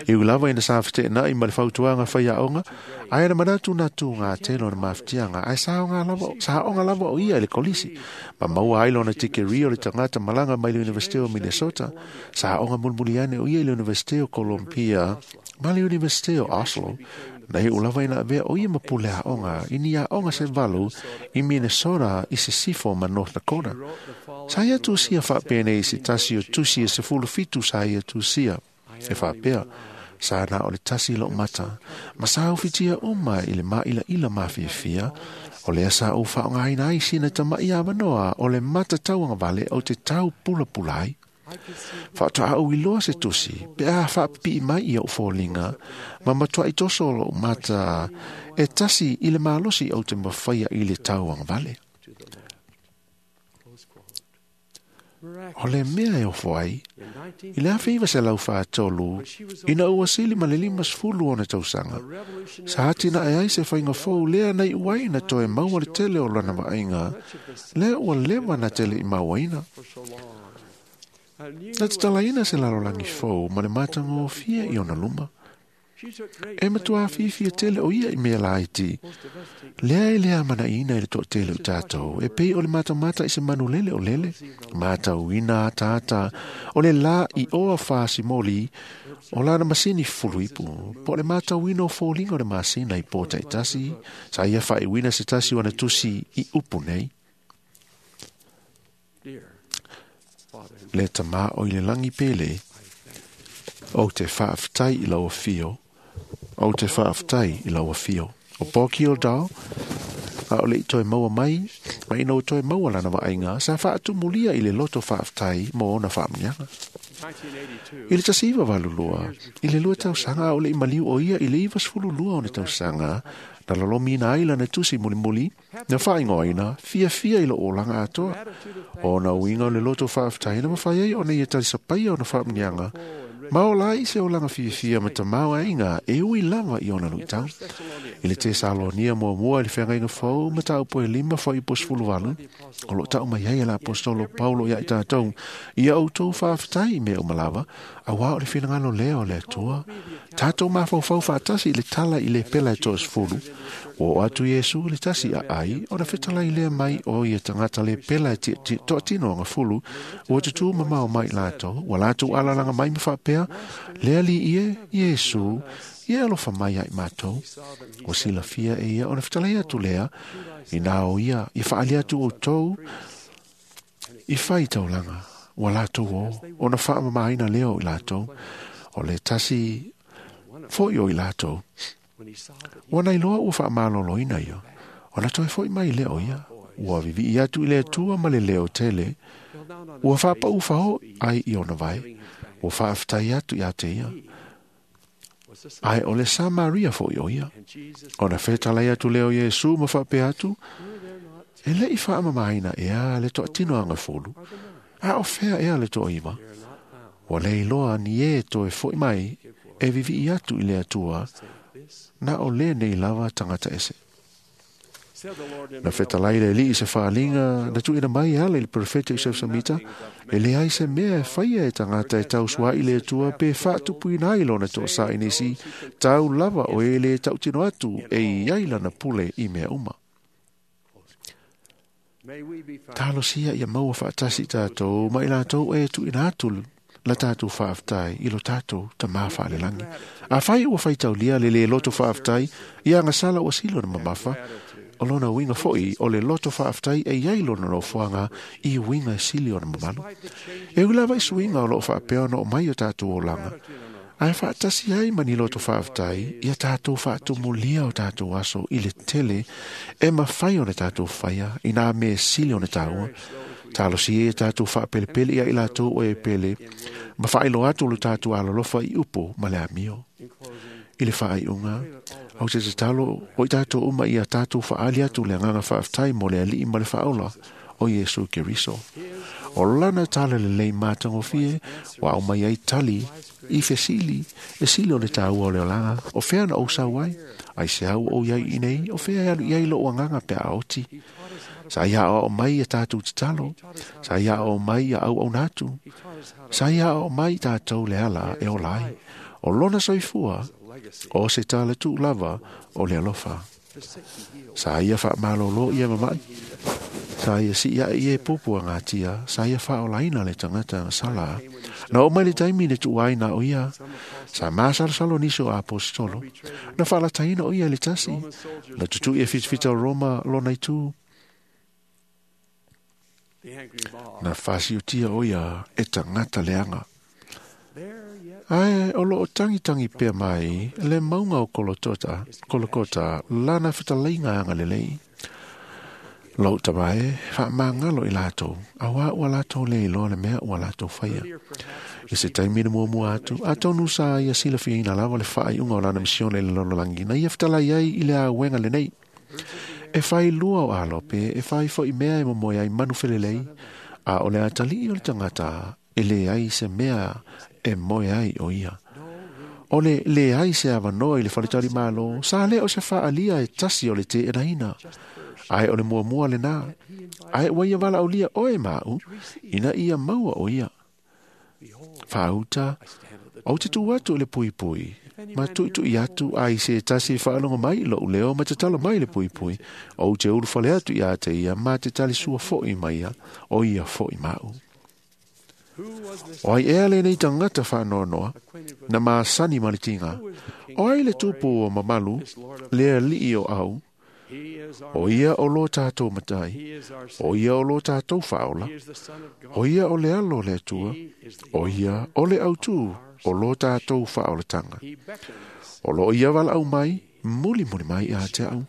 E ui lava ina sa feteʻenaʻi ma le fautuaga faiaoga, ae na manatu na tugate lona mafutiaga, ae sa oga lava o ia i le kolisi, ma maua ai lona tikeri o le tagata malaga mai le Universite o Minnesota. Sa oga mulimuli ane o ia i le Universite o Columbia ma le Universite o Oslo, na iʻu lava ina avea o ia ma pule aʻoga i ni aʻoga se valu i Minnesota i Sisifo ma North Dakota. Sa ia tusia faapenei se tasi o tusi e 17 sa ia tusia. E faapea, sa na o le tasi loʻu mata, ma sa ufitia uma i le māʻilaʻila mafiafia, o lea sa ou faaaogaina ai sina tamaʻi avanoa o le mata tauagavale o te tau pulapula ai. Faatoa ou iloa se tusi, pe a faapipii mai ia ou foliga, ma matuaʻi toso o loʻu mata e tasi i le malosi ou te mafaia i le tauagavale. O le mea e ofo ai, i le 1943, ina ua sili ma le 50 ona tausaga, sa atinae ai se faiga fou lea na iʻu ai na toe maua le tele o lana vaaiga, lea ua leva na tele i mauaina. Na tatalaina se lalolagi fou ma le matagofie i ona luma. E matuā fiafia tele o ia i mea laiti. Lea e le amanaʻiina i le toʻatele o tatou, e pei o le matamata i se manulele o lele, matauina ataata o le lā i oa fasimoli o lana masini fuluipu, po o le matauina o foliga o le masina i pō taʻitasi, sa ia faaiuina se tasi o ana tusi i upu nei. Le tamā o i le lagi pele, ou te faafetai i lau afio, ou te faafetai i lau afio. O Porky Oldal, a o le i toe maua mai, ma ina ua toe maua lana vaaiga, sa faatumulia i le loto faafetai mo ona faamuniaga. I le 1982, i le lua tausaga a o le i maliu o ia i le 92 ona tausaga, na lolomiina ai lana tusi mulimuli, na faaigoaina fiafia i lou olaga atoa. O na uiga o le loto faafetai na mafai ai ona ia talisapaia ona faamuniaga, ma ola ai se olaga fiafia ma tamaoaiga e ui lava i ona luitau. I le Tesalonia muamua i le feagaiga fou ma taupu e 5 fuaiupu 18, o loo tau mai ai e le Aposetolo Paulo iā i tatou, ia outou faafetai i mea uma lava, auā o le finagalo lea o le Atua. Tatou mafaufau faatasi i le tala i le pela e 30, ua oo atu Iesu i le tasi aai, ona fetalai lea mai o ia tagata le pela e toatino agafulu, ua tutū mamao mai latou, ua latou alalaga mai ma faapea, le alii e Iesu, Ia alofa mai ai mātou. Ua silafia e ia o le fetalai atu lea, i nā o ia, i whaali atu o tau, i whai taulanga, ua lātou o, ona whaamamaina leo i lātou, o le tasi foi o i lātou. Ua nei loa ua whaamaloloina ia, ona toe foi mai leo ia, ua vivi i atu i le atua ma le leo tele, ua whaapau whao ai i ona vai, ua whaaftai atu i ate ia. Ai o le Samaria foi o ia. Ona whetalai atu leo Iesu ma whaapea atu, e le i whaamamaina ea le toa tino anga fulu, a o whea ea le toa iwa. Ua lei loa ni e toe foi mai, e vivi i atu i le atua, na o le nei lava tangata ese. Na whetalai le li i se whaalinga, na tuina mai ala i le profeta i Samita, e le ai se mea e whaia e tangata e tau sua i le atua pe whaatupuina ai lona toa sa inisi, tau lava o e le tautino atu e i ai lana pule i mea uma. Talosia ia maua whaatasi tātou, mai lātou e tuina atu la tātou whaaftai i lo tātou ta mā whaalelangi. A whai ua whaitaulia le le loto whaaftai, i anga sala ua silo na mamafa, o lona winga foi o le loto whaaftai e iai lona nofoanga i winga sili o na mamalu. E ula vai suinga o loo whaapea no o mai o tātou o langa. Ae whaatasi ai mani loto whaaftai ia tātou whaatumulia o tātou aso i le tele e mawhai o ne tātou whaia i nā me sili o ne tāua. Talosi e tātou whaapelepele ia i lātou o e pele ma whailo atu lo tātou alolofa i upo ma le amio. I le whaaiunga, au te te talo o i tātou uma i a tātou whaali atu le nganga whaaftai mo le alii ma le whaola o Iesu Keriso. O lana tala le lei mātangofie, wa au mai ai tali i fesili, e sili o le tāua o le olanga, o whea na o sau ai, ai se au o iai inei, o whea e alu iai lo anganga pe a oti. Sa ia o mai e tātou te talo, sa ia o mai a au au nātu, sa ia o mai tātou le ala e o lai, o lona soifua, o se tala tū lava o le alofa. Sa ia wha malolo ia mamai, sa ia si ia i e pupua ngā tia, sa ia wha o laina le tangata sala. Na o mai le taimi le tuai na o ia, sa māsalo niso a apostolo, na whalataina o ia le tasi, na tutu ia whitawhita o Roma lona i tū. Na whasiutia o ia e tangata leanga. Ae, o loo tangi tangi pea mai, le maunga o Kolokota, lana whitaleinga anga lelei. Lou tamae, wha mangalo i lātou, a wā ua lātou le iloa le mea ua lātou whaia. I se taimi na mua atu, a tonu sa ia silafia ina lava le whaai unga o lana misione i le lololangi, na ia whitalai ai i le a wenga le nei. E whai lua o alope, e whai fo i mea e momoe ai manu felelei, a o le atali o le tangata, e le ai se mea e moe ai o ia. O le le ai se awanoa i le whaletari malo, sa le o se whaalia e tasi o le te enaina. Ai o le mua le nā. Ai ua ia wala o lia oe mau, ina ia maua o ia. Whauta, au te tū atu le pui pui. Ma tui atu ai se tasi whaalongo mai lo leo ma te talo mai le pui pui. O te uru whale atu ia te ia ma te tali sua foi mai ia, o ia foi mau. O ai ea le nei tangata whaanoanoa, na maasani maritinga. O ai le tupu o mamalu, le alii o au, o ia o lo tātou matai, o ia o lo tātou whaola, o ia o le alo le atua, o ia o le autū o lo tātou whaolatanga. O lo ia wala au mai, muli muli mai a te au,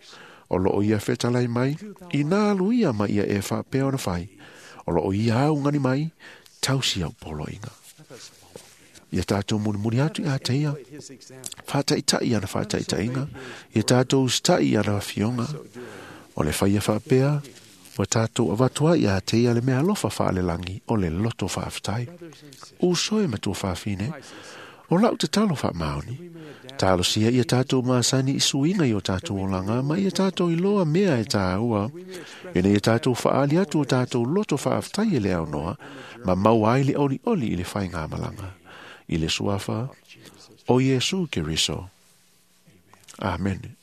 o lo ia whetalai mai, i nā luia mai ia e whapea ona whai, o lo ia au ngani mai, tausi au poloinga. Ia tātou mulimuli atu i a te ia, whātaitai ana whātaitainga, ia tātou stai ana whionga, o le whaia whapea, wa tātou awatua i a te ia le mea alofa whaalelangi o le loto whaaftai. Uso e matua whaafine, o lau te talo whaamaoni, talo sia ia tātou maasani i suinga i o tātou olanga, ma ia tātou i loa mea e tāua, ina ia tātou whaali atu o tātou loto whaaftai e le au noa, ma mau ai le oli oli i le whai ngā malanga. I le suafa o Iesu Keriso. Amen.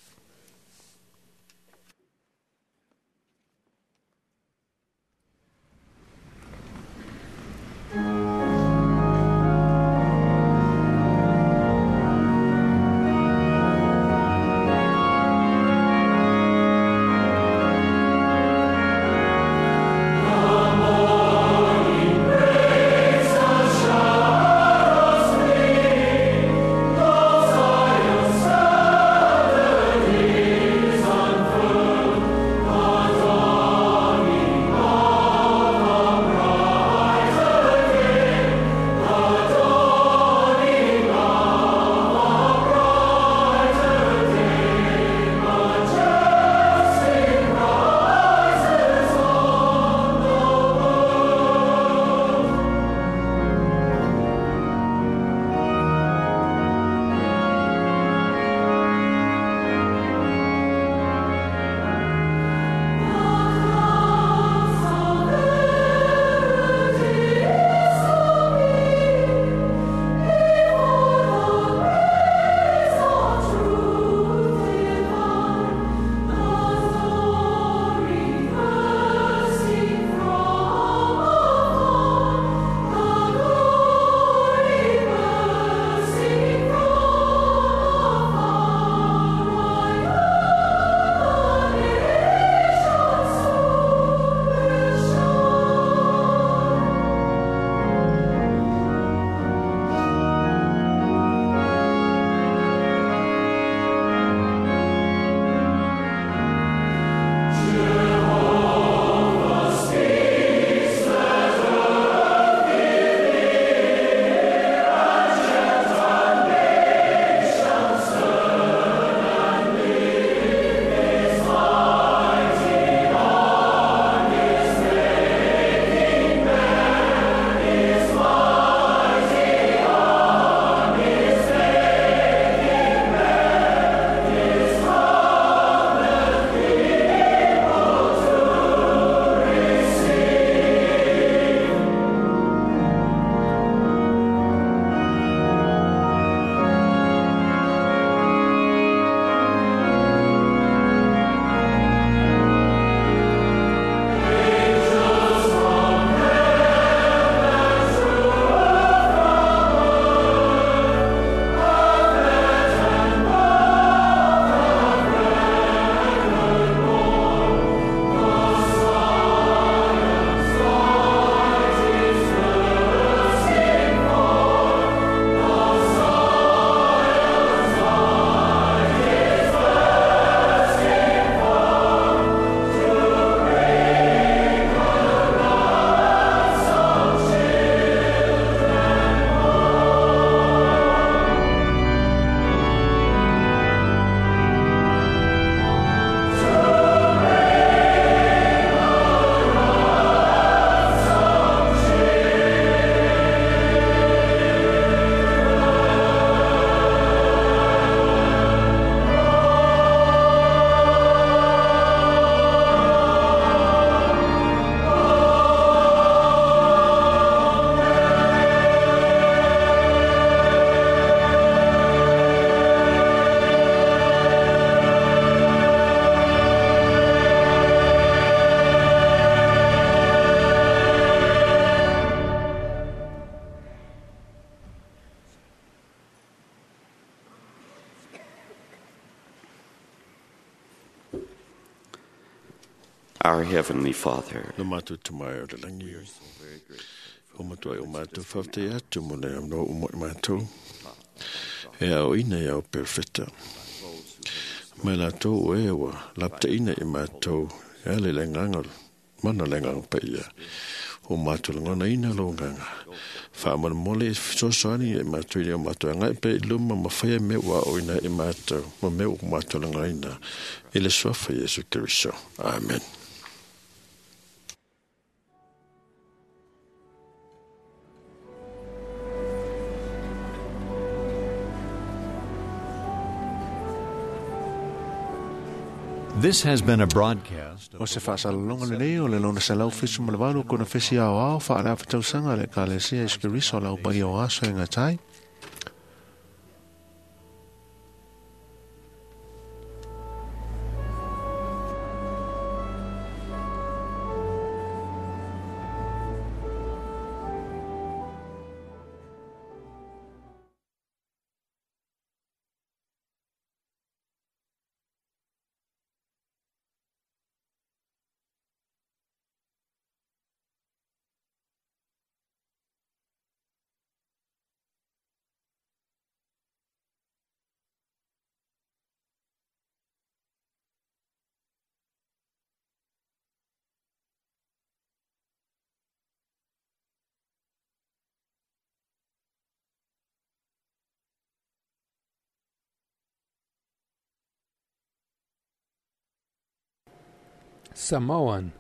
Our Heavenly Father,
Lo mātou te mai o le langi. O matua o mātou whawhtai atu mo le amno o mo i mātou. E au ina i au perfecta. Mai lātou o e wa lapta ina i mātou. E ale le nganga, mana le nganga pa ia. O mātou le ngana ina lo nganga. Wha amana mole sosoani i mātou i o mātou ngai pe i luma ma whaia me ua o ina i mātou. Ma me o mātou le ngana ina. I le suafa Yesu Kristo. Amen.
This has been a broadcast
O se faasalaloga lenei o le lona 178 konefesi aoao faaleafatausaga le Ekalesia Iesu Keriso o le aupaia o aso e gatai.
Samoan.